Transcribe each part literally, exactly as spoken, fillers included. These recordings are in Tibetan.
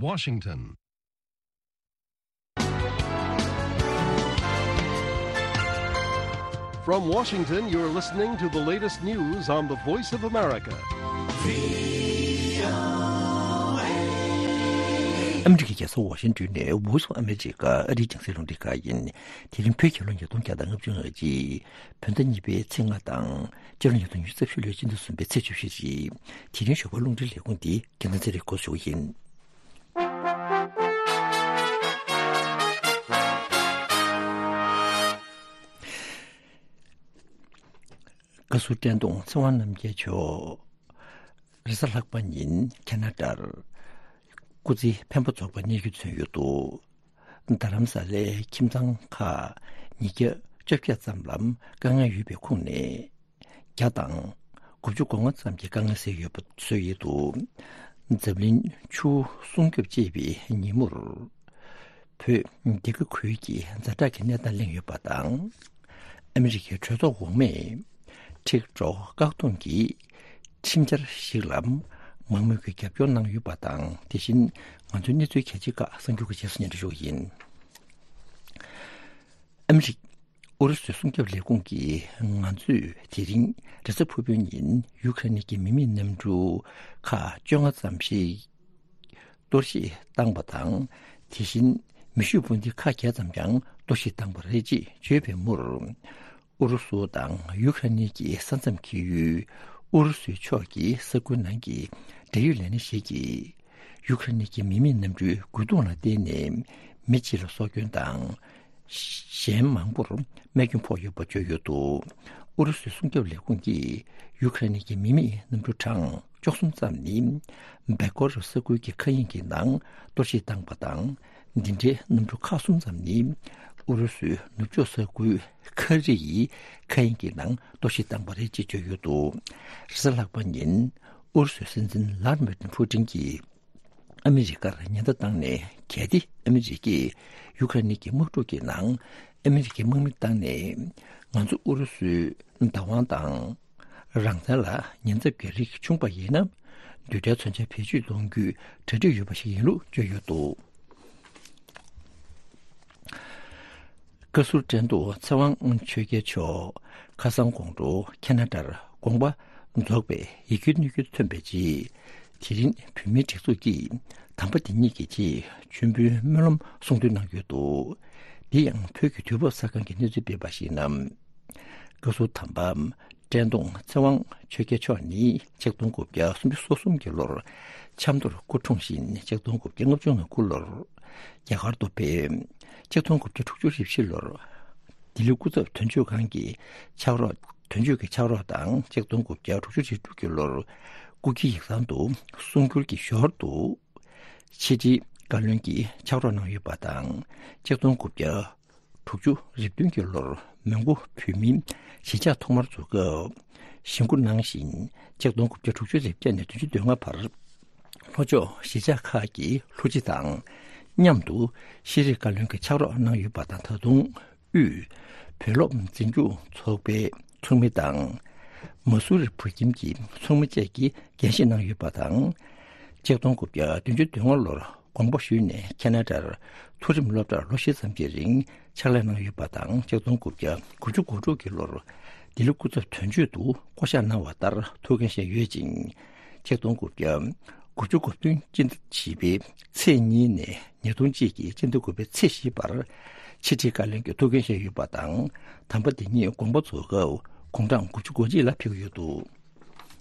Washington. From Washington, you're listening to the latest news on the Voice of America. ཨ་མི་རི་ཀའི་རྒྱལ་ས་ཝ་ཤིང་ཏོན་ནས་Voice of America ཨ་རིའི་རྒྱང་སྲིང་རླུང་འཕྲིན་ཁང་ཡིན། དེ་རིང་བོད་རྒྱལ་ལོ་ཉིས་སྟོང་བརྒྱ་དང་ལྔ་བཅུ་ང་གཅིག་བོད་ཟླ་གཉིས་པའི་ཚེས་ལྔ་དང་། སྤྱི་ལོ་ཉིས་སྟོང་ཉི་ཤུ་རྩ་བཞི་ལོའི་སྤྱི་ཟླ་གསུམ་པའི་ཚེས་བཅུ་བཞི་རེད། དེ་རིང་ཞོགས་པ་རླུང་འཕྲིན་ལས་ཁུངས་འདི་རྒྱལ་མཚན་ཚེ་རིང་འགོ་ཞུ་ཡིན། བཀའ་ཟུར་བཀྲས་མཐོང་ཚེ་དབང་རྣམ་རྒྱལ་མཆོག་རེས་གཟའ་ལྷག་པ་ཉིན་ཁེ་ན་ཌར་སྐུ་ཚེ་འཕེན་པ་རྫོགས་པ་གནས་རྒྱུ་མཚོན་ཡོད་འདུག་རྡ་རམ་ས་ལའི་ཁྱིམ་ཚང་ཁག་ཉིས་བརྒྱ་བཅོ་བརྒྱད་ཙམ་ལ་དཀའ་ངལ་ཡོད་པའི་ཁོངས་ནས། བརྒྱ་དང་དགུ་བཅུ་གོ་ལྔ་ཙམ་གྱི་དཀའ་ངལ་སེལ་ཡོད་པ་བཟོས་ཡོད་འདུག་འཛམ་གླིང་ཆུ་སྲུང་སྐྱོབ་ཅེས་པའི་ཉིན་མོར། བོད་འདི་ག་ཁུལ་གྱི་ཛ་དྲག་གི་གནས་སྟངས་གླེང་ཡོད་པ་དང་། ཨ་མི་རི་ཀའི་གྲོས་ཚོགས་འོག་མས་ཊིག་ཊོག་བཀག་སྡོམ་གྱི་ཁྲིམས་འཆར་ཞིག་ལ་མང་མོས་ཀྱི་རྒྱབ་སྐྱོར་གནང་ཡོད་པ་དང་། དེ་བཞིན་ང་ཚོའི་གནས་ཚུལ་གལ་ཆེ་ཁག་གསར་འགྱུར་གྱི་རྗེས་སུ་སྙན་སྒྲོན་ཞུ་བ་ཡིན། ཨ་མི་རི་ཀ་ཨུ་རུ་སུའི་སྲུང་སྐྱོབ་ལས་ཁུངས་ཀྱིས་ང་ཚོས་དེ་རིང་རེས་གཟའ་ཕུར་བུའི་ཉིན་ཡུ་ཁ་རེན་གྱི་མི་མེད་གནམ་གྲུ་ཁག་བཅོ་ལྔ་ཙམ་ཞིག་གཏོར་བཤིག་བཏང་བ་དང་། དེ་བཞིན་མེ་ཤུགས་འཕུར་མདེལ་ཁག་བརྒྱད་ཙམ་ཀྱང་གཏོར་བཤིག་བཏང་བ་རེད་ཅེས་བརྗོད་པའི་མུར། ཨུ་རུ་སུ་དང་ཡུ་ཁ་རེན་གྱི་ས་མཚམས་འཁེལ་ཡུལ་ཨུ་རུ་སུའི་ཕྱོགས་ཀྱི་ས་ཁུལ་ནང་གི་འབྲེལ་ཡོད་ལས་སྣེ་ཞིག་གིས། ཡུ་ཁ་རེན་གྱི་མི་མེད་གནམ་གྲུའི་རྒོལ་རྡུང་ལ་བརྟེན་ནས་མི་གཅིག་ལ་སྲོག་སྐྱོན་དང་། གཞན་མང་པོར་རྨས་སྐྱོན་ཕོག་ཡོད་པ་བརྗོད་ཡོད་འདུག་ཨུ་རུ་སུའི་སྲུང་སྐྱོབ་ལས་ཁུངས་ཀྱིས་ཡུ་ཁ་རེན་གྱི་མི་མེད་གནམ་གྲུ་གྲངས་བཅུ་གསུམ་ཙམ་ནི་བེ་ཀོ་རོབ་ས་ཁུལ་གྱི་མཁའ་དབྱིངས་ཀྱི་ནང་གཏོར་བཤིག་བཏང་བ་དང་། འདི་འདྲའི་གནམ་གྲུ་ཁག་གསུམ་ཙམ་ནི་ཨུ་རུ་སུའི་ནུབ་ཕྱོགས་ས་ཁུལ་ཁ་རི་ཡི་མཁའ་དབྱིངས་ཀྱི་ནང་གཏོར་བཤིག་བཏང་བ་རེད་ཅེས་བརྗོད་ཡོད་འདུག་རེས་གཟའ་ལྷག་པ་ཉིན་ཨུ་རུ་སུའི་སྲིད་འཛིན་ལྷ་ཌི་མིར་ཕུ་ཏིན་གྱིས། ཨ་མི་རི་ཀར་ཉེན་བརྡ་བཏང་ནས། གལ་ཏེ་ཨ་མི་རི་ཀས་ཡུ་ཁ་རེན་གྱི་དམག་འཁྲུག་གི་ནང་ཨ་མི་རི་ཀའི་དམག་མི་བཏང་ནས། ང་ཚོ་ཨུ་རུ་སུའི་བདག་དབང་དང་རང་བཙན་ལ་ཉེན་ཚབས་ཀྱི་རིགས་བྱུང་པ་ཡིན་ན། རྡུལ་ཕྲན་མཚོན་ཆ་བེད་སྤྱོད་གཏོང་རྒྱུའི་གྲ་སྒྲིག་ཡོད་པ་ཞིག་ཡིན་ལུགས་བརྗོད་ཡོད་འདུག་བཀའ་ཟུར་བཀྲས་མཐོང་ཚེ་དབང་ཆོས་རྒྱལ་མཆོག་ཁ་སང་དགོང་དྲོ་ཁེ་ན་ཌར་དགོངས་པ་རྫོགས་པའི་ཡིད་སྐྱོའི་གནས་འགྱུར་ཐོན་པའི་རྗེས། དེ་རིང་བོད་མིའི་སྒྲིག་འཛུགས་ཀྱིས་དམ་པ་དེ་ཉིད་ཀྱི་ཆེད་མཆོད་འབུལ་སྨོན་ལམ་གསུང་འདོན་གནང་ཡོད་འདུག་འདི་ཡང་བོད་ཀྱི་དུས་བབ་གསར་ཁང་གིས་གནས་ཚུལ་སྤེལ་བར་གཞིགས་ན། བཀའ་ཟུར་དམ་པ་བཀྲས་མཐོང་ཚེ་དབང་ཆོས་རྒྱལ་མཆོག་ནི་ཆིག་སྟོང་དགུ་བརྒྱ་སུམ་ཅུ་སོ་གསུམ་གྱི་ལོར་ཆབ་མདོར་སྐུ་འཁྲུངས་ཤིང་། ཆིག་སྟོང་དགུ་བརྒྱ་ལྔ་བཅུ་ང་དགུ་ལོར་རྒྱ་གར་དུ་ཕེབས། ཆིག་སྟོང་དགུ་བརྒྱ་དྲུག་ཅུ་རེ་བཞི་ལོར་ལྡི་ལི་སྐུ་ཚབ་དོན་གཅོད་ཁང་གི་ཕྱག་རོགས། དོན་གཅོད་ཀྱི་ཕྱག་རོགས་དང་། ཆིག་སྟོང་དགུ་བརྒྱ་དྲུག་ཅུ་རེ་དྲུག་གི་ལོར་སྐུ་སྒེར་ཡིག་ཚང་དུ་གསུང་སྒྱུར་གྱི་ཞོར་དུ་ཕྱི་དྲིལ་བཀའ་བློན་གྱི་ཕྱག་རོགས་གནང་ཡོད་པ་དང་། ཆིག་སྟོང་དགུ་བརྒྱ་དྲུག་ཅུ་རེ་བདུན་གྱི་ལོར་མོན་གྷོ་བོད་མིའི་གཞིས་ཆགས་ཐོག་མར་འཛུགས་སྐབས་བཞེངས་སྐུ་གནང་ཞིང་། ཆིག་སྟོང་དགུ་བརྒྱ་དྲུག་ཅུ་རེ་བརྒྱད་ནས་བདུན་ཅུ་དོན་ལྔ་བར་ལྷོ་ཕྱོགས་གཞིས་ཆགས་ཁག་གི་ལྷུ་སྤྱི་དང་མཉམ་དུ་ཤེས་རིག་བཀའ་བློན་གྱི་ཕྱག་རོགས་གནང་ཡོད་པ་དང་། ད་དུང་དབུས་བོད་སློབ་འཛིན་སྐྱོང་ཚོགས་པའི་ཚོགས་མི་དང་། མ་སུ་རི་བོད་ཁྱིམ་གྱི་ཚོགས་མི་བཅས་ཀྱིས་འགན་བཞེས་གནང་ཡོད་པ་དང་། ཆིག་སྟོང་དགུ་བརྒྱ་བདུན་ཅུ་དོན་ལྔ་ལོར་དགོངས་པ་ཞུས་ནས་ཁེ་ན་ཌར་མཐོ་རིམ་སློབ་གྲྭར་ལོ་བཞི་ཙམ་གྱི་རིང་ཕྱག་ལས་གནང་ཡོད་པ་དང་། ཆིག་སྟོང་དགུ་བརྒྱ་དགུ་བཅུ་གོ་དྲུག་གི་ལོར་ལྡི་ལི་སྐུ་ཚབ་དོན་གཅོད་དུ་བསྐོ་གཞག་གནང་བ་ལྟར་ཐུགས་འགན་བཞེས་ཡོད་ཅིང་། ཆིག་སྟོང་དགུ་བརྒྱ་དགུ་བཅུ་གོ་བདུན་སྤྱི་ཟླ་བཞི་པའི་ཚེས་གཉིས་ནས་ཉིས་སྟོང་གཅིག་གི་སྤྱི་ཟླ་དགུ་པའི་ཚེས་བཞི་བར་ཕྱི་དྲིལ་བཀའ་བློན་གྱི་ཐུགས་འགན་བཞེས་ཡོད་པ་དང་། དམ་པ་དེ་ཉིད་དགོངས་པ་རྫོགས་སྐབས་དགུང་གྲངས་དགུ་བཅུ་གོ་གཅིག་ལ་ཕེབས་ཡོད་འདུག་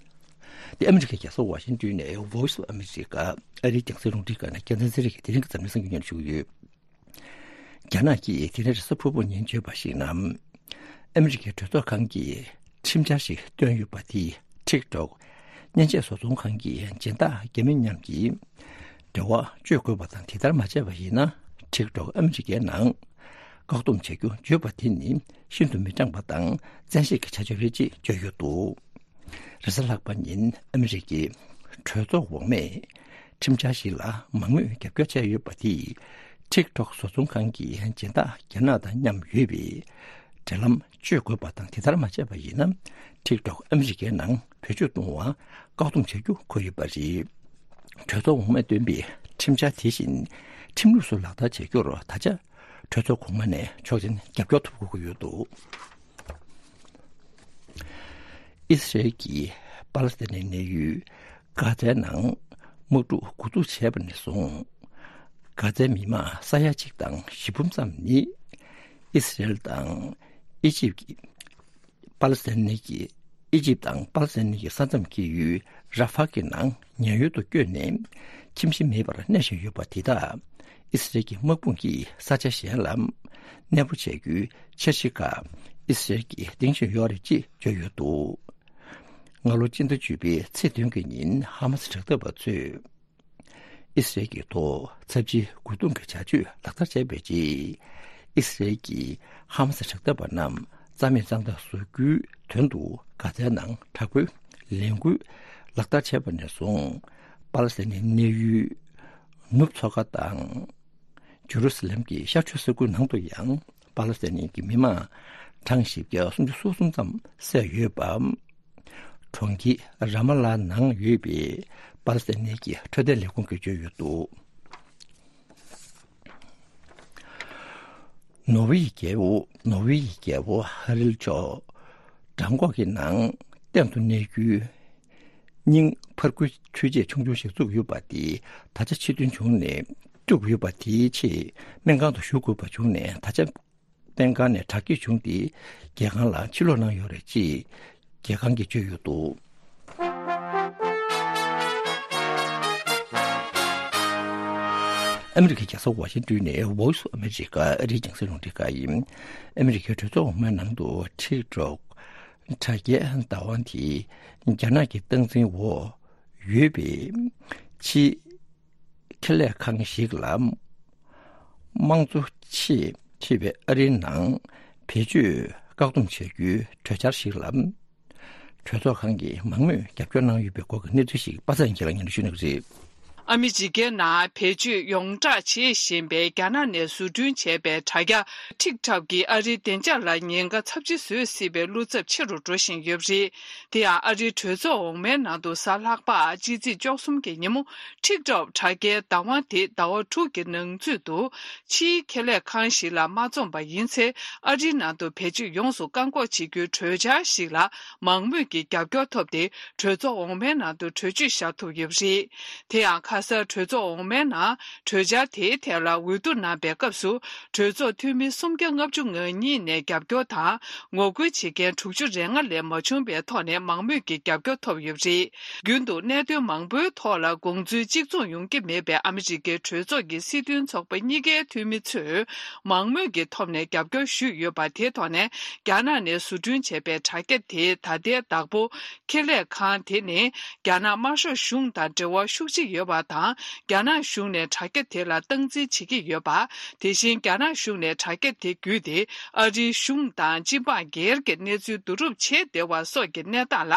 དེ་ཨ་མི་རི་ཀའི་རྒྱལ་ས་ཝ་ཤིང་ཏོན་ནས་Voice of America ཨ་རིའི་རྒྱང་སྲིང་རླུང་འཕྲིན་ཁང་ནས་རྒྱལ་མཚན་ཚེ་རིང་གིས་དེ་རིང་གི་འཛམ་གླིང་གསར་འགྱུར་སྙན་སྒྲོན་ཞུ་གི་ཡོད། རྒྱ་ནག་གིས་དེ་རིང་རེས་གཟའ་ཕུར་བུ་ཉིན་བརྗོད་པར་གཞིགས་ན། ཨ་མི་རི་ཀའི་གྲོས་ཚོགས་ཁང་གིས་ཁྲིམས་འཆར་ཞིག་བཏོན་ཡོད་པ་དེས་ཊིག་ཊོག་མཉེན་ཆས་བཟོ་ཚོང་ཁང་གི་སྦྱིན་བདག་རྒྱ་མི་མཉམ་གྱི་འབྲེལ་བ་གཅོད་དགོས་པ་དང་། དེ་ལྟར་མ་བྱས་པ་ཡིན་ན་ཊིག་ཊོག་ཨ་མི་རི་ཀའི་ནང་བཀག་སྡོམ་བྱ་རྒྱུ་བརྗོད་པ་དེ་ནི་ཤིན་ཏུ་མི་དྲང་པ་དང་བཙན་ཤེད་ཀྱི་བྱ་སྤྱོད་རེད་ཅེས་བརྗོད་ཡོད་འདུག་རེས་གཟའ་ལྷག་པ་ཉིན་ཨ་མི་རི་ཀའི་གྲོས་ཚོགས་འོག་མས་ཁྲིམས་འཆར་ཞིག་ལ་མང་མོས་རྒྱབ་སྐྱོར་བྱས་ཡོད་པ་དེས་ཊིག་ཊོག་བཟོ་ཚོང་ཁང་གི་སྦྱིན་བདག་རྒྱ་ནག་དང་མཉམ་ཡོད་པའི་འབྲེལ་ལམ་གཅོད་དགོས་པ་དང་། དེ་ལྟར་མ་བྱས་པ་ཡིན་ན་ཊིག་ཊོག་ཨ་མི་རི་ཀའི་ནང་བེད་སྤྱོད་གཏོང་བར་བཀག་སྡོམ་བྱ་རྒྱུ་འཁོད་ཡོད་པ་རེད། གྲོས་ཚོགས་འོག་མས་བཏོན་པའི་ཁྲིམས་འཆར་དེ་བཞིན་ཁྲིམས་ལུགས་སུ་ལག་བསྟར་བྱ་རྒྱུར་ད་ཆ་གྲོས་ཚོགས་གོང་མ་ནས་ཆོག་མཆན་རྒྱབ་སྐྱོར་ཐོབ་དགོས་ཀྱི་ཡོད་འདུག་ཨི་སི་རེལ་གྱིས་པ་ལི་སི་ཐན་ནི་གནས་ཡུལ་གྷ་ཛའི་ནང་དམག་འཁྲུག་འགོ་འཛུགས་བྱས་པ་ནས་བཟུང་། གྷ་ཛའི་མི་མང་ས་ཡ་གཅིག་དང་བཞི་འབུམ་ཙམ་ནི་ཨི་སི་རེལ་དང་ཨི་ཇིབ་ཀྱི་པ་ལི་སི་ཐན་ནི་གི་ཨི་ཇིབ་དང་པ་ལི་སི་ཐན་ནི་གི་ས་མཚམས་ཀྱི་ཡུལ་ར་ཧྥ་གི་ནང་ཉེན་གཡོལ་དུ་བསྐྱོད་ནས་ཁྱིམ་གཞིས་མེད་པར་གནས་བཞིན་ཡོད་པ་དེ་དག་ཨི་སི་རེལ་གྱི་དམག་དཔུང་གིས་ས་ཆ་གཞན་ལ་གནས་སྤོ་བྱ་རྒྱུའི་འཆར་གཞི་ཁག་ཨི་སི་རེལ་གྱིས་སྟེང་ཞིག་ཡོད་རེད་ཅེས་བརྗོད་ཡོད་འདུག་སྔ་ལོ་སྤྱི་ཟླ་བཅུ་པའི་ཚེས་བདུན་གྱི་ཉིན་ཧ་མ་སི་དྲག་འཐབ་པ་ཚོས་ཨི་སི་རེལ་གྱི་ཐོག་ཚབས་ཆེའི་རྒོལ་རྡུང་གི་བྱ་སྤྱོད་ལག་བསྟར་བྱས་པའི་རྗེས། ཨི་སི་རེལ་གྱིས་ཧ་མ་སི་དྲག་འཐབ་པ་རྣམས་རྩ་མེད་གཙང་དག་བཟོ་རྒྱུའི་དོན་དུ་གྷ་ཛའི་ནང་དྲག་པོའི་ལས་འགུལ་ལག་བསྟར་བྱས་པ་ནས་བཟུང་། པ་ལི་སི་ཐན་ནི་གནས་ཡུལ་ནུབ་མཚོ་ཁ་དང་། ཇེ་རུ་སི་ལེམ་གྱི་ཤར་ཕྱོགས་ས་ཁུལ་ནང་དུ་ཡང་པ་ལི་སི་ཐན་གྱི་མི་མང་གྲངས་བཞི་བརྒྱ་སུམ་ཅུ་སོ་གསུམ་ཙམ་བསད་ཡོད་པ། གྲོང་ཁྱེར་ར་མ་ལ་ནང་ཡོད་པའི་པ་ལི་སི་ཐན་གྱི་འཕྲོད་བསྟེན་ལས་ཁུངས་ཀྱིས་བརྗོད་ཡོད་འདུག་ནོར་ཝེ་ཡི་རྒྱལ་པོ་ནོར་ཝེ་ཡི་རྒྱལ་པོ་ཧ་རིལ་མཆོག་བྲང་ཁོག་གི་ནང་གཏན་དུ་གནས་རྒྱུའི་སྙིང་ཕར་རྒོལ་འཕྲུལ་ཆས་ཆུང་ཆུང་ཞིག་བཙུགས་ཡོད་པ་དེ་ད་ཆ་ཕྱིར་འདོན་བྱུང་ནས་བཅུག་ཡོད་པ་དེའི་ཆེད་སྨན་ཁང་དུ་ཞུ་དགོས་པ་བྱུང་ནས། ད་ཆ་སྨན་ཁང་ནས་དྲག་སྐྱེད་བྱུང་སྟེ་རྒྱལ་ཁང་ལ་ཕྱིར་ལོག་གནང་ཡོད་རེད་ཅེས་རྒྱལ་ཁང་གིས་བརྗོད་ཡོད་འདུག་ཨ་མི་རི་ཀའི་རྒྱལ་ས་ཝ་ཤིང་ཏོན་ནས་Voice of America ཨ་རིའི་རྒྱང་སྲིང་རླུང་འཕྲིན་ཁང་ཡིན། ཨ་མི་རི་ཀའི་གྲོས་ཚོགས་འོག་མའི་ནང་དུ་ཊིག་ཊོག་དྲ་རྒྱའི་བདག་དབང་དེ་རྒྱ་ནག་གི་སྟངས་འཛིན་འོག་ཡོད་པའི་ཕྱིའི་ཁེ་ལས་ཁང་ཞིག་ལ་དམངས་གཙོ་ཆེད་ཕྱེ་བའི་ཨ་རིའི་ནང་བེད་སྤྱོད་བཀག་སྡོམ་བྱ་རྒྱུའི་གྲོས་འཆར་ཞིག་ལ། གྲོས་ཚོགས་ཁང་གིས་མང་མོས་རྒྱབ་སྐྱོར་གནང་ཡོད་པའི་སྐོར་གྱི་གནས་ཚུལ་ཞིག་པ་སངས་སྐྱིད་ལགས་སྙན་སྒྲོན་ཞུ་གནང་གི་རེད། ཨ་མི་རི་ཀའི་ནང་བེད་སྤྱོད་ཡོངས་བསྒྲགས་བྱེད་བཞིན་པའི་རྒྱ་ནག་ནས་བཟོ་སྐྲུན་བྱས་པའི་དྲ་རྒྱ་ཊིག་ཊོག་གིས་ཨ་རིའི་བདེ་འཇགས་ལ་ཉེན་ཁ་ཚབས་ཆེ་བཟོ་སྲིད་པའི་བློ་འཚབ་ཆེ་རུ་འགྲོ་བཞིན་ཡོད་པ་རེད། དེ་ཡང་ཨ་རིའི་གྲོས་ཚོགས་འོག་མའི་ནང་དུ་གཟའ་ལྷག་པ་སྤྱི་ཚེས་བཅུ་གསུམ་གྱི་ཉིན་མོ། ཊིག་ཊོག་དྲ་རྒྱའི་བདག་དབང་དེ་ཟླ་བ་དྲུག་གི་ནང་ཚུད་དུ་ཕྱིའི་ཁེ་ལས་ཁང་ཞིག་ལ་མ་བཙོངས་པ་ཡིན་ཚེ། ཨ་རིའི་ནང་དུ་བེད་སྤྱོད་ཡོངས་སུ་བཀག་འགོག་བྱེད་རྒྱུའི་གྲོས་འཆར་ཞིག་ལ་མང་མོས་ཀྱི་རྒྱབ་སྐྱོར་ཐོབ་སྟེ། གྲོས་ཚོགས་འོག་མའི་ནང་དུ་གྲོས་ཆོད་བཞག་ཐུབ་ཡོད་པ་རེད། དེ་ཡང་ཁ་སང་གྲོས་ཚོགས་འོག་མའི་ནང་གྲོས་འཆར་དེའི་ཐད་ལ་འོས་བསྡུ་གནང་པའི་སྐབས་སུ། གྲོས་ཚོགས་འཐུས་མི་སུམ་བརྒྱ་ལྔ་བཅུ་ང་གཉིས་ནས་རྒྱབ་སྐྱོར་དང་། ངོ་རྒོལ་བྱེད་མཁན་དྲུག་ཅུ་རེ་ལྔ་ལས་མ་བྱུང་བའི་ཐོག་ནས་མང་མོས་ཀྱི་རྒྱབ་སྐྱོར་ཐོབ་ཡོད་པ་རེད། རྒྱུན་དུ་གནད་དོན་མང་པོའི་ཐོག་ལ་དགོངས་ཚུལ་གཅིག་མཚུངས་ཡོང་གི་མེད་པའི་ཨ་མི་རི་ཀའི་གྲོས་ཚོགས་ཀྱི་སྲིད་དོན་ཚོགས་པ་གཉིས་ཀའི་འཐུས་མི་ཚོས་མང་མོས་ཀྱི་ཐོག་ནས་རྒྱབ་སྐྱོར་ཞུས་ཡོད་པ་དེའི་ཐོག་ནས། རྒྱ་ནག་ནས་བཟོ་སྐྲུན་བྱས་པའི་དྲ་རྒྱ་དེའི་ད་ལྟའི་བདག་པོ་ཁེ་ལས་ཁང་དེ་ནི་རྒྱ་ནག་དམར་ཤོག་གཞུང་དང་འབྲེལ་བ་ཤུགས་ཆེ་ཡོད་པ་དང་། རྒྱ་ནག་གཞུང་ནས་དྲ་རྒྱ་དེ་ལ་སྟངས་འཛིན་བྱེད་ཀྱི་ཡོད་པ། དེ་བཞིན་རྒྱ་ནག་གཞུང་ནས་དྲ་རྒྱ་དེ་བརྒྱུད་དེ་ཨ་རིའི་གཞུང་དང་སྤྱི་འབངས་སྒེར་གྱི་གནས་ཚུལ་བསྡུ་རུབ་བྱེད་བདེ་བ་སོགས་ཀྱི་གནས་སྟངས་ལ།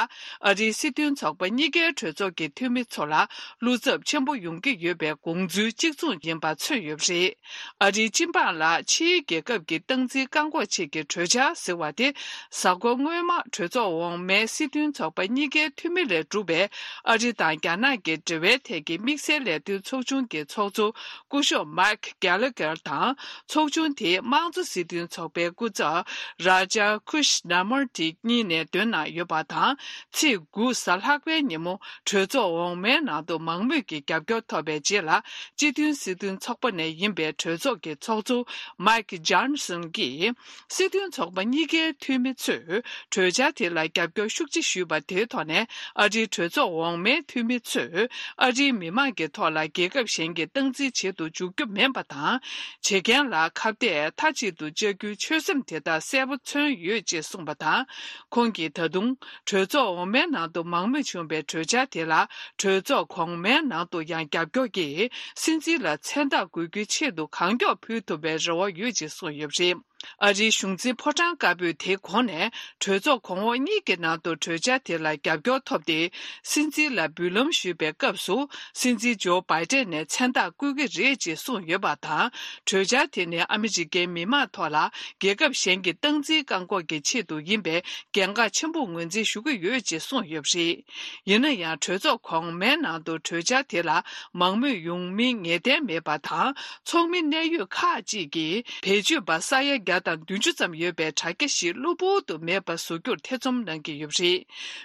ཨ་རིའི་སྲིད་དོན་ཚོགས་པ་གཉིས་ཀའི་གྲོས་ཚོགས་ཀྱི་འཐུས་མི་ཚོ་ལ་བློ་འཚབ་ཆེན་པོ་ཡོང་གི་ཡོད་པའི་དགོངས་ཚུལ་གཅིག་མཚུངས་ཡིན་པ་མཚོན་ཡོད་པ་རེད། ཨ་རིའི་སྤྱི་འབངས་ལ་ཕྱིའི་རྒྱལ་ཁབ་ཀྱི་སྟངས་འཛིན་བཀག་འགོག་ཆེད་ཀྱི་གྲོས་འཆར་ཟེར་བ་དེ། གཟའ་འཁོར་སྔོན་མ་གྲོས་ཚོགས་འོག་མའི་སྲིད་དོན་ཚོགས་པ་གཉིས་ཀའི་འཐུས་མི་ལས་གྲུབ་པའི་ཨ་རི་དང་རྒྱ་ནག་གི་འབྲེལ་བའི་ཐད་ཀྱི་དམིགས་བསལ་ལས་དོན་ཚོགས་ཆུང་གི་ཚོགས་གཙོ་སྐུ་ཞབས་Mike Gallagher དང་། ཚོགས་ཆུང་དེའི་དམངས་གཙོ་སྲིད་དོན་ཚོགས་པའི་སྐུ་ཚབ་Raja Krishnamoorthi གཉིས་ནས་འདོན་གནང་ཡོད་པ་དང་། ཚེས་དགུ་གཟའ་ལྷག་པའི་ཉིན་མོ་གྲོས་ཚོགས་འོག་མའི་ནང་དུ་མང་མོས་ཀྱི་རྒྱབ་སྐྱོར་ཐོབ་པའི་རྗེས་ལ། སྤྱི་མཐུན་སྲིད་དོན་ཚོགས་པ་ནས་ཡིན་པའི་གྲོས་ཚོགས་ཀྱི་ཚོགས་གཙོ་Mike Johnson གྱིས། སྲིད་དོན་ཚོགས་པ་གཉིས་ཀའི་འཐུས་མི་ཚོས་གྲོས་འཆར་དེ་ལ་རྒྱབ་སྐྱོར་ཤུགས་ཆེ་ཞུས་པ་དེའི་ཐོག་ནས། ཨ་རིའི་གྲོས་ཚོགས་འོག་མའི་འཐུས་མི་ཚོས་ཨ་རིའི་མི་མང་གི་ཐོག་ལ་རྒྱལ་ཁབ་གཞན་གྱི་སྟངས་འཛིན་བྱེད་དུ་འཇུག་རྒྱུ་མིན་པ་དང་། བྱེད་མཁན་ལ་ཁ་གཏད་མཐའ་གཅིག་ཏུ་བཅག་རྒྱུའི་ཆོད་སེམས་དེ་དག་གསལ་པོ་མཚོན་ཡོད་ཅེས་གསུངས་པ་དང་། ཁོང་གིས་ད་དུང་གྲོས་ཚོགས་འོག་མའི་ནང་དུ་མང་མོས་བྱུང་བའི་གྲོས་འཆར་དེ་ལ་གྲོས་ཚོགས་གོང་མའི་ནང་དུ་ཡང་རྒྱབ་སྐྱོར་གྱིས་སྲིད་འཛིན་ལ་མཚན་རྟགས་དགོས་རྒྱུའི་ཆེད་དུ་གང་མགྱོགས་ཕུལ་ཐུབ་པའི་རེ་བ་ཡོད་ཅེས་གསུངས་ཡོད་པ་རེད། ཨ་རིའི་གཞུང་འཛིན་ཕོ་བྲང་དཀར་པོས་དེའི་གོང་ནས་གྲོས་ཚོགས་གོང་འོག་གཉིས་ཀྱི་ནང་དུ་གྲོས་འཆར་དེ་ལ་རྒྱབ་སྐྱོར་ཐོབ་སྟེ། སྲིད་འཛིན་ལ་འབུལ་ལམ་ཞུས་པའི་སྐབས་སུ། སྲིད་འཛིན་ཇོ་བྷའི་ཏན་ནས་མཚན་རྟགས་བསྐུལ་གྱི་རེད་ཅེས་གསུངས་ཡོད་པ་དང་། གྲོས་འཆར་དེ་ནི་ཨ་མི་རི་ཀའི་མི་དམངས་ཐོག་ལ་རྒྱལ་ཁབ་གཞན་གྱི་སྟངས་འཛིན་བཀག་འགོག་གི་ཆེད་དུ་ཡིན་པའི་འགན་ཁག་ཆེན་པོ་ངོས་འཛིན་ཞུ་གི་ཡོད་ཅེས་གསུངས་ཡོད་པ་རེད། ཡིན་ན་ཡང་། གྲོས་ཚོགས་གོང་མའི་ནང་དུ་གྲོས་འཆར་དེ་ལ་མང་མོས་ཡོང་མིན་ངེས་གཏན་མེད་པ་དང་། ཚོགས་མི་གནད་ཡོད་ཁག་ཅིག་གིས་བེད་སྤྱོད་པ་ས་ཡ་བརྒྱ་དང་བདུན་ཅུ་ཙམ་ཡོད་པའི་དྲ་རྒྱ་ཞིག་གློ་བུར་དུ་མེད་པ་བཟོ་རྒྱུར་ཐེ་ཚོམ་གནང་གི་ཡོད་པ་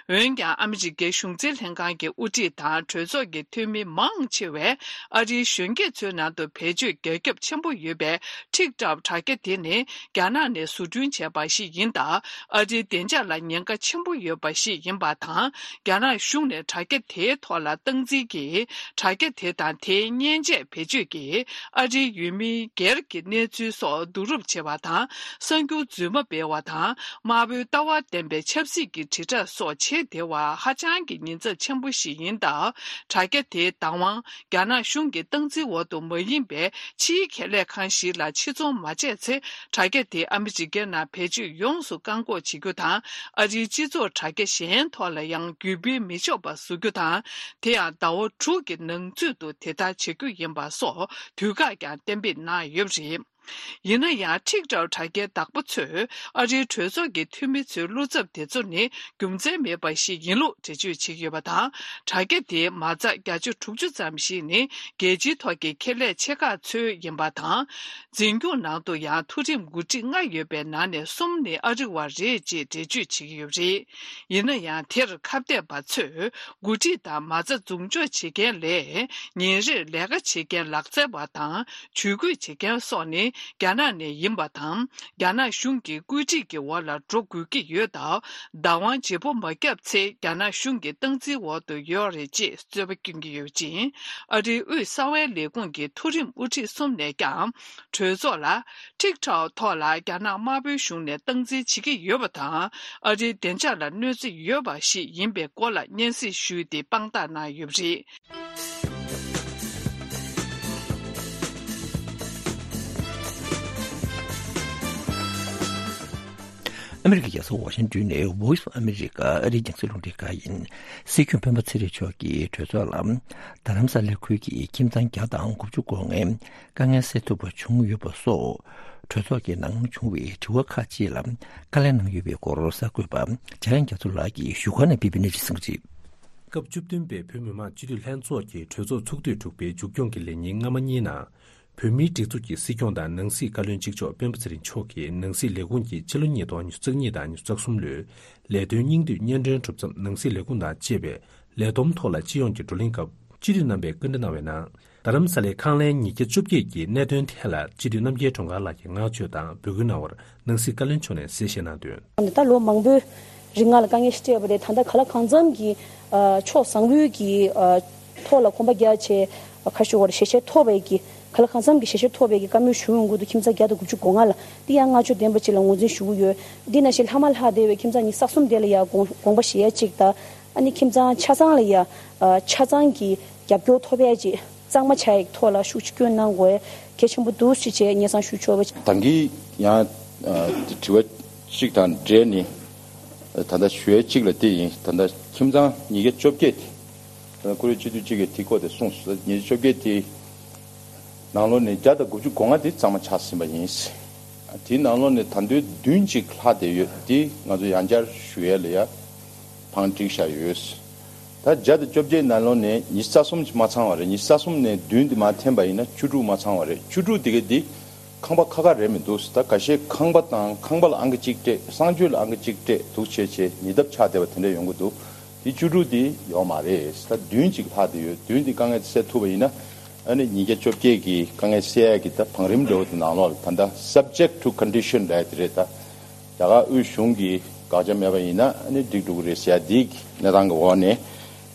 རེད། འོན་ཀྱང་། ཨ་མི་རི་ཀའི་གཞུང་འཛིན་ལྷན་ཁང་གི་དབུ་ཁྲིད་དང་གྲོས་ཚོགས་ཀྱི་འཐུས་མི་མང་ཆེ་བས། ཨ་རིའི་གཞོན་སྐྱེས་ཚོའི་ནང་དུ་བེད་སྤྱོད་རྒྱ་ཁྱབ་ཆེན་པོ་ཡོད་པའི་ཊིག་ཊོག་དྲ་རྒྱ་དེ་ནི། རྒྱ་ནག་ནས་བཟོ་སྐྲུན་བྱས་པ་ཞིག་ཡིན་སྟབས། ཨ་རིའི་བདེ་འཇགས་ལ་ཉེན་ཁ་ཆེན་པོ་ཡོད་པ་ཞིག་ཡིན་པ་དང་། རྒྱ་ནག་གཞུང་ནས་དྲ་རྒྱ་དེའི་ཐོག་ལ་སྟངས་འཛིན་གྱིས། དྲ་རྒྱ་དེ་དང་དེའི་མཉེན་ཆས་བེད་སྤྱོད་ཀྱིས། ཨ་རིའི་ཡུལ་མིའི་སྒེར་གྱི་གནས་ཚུལ་སོགས་བསྡུ་རུབ་བྱེད་པ་དང་། གསར་འགྱུར་རྫུན་མ་སྤེལ་བ་དང་། དམར་པོའི་ལྟ་བ་ལྡན་པའི་ཆབ་སྲིད་ཀྱི་དྲིལ་བསྒྲགས་སོགས་བྱེད་བདེ་བ་ཧ་ཅང་གི་ཉེན་ཚབས་ཆེན་པོ་ཞིག་ཡིན་སྟབས། དྲ་རྒྱ་དེའི་བདག་དབང་རྒྱ་ནག་གཞུང་གི་སྟངས་འཛིན་འོག་ཏུ་མ་ཡིན་པའི་ཕྱིའི་ཁེ་ལས་ཁང་ཞིག་ལ་ཕྱིར་ཚོང་མ་བྱས་ཚེ། དྲ་རྒྱ་དེ་ཨ་མི་རི་ཀའི་ནང་བེད་སྤྱོད་ཡོངས་སུ་བཀག་འགོག་བྱེད་རྒྱུ་དང་། ཨ་རིའི་སྤྱི་ཚོགས་དྲ་རྒྱ་གཞན་ཐོག་ལ་ཡང་བརྒྱུད་སྤེལ་མི་ཆོག་པ་བཟོ་རྒྱུ་དང་། དེ་ཡང་ཟླ་བ་དྲུག་གི་ནང་ཚུད་དུ་དེ་ལྟར་བྱེད་རྒྱུ་ཡིན་པ་སོགས་དུས་བཀག་ཀྱང་གཏན་འབེབས་གནང་ཡོད་པ་རེད། ཡིན་ན་ཡང་། ཊིག་ཊོག་དྲ་རྒྱའི་བདག་པོ་ཚོས་ཨ་རིའི་གྲོས་ཚོགས་ཀྱི་འཐུས་མི་ཚོའི་བློ་འཚབ་དེ་ཚོ་ནི་རྒྱུ་མཚན་མེད་པ་ཞིག་ཡིན་ལུགས་འགྲེལ་བརྗོད་བྱེད་ཀྱི་ཡོད་པ་དང་། དྲ་རྒྱ་དེའི་མ་རྩ་བརྒྱ་ཆ་དྲུག་ཅུ་ཙམ་ཞིག་ནི་རྒྱལ་སྤྱིའི་ཐོག་གི་ཁེ་ལས་ཆེ་ཁག་ཚོའི་ཡིན་པ་དང་། འཛིན་སྐྱོང་ནང་དུ་ཡང་མཐོ་རིམ་འགོ་ཁྲིད་ལྔ་ཡོད་པའི་ནང་ནས་གསུམ་ནི་ཨ་རི་བ་རེད་ཅེས་འགྲེལ་བརྗོད་བྱེད་ཀྱི་ཡོད་པ་རེད། ཡིན་ན་ཡང་། དེར་ཁ་གཏད་པ་ཚོས། འགོ་ཁྲིད་དང་མ་རྩ་འཛུགས་འཇོག་བྱེད་མཁན་ལས། ཉིན་རེར་ལས་ཀ་བྱེད་མཁན་ལག་རྩལ་བ་དང་། ཇུས་འགོད་བྱེད་མཁན་སོགས་ནི་རྒྱ་ནག་ནས་ཡིན་པ་དང་། རྒྱ་ནག་གཞུང་གི་བཀོད་སྒྲིག་གི་འོག་ལ་འགྲོ་དགོས་ཀྱི་ཡོད་སྟབས། བདག་དབང་བརྗེ་པོ་མ་བརྒྱབ་ཚེ། རྒྱ་ནག་གཞུང་གི་སྟངས་འཛིན་འོག་ཏུ་ཡོད་རེད་ཅེས་རྩོད་པ་བསྐྱོན་གྱི་ཡོད་ཅིང་། ཨ་རིའི་དབུས་གསང་བའི་ལས་ཁུངས་ཀྱི་མཐོ་རིམ་དབུ་ཁྲིད་གསུམ་ནས་ཀྱང་། གྲོས་ཚོགས་ལ། ཊིག་ཊོག་ཐོག་ལ་རྒྱ་ནག་དམར་པོའི་གཞུང་ནས་སྟངས་འཛིན་བྱེད་ཀྱི་ཡོད་པ་དང་། ཨ་རིའི་བདེ་འཇགས་ལ་གནོད་འཚེ་ཡོད་པ་ཞིག་ཡིན་པའི་སྐོར་ལ་སྙན་སེང་ཞུས་ཏེ་དཔང་རྟགས་གནང་ཡོད་པ་རེད། ཨ་མི་རི་ཀའི་རྒྱལ་ས་ཝ་ཤིང་ཏོན་ནས་Voice of America ཨ་རིའི་རྒྱང་སྲིང་རླུང་འཕྲིན་ཁང་ཡིན། སྲིད་སྐྱོང་སྤེན་པ་ཚེ་རིང་མཆོག་གིས་གྲོས་ཚོགས་ལ། རྡ་རམ་ས་ལའི་ཁུལ་གྱི་ཁྱིམ་ཚང་བརྒྱ་དང་དགུ་བཅུ་གོ་ལྔའི་དཀའ་ངལ་སེལ་ཐུབ་པ་བྱུང་ཡོད་པ་སོགས། གྲོས་ཚོགས་ཀྱི་ནང་བྱུང་བའི་དྲི་བ་ཁག་ཅིག་ལ་བཀའ་ལན་གནང་ཡོད་པའི་སྐོར་གསར་འགོད་པ་འཇམ་དབྱངས་རྒྱ་མཚོ་ལགས་ཀྱིས་བཞུགས་སྒར་ནས་ཕུལ་བའི་གནས་ཚུལ་གསན་གྱི་རེད། སྐབས་བཅུ་བདུན་པའི་བོད་མི་མང་སྤྱི་འཐུས་ལྷན་ཚོགས་ཀྱི་གྲོས་ཚོགས་ཚོགས་དུས་དྲུག་པའི་མཇུག་སྐྱོང་གི་ལས་ཉིན་སྔ་མ་གཉིས་ནང་། བོད་མིའི་སྒྲིག་འཛུགས་ཀྱི་སྲིད་སྐྱོང་དང་ནང་སྲིད་བཀའ་བློན་གཅིག་ལྕོགས་སྤེན་པ་ཚེ་རིང་མཆོག་གིས་ནང་སྲིད་ལས་ཁུངས་ཀྱི་ཕྱི་ལོ་ཉིས་སྟོང་ཉི་ཤུ་རྩ་གཉིས་དང་ཉི་ཤུ་རྩ་གསུམ་ལོའི་ལས་དོན་སྙིང་བསྡུས་སྙན་སྒྲོན་གྲུབ་མཚམས་ནང་སྲིད་ལས་ཁུངས་དང་བཅས་པའི་ལས་བསྡོམས་ཐོག་ལ་སྤྱི་ཡོངས་ཀྱི་བགྲོ་གླེང་སྐབས་སྤྱི་འཐུས་རྣམ་པས་བཀའ་འདྲི་གནང་བའི་ནང་། རྡ་རམ་ས་ལའི་ཁང་ལན་ཉིས་བརྒྱ་བཅོ་བརྒྱད་ཀྱི་གནད་དོན་ཐད་ལ་སྤྱི་འཐུས་རྣམ་རྒྱལ་སྒྲོལ་དཀར་ལགས་ཀྱིས་བསྔགས་བརྗོད་དང་འབོད་སྐུལ་གནང་བར་ནང་སྲིད་བཀའ་བློན་མཆོག་ནས་གསལ་བཤད་གནང་དོན། ད་ལོ་མང་པོའི་རིང་ང་ལ་དཀའ་ངལ་ཞིག་འཕྲད་པ་རེད། ད་ལྟ་གང་ལ་གང་འཚམ་གྱི་ཨ་ཕྱོགས་བཟང་པོའི་གི་ཨ་ཐོག་ལ་གོམ་པ་རྒྱག་བྱས་ཁ་ཤོ་བར་ཞལ་བཞེས་ཐོབ་པའི་གི་གང་ལ་གང་འཚམ་གྱི་ཞལ་བཞེས་ཐོབ་པའི་གི་བཀའ་མོལ་ཞུ་ཡོང་གི་འདུག་ཁྱིམ་ཚང་བརྒྱ་དང་དགུ་བཅུ་གོ་ལྔ་ལ་འདི་ཡང་བསྔགས་བརྗོད་ལྡན་པ་ཅིག་ལ་ངོས་འཛིན་ཞུ་གི་ཡོད། འདི་ནང་བཞིན་ལྷག་མ་ལྷག་བསྡད་པའི་ཁྱིམ་ཚང་ཉི་ཤུ་རྩ་གསུམ་དེ་ལ་ཡང་དགོངས་དགོངས་པ་བཞེས་ཡ་གཅིག་དང་། ཨ་ནི་ཁྱིམ་ཚང་ཆ་ཚང་ལ་ཡང་ཨ་ཆ་ཚང་གི་རྒྱབ་སྐྱོར་ཐོབ་ཡ་གཅིག་གཙང་མ་ཆགས་ཡག་ཐོག་ལ་ཤུགས་ཆེ་སྐྱོན་གནང་དགོས་གལ་ཆེན་པོ་འདུག་ཅེས་བྱས་སྙན་སེང་ཞུ་ཆོག་པ། ད་གིན་ཡང་དྲི་བ་གཅིག་དང་འབྲེལ་ནས་ད་ལྟ་ཞུ་ཡ་གཅིག་ལ་དེ་ཡིན། ད་ལྟ་ཁྱིམ་ཚང་ཉིས་བརྒྱ་བཅོ་བརྒྱད་དེ་ད་ལྟ་བཀུར་འོས་སྤྱི་འཐུས་གཅིག་གིས་དེ་སྐོར་དེ་གསུངས་སོང་། ཉིས་བརྒྱ་བཅོ་བརྒྱད་དེ་ནང་ལོགས་ནས་བརྒྱ་དང་དགུ་བཅུ་གོ་ལྔ་དེ་གཙང་མ་ཆགས་ཟིན་པ་ཡིན། དེའི་ནང་ལོགས་ནས་ད་དུང་བདུན་གཅིག་ལྷག་བསྡད་ཡོད། དེ་ང་ཚོ་ཡང་བསྐྱར་ཞུ་ཡ་ལ་ཡ་བང་བསྒྲིགས་བཞག་ཡོད། ད་བརྒྱ་དང་བཅོ་བརྒྱད་ནང་ལོགས་ནས་ཉི་ཤུ་རྩ་གསུམ་ཅིག་མ་ཚང་བ་རེད། ཉི་ཤུ་རྩ་གསུམ་ནས་བདུན་དེ་མར་འཐེན་པ་ཡིན་ན་བཅུ་དྲུག་མ་ཚང་བ་རེད། བཅུ་དྲུག་དེ་ག་དེ་ཁང་པ་ཁ་ཁ་རེད་མི་འདུག་ད་ཁ་ཤས་ཁང་པ་དང་ཁང་པ་ལ་ཨང་ཀི་གཅིག་སྤྲད། གསང་སྤྱོད་ལ་ཨང་ཀི་གཅིག་སྤྲད་འདུག་བྱས་བྱས་ཉེ་འདབས་ཆགས་བསྡད་པ་དེ་འདྲ་ཡོང་གི་འདུག་དེ་བཅུ་དྲུག་དེ་ཡོད་མ་རེད། ད་བདུན་ཅིག་ལྷག་བསྡད་ཡོད། བདུན་དེ་དཀའ་ངལ་སེལ་ཐུབ་པ་ཡིན་ན་ཨ་ནི་ཉིས་བརྒྱ་བཅོ་བརྒྱད་ཀྱི་དཀའ་ངལ་སེལ་ཡག་གི་ད་བང་རིམ་འདྲ་བོ་དེ་ནང་ལོགས་ལ་ད་ལྟ་subject to condition ལབ་ཡ་དེ་རེད། ད་རྒྱ་གར་དབུས་གཞུང་གི་དགག་བྱ་མེད་པ་ཡིན་ན་ཨ་ནི་འགྲིག་འགྲོ་གི་རེད་ཟེར་ཡ་དེའི་གནས་སྟངས་ཀྱི་འོག་ནས་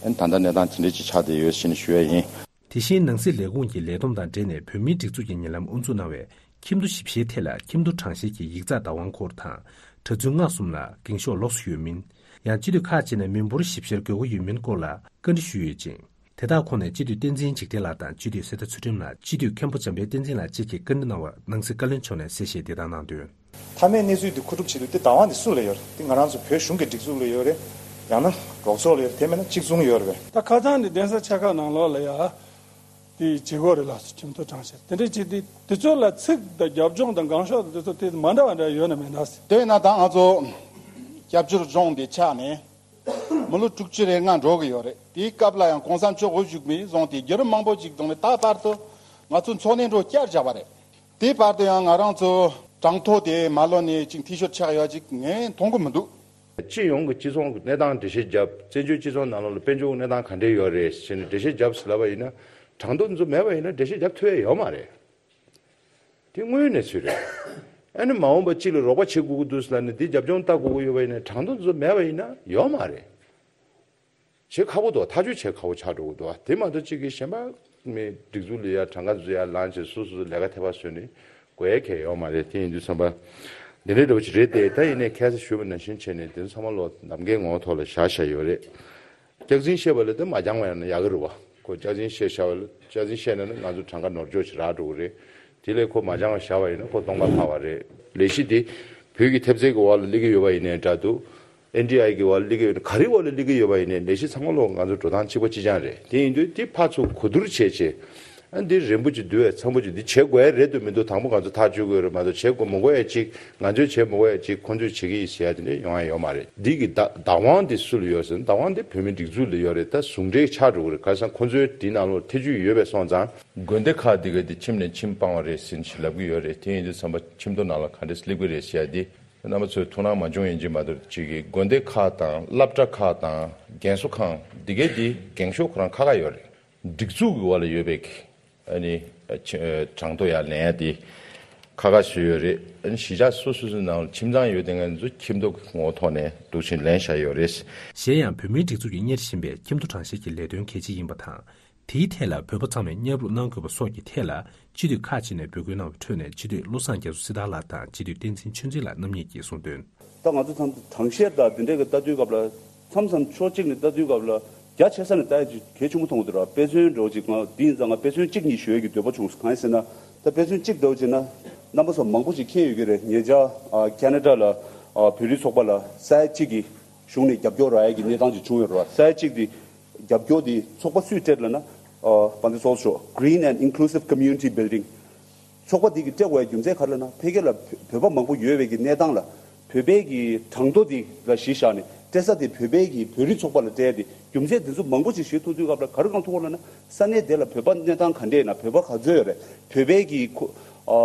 ཨ་ནི་ད་ལྟ་གནས་སྟངས་དེ་འདྲ་ཅིག་ཆགས་བསྡད་ཡོད་ཟེར་ནས་ཞུ་ཡ་ཡིན། དེ་བཞིན་ནང་སྲིད་ལས་ཁུངས་ཀྱི་ལས་བསྡོམས་དང་འབྲེལ་ནས་བོད་མིའི་སྒྲིག་འཛུགས་ཀྱི་ཉེ་ལམ་དབུ་འཛུགས་གནང་བའི་ཁྱིམ་ཐོ་ཞིབ་བཤེར་ཐད་ལ་ཁྱིམ་ཐོ་གྲངས་བཤེར་གྱི་ཡིག་ཚགས་བདག་དབང་སྐོར་དང་གྲྭ་བཙུན་མངགས་གསུམ་ལ་འགེངས་ཤོག་ལོགས་སུ་ཡོད་མིན། ཡང་སྤྱི་འཐུས་ཁག་ཅིག་ནས་མི་འབོར་ཞིབ་བཤེར་དགོས་མཁོ་ཡོད་མིན་སྐོར་ལ་བཀའ་འདྲི་ཞུས་ཡོད་ཅིང་། དེ་དག་ཁོངས་ནས་སྤྱི་འཐུས་བསྟན་འཛིན་འཇིགས་བྲལ་ལགས་དང་སྤྱི་འཐུས་གསེར་རྟ་ཚུལ་ཁྲིམས་ལགས། སྤྱི་འཐུས་མཁན་པོ་འཇམ་དཔལ་བསྟན་འཛིན་ལགས་བཅས་ཀྱིས་བཀའ་འདྲི་གནང་བར་ནང་སྲིད་བཀའ་བློན་མཆོག་ནས་གསལ་བཤད་འདི་ལྟར་གནང་དོན། མཐའ་མའི་གནས་ཚུལ་འདི་མཁོ་སྒྲུབ་བྱེད་དུས་དེ་བདག་དབང་འདི་སུ་ལ་ཡོད་རེད། དེ་ང་རང་ཚོ་བོད་གཞུང་གི་སྒྲིག་འཛུགས་ལ་ཡོད་རེད། ཡང་ན་རོགས་ཚོགས་ལ་ཡོད་རེད། དེ་མིན་ན་གཅིག་མཚུངས་ཡོད་རེད་པས། ད་ཁ་སང་འདི་གདན་ས་ཆེ་ཁག་ནང་ལོགས་ལ་ཡ་དེ་བྱེད་དགོས་རེད་ལགས་སོ། ཁྲིམས་ཐོག་དྲང་བཤེར་དེ་འདྲ་བྱེད་དུས་དེ་ཚོ་ལ་ཚིག་དང་རྒྱབ་ལྗོངས་དང་གང་ཤོག་དང་དེ་ཚོ་དེ་མ་འདྲ་བ་འདྲ་ཡོད་ན་མེད་ན་ཟེར། དེས་ན་ད་ང་ཚོ་སྐྱབས་བཅོལ་ལྗོངས་འདི་ཆགས་ནས་མི་ལོ་དྲུག་ཅུ་རེ་ལྔ་འགྲོ་གི་ཡོད་རེད། དེའི་སྐབས་ལ་ཡང་གོང་ས་མཆོག་དབུ་བཞུགས་མི་བཟུང་སྟེ་བརྒྱུད་རིམ་མང་པོ་ཅིག་བཟུང་ནས་ད་བར་དུ་ང་ཚོ་འཚོ་གནས་འགྲོ་བསྐྱར་བཞག་པ་རེད། དེའི་བར་དུ་ཡང་ང་རང་ཚོ་གྲངས་ཐོ་དེ་མ་ལོན་ནས་ཅིག་འཐུས་ཤོར་ཆགས་ཡོད་ཅིག་ངས་མཐོང་གི་མི་འདུག། སྤྱི་ཡོངས་ཀྱི་སྤྱི་ཚོགས་ཀྱི་གནས་སྟངས་འགྲེལ་བཤད་བརྒྱབ། བཙན་བྱོལ་སྤྱི་ཚོགས་ནང་ལོགས་ལ་དཔལ་འབྱོར་གྱི་གནས་སྟངས་ག་འདྲས་ཡོད་རེད་ཟེར་ནས་འགྲེལ་བཤད་བརྒྱབ་ཟེར་ལབ་པ་ཡིན་ན། གྲངས་ཐོ་འདི་ཚོ་མེད་པ་ཡིན་ན་འགྲེལ་བཤད་བརྒྱབ་ཐུབ་ཡ་ཡོད་མ་རེད། དེ་དངོས་ཡོད་གནས་ཚུལ་རེད། ཨ་ནི་མ་འོངས་པ་གཅིག་ལ་རོགས་པ་བྱེད་དགོས་ཀྱི་འདུག་ཟེར་ལབ་ནས་དེ་རྒྱབ་ལྗོངས་ལྟ་དགོས་ཀྱི་ཡོད་པ་ཡིན་ན་གྲངས་ཐོ་འདི་ཚོ་མེད་པ་ཡིན་ན་ཡོད་མ་རེད། བྱེད་ཁག་པོ་འདུག། ཐག་གཅོད་བྱེད་ཁག་པོ་ཆགས་འགྲོ་གི་འདུག། དེ་མ་གཏོགས་གཅིག་གིས་གཞན་པ་མི་སྒྲིག་འཛུགས་ལ་ཡ་གྲངས་ཀ་བཟོ་ཡ་ལངས་བྱས་སོ་སོ་སོ་ལས་ཀ་ཐེ་བ་བཟོས་ནས་དགོས་ཡ་གང་ཡང་ཡོད་མ་རེད། དེ་ཡིན་དུས་ཙམ་པ་འདི་འདྲའི་འདྲ་བོ་ཅིག་རེད་དེ། ད་ཡིན་ནའི་ཁ་སང་ཞུས་པ་ནང་བཞིན་བྱས་ནས་དེ་ཚོ་ཚང་མ་ལོ་ནམ་མཁའི་ངོ་བོ་ཐོག་ལ་བཞག་བཞག་ཡོད་རེད། སྐྱག་རྫུན་བཤད་པ་ལ་དེ་མ་འགྱངས་པ་ཡང་ན་ཡག་གི་རེད་བ། ཁོ་སྐྱག་རྫུན་བཤད་བཞག་པ་ལ་སྐྱག་རྫུན་བཤད་ན་ན་ང་ཚོ་གྲངས་ཀ་ནོར་འཁྱོག་ཅིག་རག་འགྲོ་གི་རེད། དེ་ལས་ཁོ་མ་འགྱངས་པ་བཞག་པ་ཡིན་ན་ཁོ་སྟོང་པ་ལྷག་པ་རེད། ལས་གཞི་དེ་བོད་ཀྱི་ཐེབས་རྩའི་གི་འོག་ལ་སླེབས་ཀྱི་ཡོད་པ་ཡིན་ནའི་འདྲ་འདུག། ཨེན་ཌི་ཨའི་གི་འོག་ལ་སླེབས་ཀྱི་ཡོད་ན་ག་རེའི་འོག་ལ་སླེབས་ཀྱི་ཡོད་པ་ཡིན་ནའི་ལས་གཞི་ཚང་མ་ལོག་ང་ཚོ་འགྲོ་སྟངས་གཅིག་པ་གཅིག་རྐྱང་རེད། དེ་ཡིན་དུས་དེ་ཕར་ཚུར་གོ་བསྡུར་བྱས་བྱས། ཨ་འདི་རན་པོ་ཅིག་འདུག་བས། འཚམ་པོ་ཅིག་འདི་བྱེད་དགོས་ཡ་རེད་འདུག་མི་འདུག་དང་པོ་ང་ཚོ་ཐག་གཅོད་དགོས་རེད། མ་གཏོགས་བྱེད་དགོས་མི་དགོས་ཡ་ཅིག་ང་ཚོས་བྱེད་མི་དགོས་ཡ་ཅིག་ཁོ་ཚོས་བྱེད་ཀྱི་ཡིན་ཟེར་ཡ་དེ་འདྲ་ཡོང་ཡ་ཡོད་མ་རེད། འདི་གི་བདག་བདག་དབང་དེ་སུ་ལ་ཡོད་ཟེར་ན་བདག་དབང་དེ་བོད་མིའི་སྒྲིག་འཛུགས་ལ་ཡོད་རེད། ད་ཟུང་འབྲེལ་ཆགས་འགྲོ་གི་རེད། ག་རེ་ཟེར་ན་ཁོ་ཚོའི་འདི་ནང་ལོགས་ཐེ་བྱུས་ཡོད་པས་སོང་ཙང་། དགོན་སྡེ་ཁག་འདི་ག་དེ་ཁྱིམ་ནས་ཁྱིམ་སྤང་བ་རེད་ཟེར་ནས་ལབ་ཀྱི་ཡོད་རེད། དེ་ཡིན་དུས་ཙམ་པ་ཁྱིམ་ཐོ་ནང་ལ་ག་འདྲས་སླེབས་ཀྱི་རེད་ཟེར་ཡ་དེ་རྣམ་པ་ཚོས་ཐུགས་སྣང་མ་བྱུང་ཡིན་གཅིག་མ་གཏོགས་གཅིག་གིས་དགོན་སྡེ་ཁག་དང་སློབ་གྲྭ་ཁག་དང་རྒན་གསོ་ཁང་འདི་ག་དེ་འགེངས་ཤོག་ཁོ་རང་ཁ་ཁ་ཡོད་རེད། སྒྲིག་འཛུགས་ཀྱི་འོག་ལ་ཡོད་པའི་ཨ་ནི་ཆ་གྲངས་ཐོ་ཡར་ལེན་ཡ་དེ་ཁ་ཁ་བཟོས་ཡོད་རེད། ཨ་ནི་གཞིས་ཆགས་སོ་སོ་སོའི་ནང་ལ་ཁྱིམ་ཚང་ཡོད་དེ་ང་ཚོ་ཁྱིམ་ཐོ་གི་ངོ་བོ་ཐོག་ནས་འདུག་ཕྱིན་ལེན་བཞག་ཡོད་རེད། གཞན་ཡང་བོད་མིའི་སྒྲིག་འཛུགས་ཀྱིས་གཉེར་བཞིན་པའི་ཁྱིམ་ཐོ་དྲང་བཤེར་གྱི་ལས་དོན་གལ་ཆེ་ཡིན་པ་དང་། དེའི་ཐད་ལ་བོད་པ་ཚང་མས་མཉམ་རུབ་གནང་དགོས་པ་སོགས་ཀྱི་ཐད་ལ་སྤྱི་འཐུས་ཁག་ཅིག་ནས་འབོད་སྐུལ་གནང་བའི་ཁྲོད་ནས་སྤྱི་འཐུས་བློ་བཟང་རྒྱ་མཚོ་སྲི་ཐར་ལགས་དང་སྤྱི་འཐུས་བསྟན་འཛིན་ཆོས་འཛིན་ལགས་རྣམ་གཉིས་ཀྱིས་གསུངས་དོན། ད་ང་ཚོ་མཚམས་དྲང་བཤེར་དང་དེ་འདྲའི་གི་ལྟ་དུས་སྐབས་ལ་མཚམས་མཚམས་ཕྱོགས་གཅིག་ནས་ལྟ་དུས་སྐབས་ལ་རྒྱ་ཆེ་ས་ནས་ལྟ་ཡ་ཅིག་གལ་ཆེན་པོ་མཐོང་གི་འདུག་ར། དཔེ་མཚོན་འདྲ་བོ་ཅིག་ང་འདི་ཡིན་ཙང་ང་དཔེ་མཚོན་གཅིག་གཉིས་ཞུ་ཡ་གི་འདོད་པ་བྱུང་སོང་། གང་ཡིན་ཟེར་ན་ད་དཔེ་མཚོན་གཅིག་འདྲ་བོ་ཅིག་ན་རྣམ་པ་ཚོ་མང་པོ་ཅིག་མཁྱེན་ཡོད་ཀྱི་རེད། ཉེ་ཆར་ཨ་ཁེ་ན་ཌ་ལ་ཨ་བོད་རིགས་ཚོགས་པ་ལ་ས་ཡ་གཅིག་གི་གཞུང་ནས་རྒྱབ་སྐྱོར་རག་ཡ་གི་གནས་སྟངས་ཅིག་བྱུང་ཡོད་རེད་བ། ས་ཡ་གཅིག་དེ་རྒྱབ་སྐྱོར་དེ་ཚོགས་པ་སུས་སྤྲད་ལབ་ན། ཨ་དཔལ་ལྡན་ཚོགས་གཙོ་མཆོག Green and Inclusive Community Building ཚོགས་པ་དེ་གིས་སྤྲད་དགོས་ཡ་རྒྱུ་མཚན་ག་རེ་ལབ་ན། ཕ་གི་ལ་བོད་པ་མང་པོ་ཡོད་པའི་གི་གནས་སྟངས་ལ་བོད་པའི་གི་གྲངས་ཐོ་དེ་ལ་གཞི་བཞག་ནས་སྤྲད་ས་དེ་བོད་པའི་གི་བོད་རིགས་ཚོགས་པ་ལ་སྤྲད་ཡ་དེ་རྒྱུ་མཚན་དེ་ཚོ་མང་པོ་ཞིག་ཞུ་ཐུབ་དུས་སྐབས་ལ་ག་རེ་གང་ཐུག་གོ་ལབ་ན། ས་གནས་དེ་ལ་བོད་པ་གནས་སྟངས་ག་འདྲས་ཡིན་ན། བོད་པ་ག་ཚོད་ཡོད་རེད། བོད་པའི་གི་ཁོ་ཨ་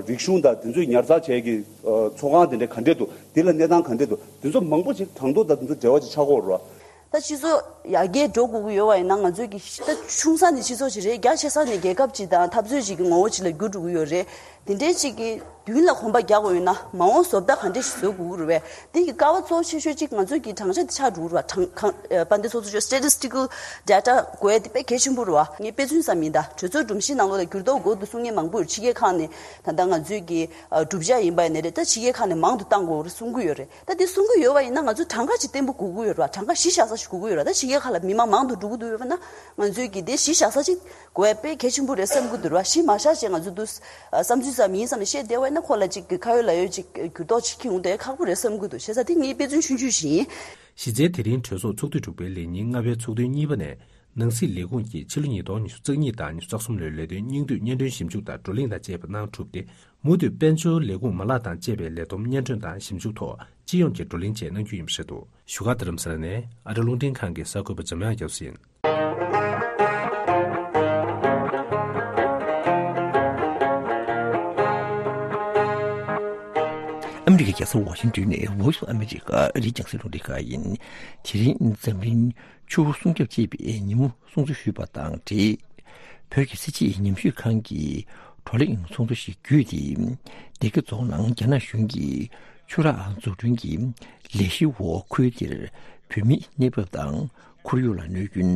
རིག་གཞུང་དང་དེ་ཚོའི་ཉར་ཚགས་བྱས་ཀྱི་ཨ་ཚོགས་ཁང་དེ་འདྲ་ག་འདྲས་འདུག། དེ་ལ་གནས་སྟངས་ག་འདྲས་འདུག། དེ་ཚོ་མང་པོ་ཞིག་གྲངས་ཐོ་དང་དེ་ཚོ་འབྲེལ་བ་ཅིག་ཆགས་ཀྱི་ཡོད་རེད་བ། ད་སྤྱི་ཚོགས་ཡར་རྒྱས་འགྲོ་དགོས་ཀྱི་ཡོད་པ་ཡིན་ན་ང་ཚོས་ཀྱི་ད་ཆུང་ས་ནས་སྤྱི་ཚོགས་ཅིག་རེད། རྒྱ་ཆེ་ས་ནས་རྒྱལ་ཁབ་ཅིག་དང་འཐབ་རྩོད་ཅིག་གི་ངོ་བོ་ཅིག་ལ་འགྱུར་འགྲོ་གི་ཡོད་རེད། དེ་འདྲའི་ཅིག་གི་མདུན་ལ་གོམ་པ་རྒྱག་དགོས་ཡོད་ན་མ་འོངས་བཟོ་ལྟ་ག་འདྲས་ཤིག་བཟོ་དགོས་ཀྱི་རེད་པས། དེ་གི་ཀ་བ་གཙོ་ཆེ་ཤོས་ཅིག་ང་ཚོས་ཀྱི་དྲང་བཤེར་དེ་ཆགས་འགྲོ་གི་རེད་བ། དྲང་གང་ཨ་དཔལ་ལྡན་ཚོགས་གཙོ་མཆོག་statistical data དགོས་ཡ་དེ་དཔེ་གལ་ཆེན་པོ་རེད་བ། ངས་དཔེ་མཚོན་ཙམ་ཡིན། ད་གྲོས་ཚོགས་སྒྲོམ་གཞི་ནང་ལོགས་ལ་འགྱུར་ལྡོག་དགོས་འདུག་གསུང་མཁན་མང་པོ་ཡོད། ཕྱི་རྒྱལ་ཁག་ནས་ད་ལྟ་ང་ཚོས་ཀྱི་ཨ་གྲུབ་ཆ་ཡིན་པ་ཡིན་ནའི་རེད། ད་ཕྱི་རྒྱལ་ཁག་ནས་མང་དུ་བཏང་དགོས་རེད་གསུང་གི་ཡོད་རེད། ད་དེ་གསུང་གི་ཡོད་པ་ཡིན་ན་ང་ཚོ་གྲངས་ཀ་ཅིག་བརྟན་པོ་དགོས་ཀྱི་ཡོད་རེད་བ། གྲངས་ཀ་གཞི་བཞག་ས་ཞིག་དགོས་ཀྱི་ཡོད་རེད་བ། ད་ཕྱི་རྒྱལ་ཁག་ལ་མི་མང་མང་དུ་འགྲོ་གི་འདུག་ཡོད་པ་ན་ང་ཚོས་ཀྱི་དེ་གཞི་བཞག་ས་ཅིག་དགོས་ཡ་དཔེ་གལ་ཆེན་པོ་རེད་བསམ་གྱི་འདུག་ར། གཞི་མ་བཞག་བྱས་ང་ཚོ་འདུག་བསམ་ཚུལ་ཙམ་ཡིན་བསམ་ནས་བཤད་བསྡད་པ་ཡིན་ན་ཁོ་ལ་ཅིག་གི་ཁ་ཡོད་ལག་ཡོད་ཅིག་འགྱུར་ལྡོག་ཅིག་འཁྱེར་འོང་བསྡད་ཡ་ཁག་པོ་རེད་བསམ་གྱི་འདུག། བྱས་ཙང་དེ་ངའི་དཔེ་མཚོན་ཆུང་ཆུང་ཞིག་ཡིན། གཞི་རྩའི་དེ་རིང་གྲོས་ཚོགས་ཚོགས་དུས་དྲུག་པའི་ལས་ཉིན་ལྔ་པའི་ཚོགས་ཐུན་གཉིས་པ་ནས་ནང་སྲིད་ལས་ཁུངས་ཀྱིས་ཕྱི་ལོ་ཉིས་སྟོང་ཉི་ཤུ་རྩ་གཉིས་དང་ཉི་ཤུ་རྩ་གསུམ་ལོའི་ལས་དོན་སྙིང་བསྡུས་སྙན་སྒྲོན་ཞིབ་འཇུག་དང་བགྲོ་གླེང་དང་བཅས་པ་གནང་གྲུབ་སྟེ། མུ་མཐུད་དཔལ་འབྱོར་ལས་ཁུངས་མ་ལག་དང་བཅས་པའི་ལས་བསྡོམས་སྙན་སྒྲོན་དང་ཞིབ་འཇུག་ཐོག་སྤྱི་ཡོངས་ཀྱི་བགྲོ་གླེང་བཅས་གནང་རྒྱུ་ཡིན་པ་རེད་འདུག། བཞུགས་སྒར་རྡ་རམ་ས་ལ་ནས་ཨ་རི་རླུང་འཕྲིན་ཁང་གི་གསར་འགོད་པ་འཇམ་དབྱངས་རྒྱ་མཚོ་ཡིན། ཨ་མི་རི་ཀའི་རྒྱལ་ས་ཝ་ཤིང་ཏོན་ནས་Voice of America ཨ་རིའི་རྒྱང་སྲིང་རླུང་འཕྲིན་ཁང་ཡིན། དེ་རིང་འཛམ་གླིང་ཆུ་བོ་སྲུང་སྐྱོབ་ཅེས་པའི་ཉིན་མོ་སྲུང་བརྩི་ཞུས་པ་དང་འབྲེལ། བོད་ཀྱི་སྲིད་བྱུས་ཉམས་ཞིབ་ཁང་གིས་བགྲོ་གླེང་ཚོགས་འདུ་ཞིག་བརྒྱུད་དེ། སྡེ་དགེ་རྫོང་ནང་རྒྱ་ནག་གཞུང་གིས་ཆུ་རགས་འཛུགས་སྐྲུན་གྱི་ལས་གཞིའི་འོག་ཁུལ་དེར་བོད་མིའི་གནས་བབ་དང་ཁོར་ཡུག་ལ་གནོད་སྐྱོན།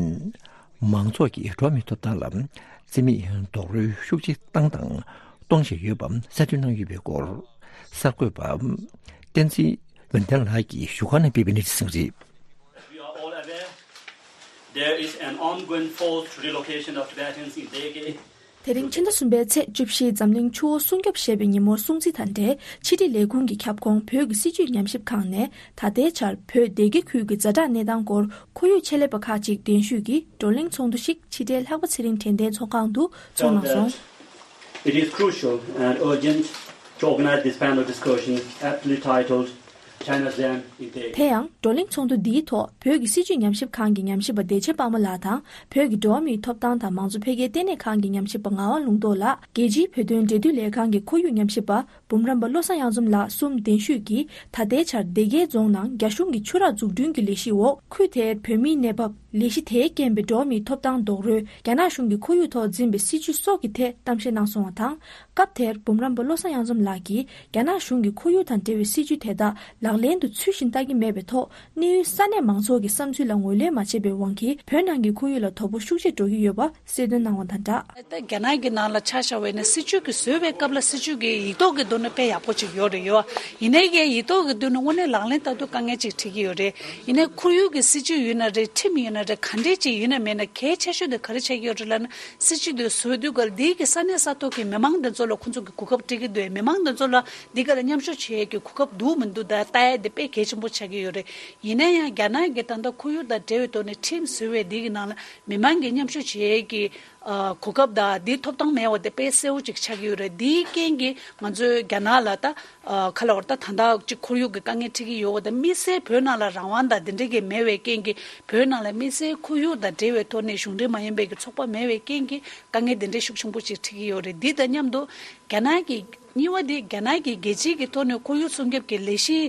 མང་ཚོགས་ཀྱི་འགྲོ་བ་མིའི་ཐོབ་ཐང་ལ་བརྩི་མེད་རྡོག་རོལ་ཤུགས་ཆེ་བཏང་དང་གཏོང་བཞིན་ཡོད་པ་གསལ་སྟོན་གནང་ཡོད་པའི་སྐོར། གསར་འགོད་པ་བསྟན་འཛིན་འོད་ལྡན་ལགས་ཀྱིས་བཞུགས་སྒར་ནས་སྤེལ་བའི་གནས་ཚུལ་ཞིག་རེད། We are all aware there is an ongoing forced relocation of Tibetans in Dege དེ་རིང་ཕྱི་ཟླ་གསུམ་པའི་ཚེས་བཅུ་བཞི་འཛམ་གླིང་ཆུ་བོ་སྲུང་སྐྱོབ་ཞེས་པའི་ཉིན་མོར་སྲུང་བརྩི་དང་འབྲེལ་ཕྱི་དྲིལ་ལས་ཁུངས་ཀྱི་ཁྱབ་ཁོངས་བོད་ཀྱི་སྲིད་བྱུས་ཉམས་ཞིབ་ཁང་ནས་ད་ལྟའི་ཆར་བོད་སྡེ་དགེ་ཁུལ་གྱི་ཛ་དྲག་གནས་སྟངས་སྐོར་ཁོར་ཡུག་ཆེད་ལས་པ་ཁག་ཅིག་གདན་ཞུས་ཀྱིས་བགྲོ་གླེང་ཚོགས་འདུ་ཞིག་ཕྱི་དྲིལ་ལྷག་པ་ཚེ་རིང་དྲན་རྟེན་ཚོགས་ཁང་དུ་ཚོགས་གནང་སོང་། It is crucial and urgent to organize this panel discussion aptly titled China's Dam in Daegu. དེ་ཡང་བགྲོ་གླེང་ཚོགས་འདུ་འདིའི་ཐོག་བོད་ཀྱི་སྲིད་བྱུས་ཉམས་ཞིབ་ཁང་གི་ཉམས་ཞིབ་པ་བདེ་ཆེན་དཔལ་མོ་ལགས་དང་བོད་ཀྱི་འགྲོ་བ་མིའི་ཐོབ་ཐང་དང་མང་གཙོ་འཕེལ་རྒྱས་ལྟེ་གནས་ཁང་གི་ཉམས་ཞིབ་པ་ངག་དབང་ལུང་རྟོགས་ལགས། རྒྱལ་སྤྱིའི་བོད་དོན་འབྲེལ་མཐུད་ལས་ཁང་གི་ཁོར་ཡུག་ཉམས་ཞིབ་པ་འབུམ་རམས་པ་བློ་བཟང་གཡང་འཛོམས་ལགས་གསུམ་གདན་ཞུས་ཀྱིས་ད་ལྟའི་ཆར་སྡེ་དགེ་རྫོང་ནང་རྒྱ་གཞུང་གི་ཆུ་རགས་འཛུགས་སྐྲུན་གྱི་ལས་གཞི་འོག་ཁུལ་དེར་བོད་མིའི་གནས་བབ། ལས་གཞི་དེའི་རྐྱེན་པས་འགྲོ་བ་མིའི་ཐོབ་ཐང་རྡོག་རོལ། རྒྱ་ནག་གཞུང་གིས་ཁོར་ཡུག་ཐོག་འཛིན་པའི་སྲིད་བྱུས་སོགས་ཀྱི་ཐད་གཏམ་བཤད་གནང་སོང་བ་དང་། སྐབས་དེར་འབུམ་རམས་པ་བློ་བཟང་གཡང་འཛོམས་ལགས་ཀྱིས་རྒྱ་ནག་གཞུང་གིས་ཁོར་ཡུག་དང་འབྲེལ་བའི་སྲིད་བྱུས་དེ་དག་ལག་ལེན་དུ་ཚུལ་བཞིན་བསྟར་གྱི་མེད་པའི་ཐོག་གནས་ཡུལ་ས་གནས་མང་ཚོགས་ཀྱི་བསམ་ཚུལ་ལ་ངོས་ལེན་མ་བྱས་པའི་དབང་གིས་བོད་ནང་གི་ཁོར་ཡུག་ལ་དོ་ཕོག་ཤུགས་ཆེ་འགྲོ་གི་ཡོད་པ་གསལ་སྟོན་གནང་བ་དང་སྦྲགས། ད་རྒྱ་ནག་གི་ནང་ལ་ཆ་བཞག་པ་ཡིན་ན་སྲིད་བྱུས་ཀྱི་བཟོ་བའི་སྐབས་ལ་སྲིད་བྱུས་ཀྱི་ཡིག་ཐོག་གི་ཐོག་ནས་དཔེ་ཡག་པོ་ཅིག་ཡོད་རེད་ཡོད། ཡིན་ནའི་ཀྱང་ཡིག་ཐོག་གི་ཐོག་ནས་དངོས་གནས་ལག་ལེན་བསྟར་དུས་དཀའ་ངལ་ཅིག་འཕྲད་ཀྱི་ཡོད་རེད། ཡིན་ནའི་ཁོར་ཡུག་གི་སྲིད་བྱུས་ཡིན་ན་རེད། ཁྲིམས་ཡིན་ན་རེད། ག་འདྲས་ཅིག་ཡིན་ན་མིན་ན་གལ་ཆེ་ཤོས་དེ་ག་རེ་ཆགས་ཀྱི་ཡོད་རེད་ལབ་ན། སྲིད་བྱུས་དེ་བཟོ་དུས་སྐབས་འདི་གི་ས་གནས་ས་ཐོག་གི་མི་མང་དེ་ཚོ་ལ་ཁོང་ཚོ་གི་གོ་སྐབས་སྤྲད་ཀྱི་འདུག་མི་མང་དེ་ཚོ་ལ་འདི་ག་ལ་མཉམ་ཞུགས་བྱེད་ཡས་ཀྱི་གོ་སྐབས་འདུག་མི་འདུག་ད་ལྟ་ཡ་དེ་དཔེ་གལ་ཆེན་པོ་ཆགས་ཀྱི་ཡོད་རེད། ཡིན་ན་ཡང་རྒྱ་ནག་གི་ད་ལྟ་ཁོར་ཡུག་དང་འབྲེལ་བའི་ཐོག་ནས་ཁྲིམས་བཟོ་བའི་འདི་གི་ནང་ལ་མི་མང་གི་མཉམ་ཞུགས་བྱེད་ཡས་ཀྱི་ཨ་གོ་སྐབས་དང་འདིའི་ཐོབ་ཐང་མེད་པ་དེ་དཔེ་གསལ་བོ་ཅིག་ཆགས་ཀྱི་ཡོད་རེད། འདིའི་རྐྱེན་གྱིས་ང་ཚོའི་རྒྱ་ནག་ལ་ད་ཨ་ག་ལ་བར་ད་ད་ལྟ་ཅིག་ཁོར་ཡུག་གི་དཀའ་ངལ་འཕྲད་ཀྱི་ཡོད་པ་དང་། དམིགས་བསལ་བོད་ནང་ལ་རང་དབང་དང་འདི་འདྲ་གི་མེད་པའི་རྐྱེན་གྱིས་བོད་ནང་ལ་དམིགས་བསལ་ཁོར་ཡུག་དང་འབྲེལ་བའི་ཐོག་ནས་གཞུང་འབྲེལ་མ་ཡིན་པའི་གི་ཚོགས་པ་མེད་པའི་རྐྱེན་གྱིས་དཀའ་ངལ་འདི་འདྲའི་ཤུགས་ཆེན་པོ་ཅིག་འཕྲད་ཀྱི་ཡོད་རེད། འདི་དང་མཉམ་དུ་རྒྱ་ནག་གི་གཉིས་པ་དེ་རྒྱ་ནག་གི་རྒྱལ་སྤྱིའི་གི་ཐོག་ནས་ཁོར་ཡུག་སྲུང་སྐྱོབ་ཀྱི་ལས་གཞི་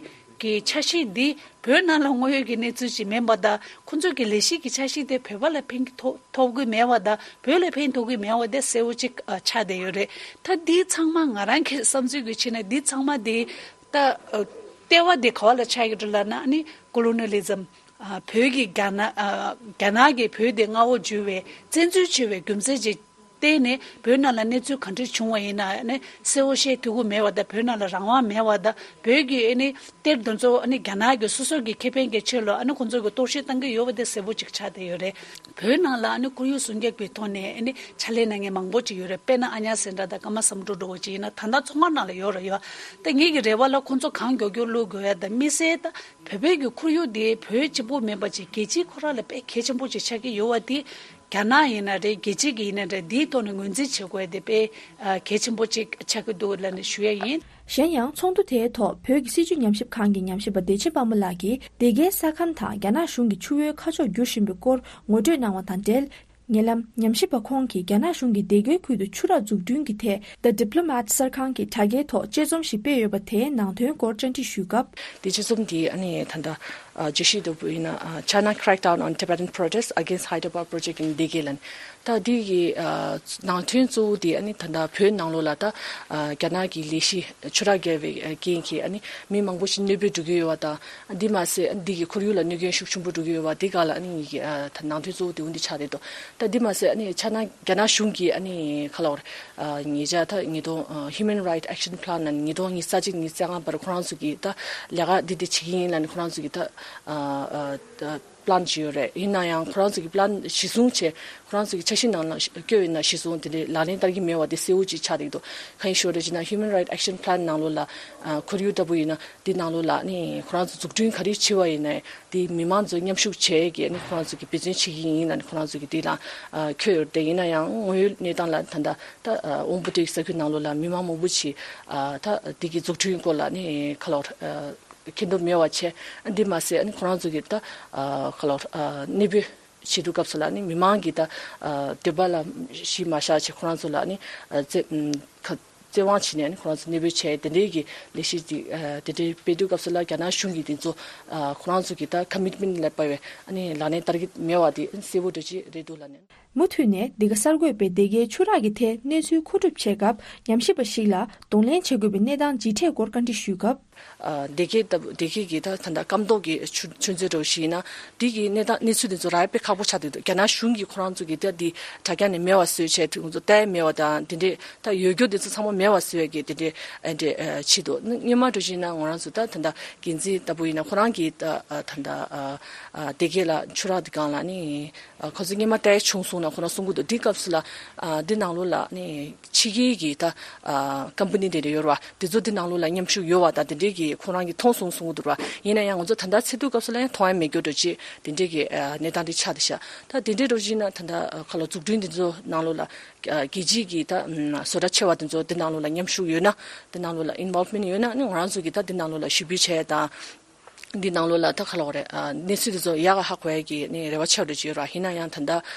གི་འཆར་གཞི་འདི་བོད་ནང་ལ་དངོས་ཡོད་ཀྱི་གནས་ཚུལ་ཅིག་མིན་པ་དང་། ཁོང་ཚོ་གི་ལས་གཞི་གི་འཆར་གཞི་དེ་བོད་པ་ལ་ཕན་ཐོགས་ཐོགས་ཀྱི་མེད་པ་དང་། བོད་ལ་ཕན་ཐོགས་ཀྱི་མེད་པ་དེ་གསལ་བོ་ཅིག་ཨ་ཆགས་བསྡད་ཡོད་རེད། ད་འདི་ཚང་མ་ང་རང་གི་བསམ་ཚུལ་གྱི་ཆ་ནས་འདི་ཚང་མ་དེ་ད་ཨ་ལྟེ་བ་དེ་ག་བ་ལ་ཆགས་ཡོད་རེད་ལབ་ན། ཨ་ནི་ཀོ་ལོ་ནི་ལི་ཛམ། ཨ་བོད་ཀྱི་རྒྱ་ནག་ཨ་རྒྱ་ནག་གིས་བོད་དེ་མངའ་འོག་འཇུ་བའི་བཙན་འཛུལ་བྱས་པའི་རྒྱུ་མཚན་ཅིག་བརྟེན་ནས་བོད་ནང་ལ་གནས་ཚུལ་ག་འདྲ་བྱུང་བ་ཡིན་ན་ནི་གསལ་བོ་བཤད་ཐུབ་ཀྱི་མེད་པ་དང་། བོད་ནང་ལ་རང་དབང་མེད་པ་དང་། བོད་ཀྱི་ཨ་ནི་གཏེར་དེ་ཚོ་ཨ་ནི་རྒྱ་ནག་གིས་སོ་སོ་གི་ཁེ་ཕན་གྱི་ཆེད་ལ་ཨ་ནི་ཁོང་ཚོ་གིས་གཏོར་བཤིག་བཏང་གི་ཡོད་པ་དེ་གསལ་པོ་ཅིག་ཆགས་བསྡད་ཡོད་རེད། བོད་ནང་ལ་ཨ་ནི་ཁོར་ཡུག་སྲུང་སྐྱོབ་ཀྱི་ཐོག་ནས་ཨ་ནི་ཕྱག་ལས་གནང་མཁན་མང་པོ་ཅིག་ཡོད་རེད། དཔེར་ན་ཨ་ཉ་སེང་སྒྲ་དང་ཀརྨ་བསམ་གྲུབ་འདྲ་བོ་ཅིག་ཡིན་ན་ད་ལྟ་ཚོགས་ཁང་ནང་ལ་ཡོད་རེད་ཡོད། ད་ངེད་ཀྱི་རེ་བ་ལ་ཁོང་ཚོ་གང་མགྱོགས་མགྱོགས་བླུག་དགོས་ཡ་དང་། དམིགས་བསལ་ད་བོད་པའི་གི་ཁོར་ཡུག་དེ་བོད་གཅིག་པུ་མིན་པ་ཅིག་རྒྱལ་སྤྱིའི་ཁོ་རང་ལ་དཔེ་གལ་ཆེན་པོ་ཅིག་ཆགས་ཀྱི་ཡོད་པ་དེ། རྒྱ་ནག་ཡིན་ན་རེད། རྒྱལ་སྤྱི་གི་ཡིན་ན་རེད། འདིའི་ཐོག་ནས་ངོས་འཛིན་བྱེད་དགོས་དེ་དཔེ་ཨ་གལ་ཆེན་པོ་ཅིག་ཆགས་ཀྱི་འདུག་ལབ་ནས་ཞུ་ཡ་ཡིན། གཞན་ཡང་ཚོགས་འདུ་དེའི་ཐོག་བོད་ཀྱི་སྲིད་བྱུས་ཉམས་ཞིབ་ཁང་གི་ཉམས་ཞིབ་པ་བདེ་ཆེན་དཔལ་མོ་ལགས་ཀྱིས་སྡེ་དགེའི་ས་ཁམས་དང་རྒྱ་ནག་གཞུང་གིས་ཆུ་བོའི་ཁ་ཕྱོགས་བསྒྱུར་བཞིན་པའི་སྐོར་ངོ་སྤྲོད་གནང་བ་དང་འབྲེལ། ཉེ་ལམ་ཉམས་ཞིབ་པ་ཁོང་གིས་རྒྱ་ནག་གཞུང་གིས་སྡེ་དགེའི་ཁུལ་དུ་ཆུ་རགས་འཛུགས་སྐྲུན་གྱི་ཐད་The Diplomat གསར་ཁང་གི་དྲ་རྒྱའི་ཐོག་དཔྱད་རྩོམ་ཞིག་སྤེལ་ཡོད་པ་དེའི་ནང་དོན་སྐོར་བཅར་འདྲི་ཞུས་སྐབས། དེ་དཔྱད་རྩོམ་འདི་ཨ་ནི་ད་ལྟ་ཨ་བརྗོད་གཞི་ལྟ་བུ་ཡིན་ན། ཨ་China crackdown on Tibetan protests against Hyderabad project in Deghe ལབ། ད་འདི་གི་ཨ་ནང་དོན་གཙོ་བོ་དེ་ཨ་ནི་ད་ལྟ་བོད་ནང་ལོགས་ལ་ད་ཨ་རྒྱ་ནག་གི་ལས་གཞི་ཆུ་རགས་བརྒལ་བའི་ཨ་རྐྱེན་གྱིས་ཨ་ནི་མི་མང་པོ་ཞིག་གནོད་པ་འགྲོ་གི་ཡོད་པ་དང་། འདི་མ་ཟད་འདི་གི་ཁོར་ཡུག་ལ་གནོད་སྐྱོན་ཤུགས་ཆེན་པོ་འགྲོ་གི་ཡོད་པ་འདི་སྒང་ལ་ཨ་ནི་ངེད་ཀྱི་ཨ་ད་ནང་དོན་གཙོ་བོ་དེ་འོ་འདི་ཆགས་བསྡད་འདུག་ད་འདི་མ་ཟད་ཨ་ནི་ཆ་ན་རྒྱ་ནག་གཞུང་གིས་ཨ་ནི་ག་ལབ་དགོས་རེད། ཨ་ཉེ་ཆར་ད་ཉིས་སྟོང་ཨ་Human Rights Action Plan ནང་ཉིས་སྟོང་ཉི་ཤུ་རྩ་གཅིག་ཉི་ཤུ་རྩ་ལྔ་བར་ཁོ་རང་ཚོ་གིས་ད་ལས་ཀ་འདི་འདི་བྱེད་ཀྱི་ཡིན་ལབ་ནས་ཁོ་རང་ཚོ་གིས་ད་ཨ་ཨ་ད་plan བྱས་ཡོད་རེད། ཡིན་ན་ཡང་ཁོ་རང་ཚོ་གིས་plan གཞི་བཟུང་བྱས། ཁོ་རང་ཚོ་གི་འཆར་གཞི་ནང་ལ་བཀོད་ཡོད་ན་གཞི་བཟུང་དེ་འདྲའི་ལག་ལེན་བསྟར་གྱི་མེད་པ་དེ་གསལ་བོ་ཅིག་ཆགས་བསྡད་འདུག་གང་ཡིན་ཞུ་རེད་ཅེ་ན། Human Rights Action Plan ནང་ལོགས་ལ་ཨ་ཁོར་ཡུག་ལྟ་བུ་ཡིན་ན་འདི་ནང་ལོགས་ལ་ནི་ཁོ་རང་ཚོ་འཛུགས་སྐྲུན་ག་རེ་བྱས་པ་ཡིན་ན་དེ་མི་མང་ཚོ་མཉམ་ཞུགས་བྱས་ཀྱི་ནི་ཁོ་རང་ཚོ་གི་འབད་བརྩོན་བྱེད་ཀྱི་ཡིན་ལབ་ནི་ཁོ་རང་ཚོ་གི་འདི་ལ་ཨ་བཀོད་ཡོད་རེད། དེ་ཡིན་ན་ཡང་དངོས་ཡོད་གནས་སྟངས་ལ་ད་ལྟ་ཨ་དབང་པོ་སྡེ་ས་ཁུལ་ནང་ལོགས་ལ་མི་མང་མང་པོ་ཅིག་ཨ་ད་འདི་གི་འཛུགས་སྐྲུན་སྐོར་ལ་ནི་ག་ལབ་དགོས་རེད། ཨ་མཁྱེན་རྟོགས་མེད་པ་བྱས། འདི་མ་ཟད་ཨ་ནི་ཁོ་རང་ཚོ་གིས་ད་ཨ་ག་ལབ་དགོས་རེད། ཨ་གནས་སྤོས་བྱེད་དུས་སྐབས་སུ་ལ་ཨ་ནི་མི་མང་གིས་ད་ཨ་འདོད་པ་ལ་གཞི་མ་བཞག་བྱས་ཁོ་རང་ཚོ་ལ་ཨ་ནི་ཨ་བཙན་ཨམ་ཁ་བཙན་དབང་བྱས་ནས་ཨ་ནི་ཁོ་རང་ཚོ་གནས་སྤོས་བྱས། དེ་འདྲའི་གི་ལས་གཞི་འདི་ཨ་དེ་འདྲའི་སྤེལ་དུས་སྐབས་སུ་ལ་རྒྱ་ནག་གཞུང་གིས་དེ་ཚོ་ཨ་ཁོ་རང་ཚོ་གིས་ད་commitment ལ་དཔག་པའི་ཨ་ནི་ལག་ལེན་བསྟར་གྱི་མེད་པ་དེ་ཨ་ནི་གསལ་པོ་འདྲ་ཅིག་རེད་འདུག་ལབ་ནས། མུ་མཐུད་ནས་འདི་ག་གསར་འགོད་པས་སྡེ་དགེའི་ཆུ་རགས་ཀྱི་ཐད་གནས་ཚུལ་མཁོ་སྒྲུབ་བྱེད་སྐབས་ཉམས་ཞིབ་པ་ཞིག་ལ་གདོང་ལེན་བྱེད་དགོས་པའི་གནས་སྟངས་ཇི་འཕྲད་སྐོར་བཀའ་འདྲི་ཞུས་སྐབས། ཨ་སྡེ་དགེ་ལྟ་བུ་སྡེ་དགེ་གི་ད་ད་ལྟ་སྐམ་ཐོག་གི་ཆུ་ཆུ་མཛོད་འདྲ་བོ་ཞིག་ཡིན་ན་འདི་གི་གནས་སྟངས་གནས་ཚུལ་འདི་ཚོ་རག་ཡ་དཔེ་ཁག་པོ་ཆགས་བསྡད་འདུག་རྒྱ་ནག་གཞུང་གིས་ཁོ་རང་ཚོ་གི་ད་འདི་དྲ་རྒྱ་ནས་མེད་པ་བཟོས་བྱས་དུས་ཁོང་ཚོ་ལྟ་ཡ་མེད་པ་དང་དེ་འདྲས་ད་ཡོད་རྒྱུ་འདི་ཚོ་ཚང་མ་མེད་པ་བཟོ་ཡ་གི་དེ་འདྲས་ཨ་འདྲས་ཨ་བྱས་འདུག་སྔོན་མ་འདྲ་ཞིག་ཡིན་ན་ང་རང་ཚོ་ད་ད་ལྟ་འགན་འཛིན་ལྟ་བུ་ཡིན་ན་ཁོ་རང་གིས་ད་ཨ་ད་ལྟ་ཨ་ཨ་སྡེ་དགེ་ལ་ཆུ་རགས་འདི་སྒང་ལ་ནི་ཨ་ཁོ་ཚོ་སྔོན་མ་ལྟ་ཡ་བྱུང་སོང་། ཁོ་རང་གསུང་གི་འདུག་འདི་སྐབས་སུ་ལ་ཨ་འདི་ནང་ལོགས་ལ་ནི་ཕྱི་རྒྱལ་གྱི་ད་ཨ་ཀམ་པ་ནི་དེ་འདྲ་ཡོད་རེད་བ། དེ་ཚོ་འདི་ནང་ལོགས་ལ་མཉམ་ཞུགས་ཡོད་བ་དང་དེ་འདྲའི་གི་ཁོ་རང་གིས་མཐོང་སོང་གསུང་གི་འདུག་ར། ཡིན་ན་ཡང་ང་ཚོ་ད་ལྟ་ཚེ་སྟོད་སྐབས་སུ་ལ་ཡང་མཐོང་ཡ་མེད་རྒྱུ་འདྲ་ཅིག་དེ་འདྲའི་གི་ཨ་གནས་སྟངས་དེ་ཆགས་བསྡད་ཤག་ད་དེ་འདྲའི་འགྲོ་བཞིན་ན་ད་ལྟ་ཁ་ལོ་འཛུགས་སྐྲུན་དེ་ཚོ་ནང་ལོགས་ལ་ཨ་རྒྱལ་སྤྱིའི་གི་ད་ཨ་བཟོ་གྲྭ་ཆེ་བ་དེ་ཚོ་དེ་ནང་ལོགས་ལ་མཉམ་ཞུགས་ཡོད་ན། དེ་ནང་ལོགས་ལ་ཨིན་ཝོལ་མེན་ཊི་ཡོད་ན་ནི་ང་རང་ཚོ་གི་ད་དེ་ནང་ལོགས་ལ་ཞུ་འབོད་བྱས་དང་། འདི་ནང་ལོགས་ལ་ད་ག་ལབ་དགོས་རེད། ཨ་གནས་ཚུལ་དེ་ཚོ་ཡག་ག་ཧ་གོ་ཡ་གི་ནི་རེ་བ་ཆེ་བ་འདྲ་ཅིག་ཡོད་ར། ཡིན་ན་ཡང་ད་ལྟ་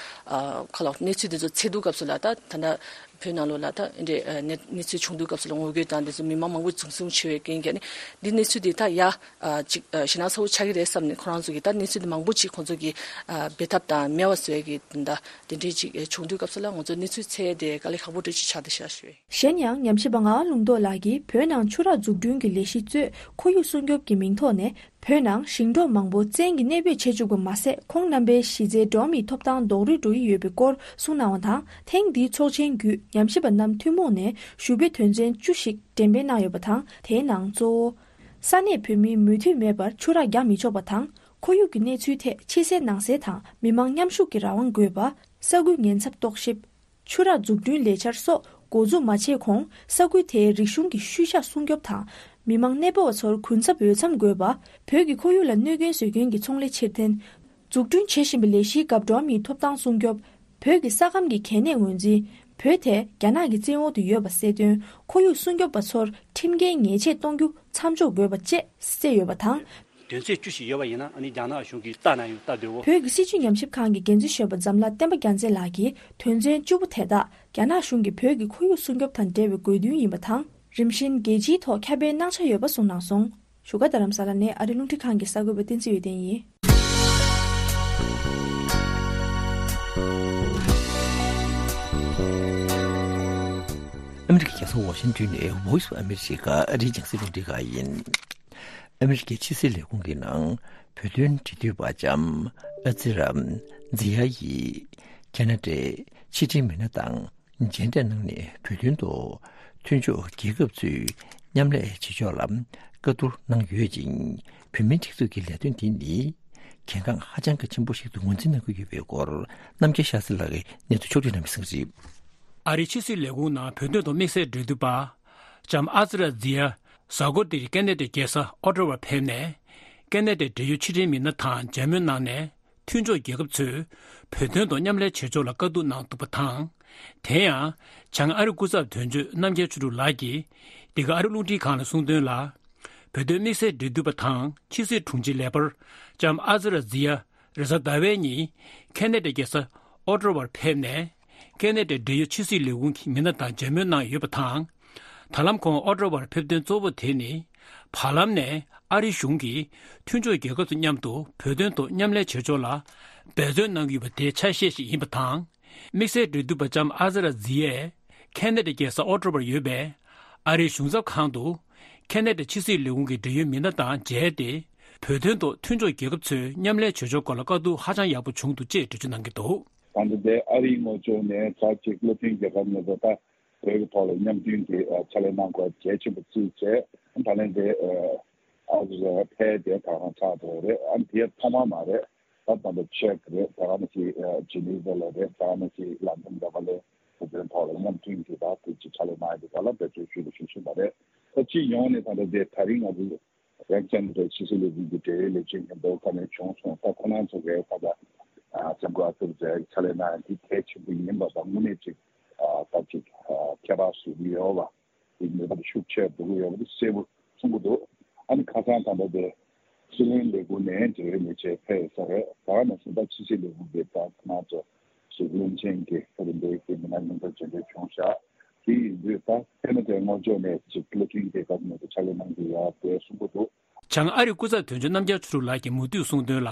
ཨ་ག་ལབ་དགོས་གནས་ཚུལ་དེ་ཚོ་འཚོལ་དུས་སྐབས་སུ་ལ་ད་ད་ལྟ་བོད་ནང་ལོགས་ལ་ད་འདི་འདྲའི་ཨ་གནས་གནས་ཚུལ་བྱུང་དུས་སྐབས་སུ་ལ་ངོ་རྒོལ་དང་དེ་ཚོ་མི་མང་མང་པོ་འཛིང་བཟུང་བྱས་པའི་རྐྱེན་གྱིས་ནི་འདི་གནས་ཚུལ་དེ་ད་ཡ་ཨ་ཅིག་ཨ་ཞེད་སྣང་ཚ་པོ་ཆགས་ཀྱི་རེད་བསམ་ནས་ཁོ་རང་ཚོ་གིས་ད་གནས་ཚུལ་དེ་མང་པོ་ཅིག་ཁོང་ཚོ་གིས་ཨ་འབེལ་ཐབས་དང་མེད་པ་བཟོ་ཡ་གི་ད་དེ་འདྲའི་ཅིག་བྱུང་དུས་སྐབས་སུ་ལ་ང་ཚོ་གནས་ཚུལ་འཚོལ་ཡ་དེ་དཀའ་ལས་ཁག་པོ་འདྲ་ཅིག་ཆགས་བསྡད་ཤག་ཞུ་ཡ། གཞན་ཡང་ཉམས་ཞིབ་པ་ངག་དབང་ལུང་རྟོགས་ལགས་ཀྱིས་བོད་ནང་ཆུ་རགས་འཛུགས་སྐྲུན་གྱི་ལས་གཞི་གཙོས་ཁོར་ཡུག་སྲུང་སྐྱོབ་ཀྱི་མིང་ཐོག་ནས་བོད་ནང་ཞིང་འབྲོག་མང་པོ་བཙན་གྱིས་གནས་སྤོས་བྱེད་བཅུག་པ་མ་ཟད། ཁོང་རྣམ་པའི་གཞི་རྩའི་འགྲོ་བ་མིའི་ཐོབ་ཐང་རྡོག་རོལ་འགྲོ་གི་ཡོད་པའི་སྐོར་གསུངས་གནང་བ་དང་། ཐེངས་འདིའི་ཚོགས་ཆེན་བརྒྱུད་ཉམས་ཞིབ་པ་རྣམས་ཐུན་མོང་ནས་ཞུ་འབོད་དོན་ཚན་བཅུ་ཞིག་འགྲེམས་སྤེལ་གནང་ཡོད་པ་དང་། དེའི་ནང་གཙོ་བོ། ས་གནས་བོད་མིའི་མོས་མཐུན་མེད་པར་ཆུ་རགས་རྒྱག་མི་ཆོག་པ་དང་། ཁོར་ཡུག་གི་གནས་ཚུལ་ཐད་ཕྱི་གསལ་ནང་གསལ་དང་མི་མང་མཉམ་ཞུགས་ཀྱི་རང་དབང་དགོས་པ། ས་ཁུལ་ཉེན་ཚབས་རྟོག་ཞིབ། ཆུ་རགས་འཛུགས་སྐྲུན་ལས་འཆར་སོགས་འགོ་འཛུགས་མ་བྱས་གོང་ས་ཁུལ་དེའི་རིག་གཞུང་གི་ཤུལ་བཞག་སྲུང་སྐྱོབ་དང་། མི་མང་གནས་སྤོ་བ་ཚོར་གུན་གསབ་འོས་འཚམ་དགོས་པ། བོད་ཀྱི་ཁོར་ཡུག་ལ་གནོད་སྐྱོན་བཟོ་མཁན་གྱི་ཚོང་ལས་ཕྱིར་འཐེན། འཛུགས་སྐྲུན་བྱེད་བཞིན་པའི་ལས་གཞིའི་སྐབས་འགྲོ་བ་མིའི་ཐོབ་ཐང་སྲུང་སྐྱོབ། བོད་ཀྱི་ས་ཁམས་ཀྱི་གལ་གནད་ངོས་འཛིན། བོད་དེ་རྒྱ་ནག་གི་བཙན་འོག་ཏུ་ཡོད་པ་གསལ་སྟོན། ཁོར་ཡུག་སྲུང་སྐྱོབ་པ་ཚོར་ཁྲིམས་འགལ་ཉེས་ཆད་གཏོང་རྒྱུ་མཚམས་འཇོག་དགོས་པ་བཅས་གསལ་ཡོད་པ་དང་། དོན་ཚན་བཅུ་ཞིག་ཡོད་པ་ཡིན་ན། ཨ་ནི་རྒྱ་ནག་གཞུང་གིས་ལྟ་ན་ཡང་ལྟ་འདོད་པོ། བོད་ཀྱི་སྲིད་བྱུས་ཉམས་ཞིབ་ཁང་གི་འགན་འཛིན་གཞོན་པ་འཛམ་ལྷ་བསྟན་པ་རྒྱལ་མཚན་ལགས་ཀྱིས་དོན་ཚན་བཅུ་པོ་དེ་དག་རྒྱ་ནག་གཞུང་གིས་བོད་ཀྱི་ཁོར་ཡུག་སྲུང་སྐྱོབ་དང་འབྲེལ་བའི་དགོས་འདུན་ཡིན་པ་དང་། རིམ་བཞིན་རྒྱལ་སྤྱིའི་ཐོག་ཁྱབ་སྤེལ་གནང་འཆར་ཡོད་པ་གསུངས་གནང་སོང་། བཞུགས་སྒར་རྡ་རམ་ས་ལ་ནས་ཨ་རིའི་རླུང་འཕྲིན་ཁང་གི་གསར་འགོད་པ་བསྟན་འཛིན་འོད་ལྡན་ཡིན། ཨ་མི་རི་ཀའི་རྒྱལ་ས་ཝ་ཤིང་ཏོན་ནས་Voice of America ཨ་རིའི་རྒྱང་སྲིང་རླུང་འཕྲིན་ཁང་ཡིན། ཨ་མི་རི་ཀའི་ཕྱི་སྲིད་ལས་ཁུངས་ཀྱི་ནང་བོད་དོན་འབྲེལ་མཐུད་པ་ལྕམ་ཨ་ཙི་ར་ཛི་ཡ་ཡིས་ཁ་ན་ཌའི་ཕྱི་འབྲེལ་མི་སྣ་དང་མཇལ་འཕྲད་གནང་ནས། བོད་དོན་ཐོག་མཐུན་ཕྱོགས་རྒྱལ་ཁབ་ཚོས་མཉམ་ལས་བྱེད་ཕྱོགས་ལ་བཀའ་བསྡུར་གནང་ཡོད་ཅིང་། བོད་མིའི་སྒྲིག་འཛུགས་ཀྱི་ལས་དོན་འདི་ནི་གལ་འགངས་ཧ་ཅང་གི་ཆེན་པོ་ཞིག་ཏུ་ངོས་འཛིན་གནང་གི་ཡོད་པའི་སྐོར། རྣམ་རྒྱལ་ཤཱ་ཟི་ལགས་ཀྱིས་གནས་ཚུལ་ཕྱོགས་བསྒྲིགས་གནང་བའི་གསན་གཟིགས། ཨ་རིའི་ཕྱི་སྲིད་ལས་ཁུངས་ནང་བོད་དོན་ཐོག་དམིགས་བསལ་འབྲེལ་མཐུད་པ་ལྕམ་ཨ་ཙི་ར་ཛི་ཡ་གཟའ་འཁོར་འདིར་ཁ་ན་ཌའི་རྒྱལ་ས་ཨོ་ཊ་ཝར་ཕེབས་ནས། ཁ་ན་ཌའི་འབྲེལ་ཡོད་ཕྱི་འབྲེལ་མི་སྣ་དང་མཇལ་མོལ་གནང་ནས། མཐུན་ཕྱོགས་རྒྱལ་ཁབ་ཚོས་བོད་དོན་ཐོག་མཉམ་ལས་བྱེད་ཕྱོགས་ལ་བཀའ་བསྡུར་གནང་འདུག་པ་དང་། དེ་ཡང་བྱང་ཨ་རི་སྐུ་ཚབ་དོན་གཅོད་རྣམ་རྒྱལ་ཆོས་གྲུབ་ལགས་ཀྱིས་འདི་ག་ཨ་རི་རླུང་འཕྲིན་ཁང་ལ་གསུངས་དོན་ལ། བོད་དོན་དམིགས་བསལ་འབྲེལ་མཐུད་པ་དང་ཕྱི་སྲིད་དྲུང་ཆེ་ལས་འཕར་ལྕམ་ཨ་ཙི་ར་ཛི་ཡ་རེས་གཟའ་ཟླ་བའི་ཉིན་ཁ་ན་ཌའི་རྒྱལ་ས་ཨོ་ཊ་ཝར་ཕེབས་ནས། ཁ་ན་ཌའི་འབྲེལ་ཡོད་ཕྱི་སྲིད་ལས་ཁུངས་ཀྱི་མི་སྣ་དང་མཇལ་མོལ་གནང་ཡོད་པ་དང་། ད་ལམ་ཁོང་ཨོ་ཊ་ཝར་ཕེབས་དོན་གཙོ་བོ་དེ་ནི། བར་ལམ་ནས་ཨ་རི་གཞུང་གིས་མཐུན་ཕྱོགས་རྒྱལ་ཁབ་ཚོ་མཉམ་དུ་བོད་དོན་ཐོག་མཉམ་ལས་བྱེད་ཕྱོགས་ལ་འབད་བརྩོན་གནང་གི་ཡོད་པ་དེའི་ཆ་ཤས་ཤིག་ཡིན་པ་དང་། དམིགས་བསལ་འབྲེལ་མཐུད་པ་ལྕམ་ཨ་ཙི་ར་ཛི་ཡས་ཁ་ན་ཌའི་རྒྱལ་ས་ཨོ་ཊ་ཝར་ཡོད་པའི་ཨ་རིའི་གཞུང་ཚབ་ཁང་དུ་ཁ་ན་ཌའི་ཕྱི་སྲིད་ལས་ཁུངས་ཀྱི་འབྲེལ་ཡོད་མི་སྣ་དང་མཇལ་ཏེ། བོད་དོན་ཐོག་མཐུན་ཕྱོགས་རྒྱལ་ཁབ་ཚོས་མཉམ་ལས་བྱེད་ཕྱོགས་སྐོར་ལ་བཀའ་བསྡུར་ཧ་ཅང་ཡག་པོ་བྱུང་འདུག་ཅེས་འགྲེལ་བརྗོད་གནང་གི་འདུག། ད་ལྟ་དེ་ཨ་རིའི་ངོས་ཕྱོགས་ནས་ད་ཅིག་བློ་མཐུན་རྒྱལ་ཁབ་ངོས་ནས་ད་བོད་ཀྱི་ཐོག་ལ་མཉམ་མཐུན་གྱི་ཨ་ཕྱག་ལས་གནང་དགོས་གལ་ཆེན་པོ་བརྩིས་བྱས། ད་ལན་དེ་ཨ་ཨ་རི་ཕེབས་དེ་ད་གང་ཆགས་འགྲོ་རེད། ཨ་དེ་ཐོག་མ་མ་རེད། ད་ད་ལྟ་ཅེག་རེད། ད་ག་ནང་བཞིན་ཨ་ཇི་ནི་ཝ་ལ་རེད། ད་ག་ནང་བཞིན་ལན་ཌན་ལ་ཕར་ལ་བོད་དོན་ཐོག་ལ་མཉམ་མཐུན་གྱི་ད་དེ་ཅིག་ཕྱག་ལས་གནང་ཡོད་པ་ལ་འབད་བརྩོན་ཞུ་རྒྱུ་ཞུ་བཞིན་པ་རེད། ད་སྤྱི་ཡོངས་ནས་ད་ལྟ་དེ་ད་རིང་ང་ཚོ་རེབ་ཙམ་རེ་ཕྱི་སྲིད་ལས་ཁུངས་ཀྱི་འབྲེལ་ཡོད་ལས་བྱེད་མཉམ་དུ་ཁ་ནས་བྱུང་སོང་། ད་ཁོ་རང་ཚོ་གིས་ད་ལྟ་ལྕམ་སྐུ་ཨ་ཙི་རེ་ཛི་ཡ་ཕྱག་ལས་གནང་ཡ་འདི་གལ་ཆེན་པོ་ཡིན་པ་དང་། དངོས་གནས་ཅིག་ད་ཅིག་ཁྱད་པར་བཟོ་གི་ཡོད་པ། དེ་ནུས་པ་ཤུགས་ཆེ་འགྲོ་གི་ཡོད་པ་དེ་གསལ་པོ་གསུང་གི་འདུག། ཨ་ནི་ཁ་སང་ད་ལྟ་དེ་སྲིད་བློན་ལས་ཁུངས་ནས་འབྲེལ་ཡོད་ལས་བྱེད་ཕེབས་ཡོད་ས་རེད། ད་ག་ནང་བཞིན་ད་ཕྱི་སྲིད་ལས་ཁུངས་ཀྱི་ད་ཁོ་རང་ཚོ་ཞིག་བློན་ཆེན་གྱི་ད་རིམ་པས་ཀྱི་མི་སྣ་མཉམ་དུ་མཇལ་འཕྲད་བྱུང་ཤག། དེ་ཡིན་དུས་ད་ཁ་ན་ཌའི་ངོས་ཕྱོགས་ནས་ཅིག་བློ་མཐུན་རྒྱལ་ཁབ་ནས་ཀྱི་ཕྱག་ལས་གནང་གི་ཡོད་དེ་གསུང་གི་འདུག། བྱང་ཨ་རི་སྐུ་ཚབ་དོན་གཅོད་རྣམ་རྒྱལ་ཆོས་གྲུབ་ལགས་ཀྱིས་མུ་མཐུད་གསུངས་དོན་ལ།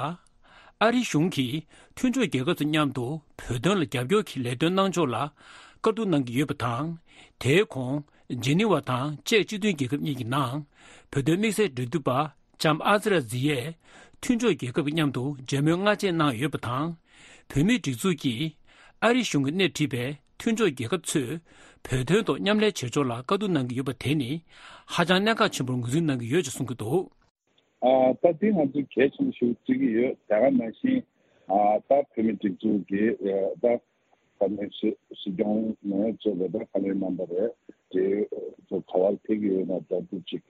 ཨ་རི་གཞུང་གིས་མཐུན་ཕྱོགས་རྒྱལ་ཁབ་ཚོ་མཉམ་དུ་བོད་དོན་ལ་རྒྱབ་སྐྱོར་གྱི་ལས་དོན་གནང་ཕྱོགས་ལ་བཀའ་བསྡུར་གནང་གི་ཡོད་པ་དང་། དེའི་གོང་ཇི་ནི་ཝ་དང་ཅེཀ་སྤྱི་མཐུན་རྒྱལ་ཁབ་གཉིས་ཀྱི་ནང་བོད་དོན་དམིགས་བསལ་འབྲེལ་མཐུད་པ་ལྕམ་ཨ་ཙི་ར་ཛི་ཡས་མཐུན་ཕྱོགས་རྒྱལ་ཁབ་ཀྱི་མཉམ་དུ་མཇལ་མོལ་སྔ་རྗེས་གནང་ཡོད་པ་དང་། བོད་མིའི་སྒྲིག་འཛུགས་ཀྱིས་ཨ་རི་གཞུང་གིས་སྣེ་ཁྲིད་པའི་མཐུན་ཕྱོགས་རྒྱལ་ཁབ་ཚོས་བོད་དོན་ཐོག་མཉམ་ལས་བྱེད་ཕྱོགས་ལ་བཀའ་བསྡུར་གནང་གི་ཡོད་པ་དེ་ནི་ཧ་ཅང་གནད་འགག་ཆེན་པོར་ངོས་འཛིན་གནང་གི་ཡོད་ཅེས་གསུང་གི་འདུག། ཨ་ད་དེ་ང་ཚོས་གལ་ཆེན་པོ་ཞིག་བརྩི་གི་ཡོད། དེ་ག་ནང་བཞིན་ཨ་ད་བོད་མིའི་སྒྲིག་འཛུགས་ཀྱི་ཨ་ད་ ས་གནས་སྲིད་སྲིད་སྐྱོང་ནས་གཙོས་པའི་ད་བཀའ་བློན་རྣམ་པ་རེད། དེ་ཚོ་ག་བར་ཕེབས་ཀྱི་ཡོད་ན་ད་དུ་ཅིག་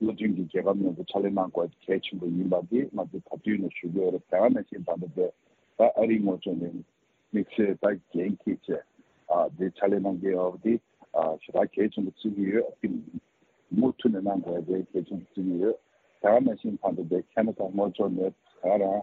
བློ་མཐུན་གྱི་རྒྱལ་ཁབ་མཉམ་དུ་ཕྱག་ལས་གནང་དགོས་གལ་ཆེན་པོ་ཡིན་པ་འདི་ང་ཚོས་ད་དུས་ནས་ཞུ་གི་ཡོད་རེད། དེ་ག་ནང་བཞིན་ད་ལྟ་དེ་ད་ཨ་རིའི་ངོས་ཕྱོགས་ནས་དམིགས་བསལ་ད་འགན་འཁྱེར་བྱས་ཨ་འདི་ཕྱག་ལས་གནང་གི་ཡོད་པ་འདི་ཨ་ཞེ་དྲག་གལ་ཆེན་པོ་བརྩི་གི་ཡོད། ཨ་ནི་མུ་མཐུད་ནས་གནང་དགོས་དེ་གལ་ཆེན་པོ་བརྩི་གི་ཡོད། དེ་ག་ནང་བཞིན་ད་ལྟ་དེ་ཁེ་ན་ཌ་ངོས་ཕྱོགས་ནས་ད་རང་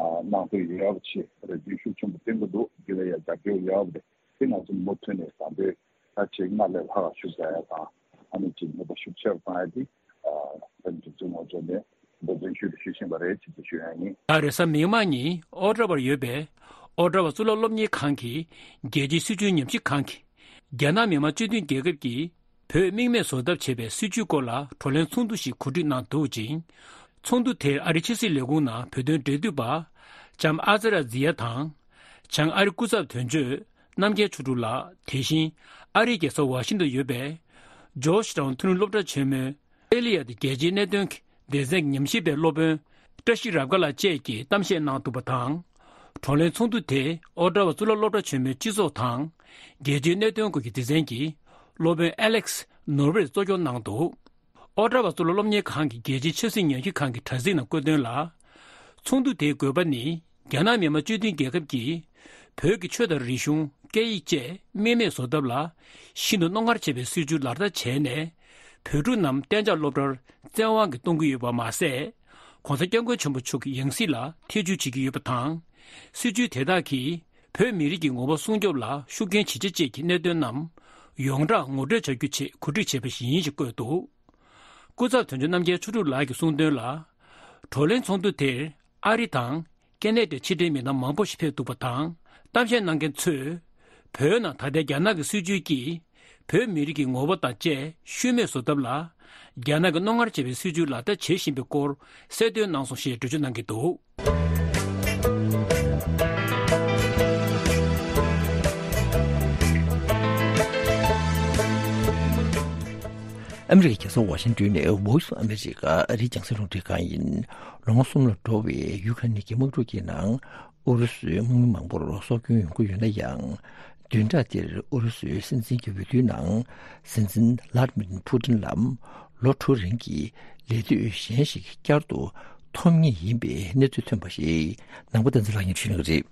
ཨ་གནང་འདོད་ཡོད་པ་ཆེ་རེ་འདུན་ཤུགས་ཆེན་པོ་བཏོན་གི་འདུག་འདི་ལ་ཡང་རྒྱབ་སྐྱོར་ཡོད་པ་རེད། དེ་ང་ཚོ་མུ་མཐུད་ནས་དང་པོའི་ད་ཆེས་སྔར་ལས་ལྷག་ཤུགས་རྒྱག་ཡ་དང་ཨ་ནི་ཅིག་ནུས་པ་ཤུགས་ཆེ་རུ་གཏོང་ཡ་དེ་ཨ་ད་ནི་གྲུབ་ཚུལ་ངོ་ཕྱོགས་ནས་འབད་བརྩོན་ཤུགས་ཆེ་བཞིན་པ་རེད་ཅེས་ཞུ་ཡ་ཡིན། ད་རེས་གཟའ་མིག་དམར་ཉིན་ཨོ་ཊ་ཝར་ཡོད་པའི་ཨོ་ཊ་ཝ་གཙུག་ལག་སློབ་གཉེར་ཁང་གི་རྒྱལ་སྤྱིའི་སྲིད་བྱུས་ཉམས་ཞིབ་ཁང་གིས་རྒྱ་ནག་མི་དམངས་སྤྱི་མཐུན་རྒྱལ་ཁབ་ཀྱིས་བོད་དམིགས་མེད་བཟོ་ཐབས་བྱེད་པའི་སྲིད་བྱུས་སྐོར་ལ་བགྲོ་གླེང་ཚོགས་འདུ་ཞིག་གོ་སྒྲིག་གནང་འདུག་ཅིང་། ཚོགས་འདུ་དེར་ཨ་རིའི་ཕྱི་སྲིད་ལས་ཁུངས་ནང་བོད་དོན་འབྲེལ་མཐུད་པ་ལྕམ་ཨ་ཛ་ར་ཛི་ཡ་དང་། བྱང་ཨ་རི་སྐུ་ཚབ་དོན་གཅོད་རྣམ་རྒྱལ་ཆོས་གྲུབ་ལགས། དེ་བཞིན་ཨ་རིའི་རྒྱལ་ས་ཝ་ཤིང་ཏོན་ཡོད་པའི་ཇོརྗ་ཊའུན་ཐུན་སློབ་གྲྭ་ཆེན་མོའི་ཨེ་ལི་ཡ་ཏི་རྒྱལ་སྤྱིའི་གནད་དོན་གྱི་སྡེ་ཚན་གྱི་ཉམས་ཞིབ་པའི་སློབ་དཔོན་བཀྲ་ཤིས་རབ་དགའ་ལགས་བཅས་ཀྱིས་གཏམ་བཤད་གནང་འདུག་པ་དང་། བགྲོ་གླེང་ཚོགས་འདུ་དེ་ཨོ་ཊ་ཝ་གཙུག་ལག་སློབ་གྲྭ་ཆེན་མོའི་སྤྱི་ཚོགས་དང་རྒྱལ་སྤྱིའི་གནད་དོན་སྐོར་གྱི་སྡེ་ཚན་གྱི་སློབ་དཔོན་ཨེ་ལེག་སི་ནོར་བེར་གཙོ་སྐྱོང་གནང་འདུག་ཨོ་ཊ་ཝ་གཙུག་ལག་སློབ་གཉེར་ཁང་གི་རྒྱལ་སྤྱིའི་ཆབ་སྲིད་ཉམས་ཞིབ་ཁང་གི་དྲ་ཚིགས་ནང་བཀོད་དོན་ལ། ཚོགས་འདུ་དེའི་དགོས་པ་ནི་རྒྱ་ནག་མི་དམངས་སྤྱི་མཐུན་རྒྱལ་ཁབ་ཀྱིས་བོད་ཀྱི་ཆོས་དང་རིག་གཞུང་། སྐད་ཡིག་བཅས་དམིགས་མེད་བཟོ་ཐབས་ལ་ཤིན་ཏུ་རྣོ་ངར་ཆེ་བའི་སྲིད་བྱུས་ལག་བསྟར་བྱས་ནས། བོད་ཕྲུག་རྣམས་གཏན་འཇགས་སློབ་གྲྭར་བཙན་དབང་གིས་གཏོང་གི་ཡོད་པ་མ་ཟད། ྋགོང་ས་ྋསྐྱབས་མགོན་ཆེན་པོ་མཆོག་གི་ཡང་སྲིད་ལ་ཐེ་བྱུས་བྱེད་ཀྱི་ཡོད་པ་དང་། སྲིད་བྱུས་དེ་དག་གིས་བོད་མི་རིགས་ཀྱི་ངོ་བོ་སྲུང་སྐྱོབ་ལ་ཤུགས་རྐྱེན་ཇི་ཆེ་བཅས་ཀྱི་གནད་དོན་རྣམས་ཡོངས་གྲགས་ངོ་སྤྲོད་བྱ་རྒྱུ་ཆེད་གོ་སྒྲིག་བྱས་པ་ཞིག་ཡིན་ཞེས་བཀོད་འདུག་སྐུ་ཚབ་དོན་གཅོད་རྣམ་རྒྱལ་ཆོས་གྲུབ་ལགས་ཀྱིས་གསུངས་དོན་ལ། བགྲོ་གླེང་ཚོགས་འདུ་དེར་ཨ་རི་དང་ཀེ་ན་ཌའི་ཕྱི་འབྲེལ་མི་སྣ་མང་པོ་ཞིག་ཕེབས་འདུག་པ་དང་། གཏམ་བཤད་གནང་མཁན་ཚོས་བོད་ནང་ད་ལྟའི་རྒྱ་ནག་གི་སྲིད་བྱུས་ཀྱིས་བོད་མི་རིགས་ཀྱི་ངོ་བོ་དང་བཅས་ཤུལ་མེད་བཟོ་ཐབས་ལ་རྒྱ་ནག་གི་རྣོ་ངར་ཆེ་བའི་སྲིད་བྱུས་ལག་བསྟར་བྱེད་བཞིན་པའི་སྐོར་གསལ་སྟོན་གནང་སོང་ཞེས་འགྲེལ་བརྗོད་གནང་གི་འདུག་ཨ་མི་རི་ཀའི་རྒྱལ་ས་ཝ་ཤིང་ཏོན་ནས་Voice of America ཨ་རིའི་རྒྱང་སྲིང་རླུང་འཕྲིན་ཁང་ཡིན། ལོ་ངོ་གསུམ་ལ་འགྲོ་བའི་ཡུ་ཁ་ནི་གི་དམག་འཁྲུག་གི་ནང་ཨུ་རུ་སུའི་དམག་མི་མང་པོར་སྲོག་སྐྱོན་ཡོང་གི་ཡོད་ན་ཡང་། བདུན་ཕྲག་འདིར་ཨུ་རུ་སུའི་སྲིད་འཛིན་གྱི་འོས་བསྡུའི་ནང་སྲིད་འཛིན་ལཱ་ཏི་མིར་ཕུ་ཏིན་ལ་ལོ་དྲུག་རིང་གི་ལས་དུས་གཞན་ཞིག་བསྐྱར་དུ་ཐོབ་ངེས་ཡིན་པའི་གནས་ཚུལ་ཐོན་པ་ཞིག་ནང་པ་བསྟན་འཛིན་ལགས་ཀྱིས་ཞུ་གནང་གི་རེད།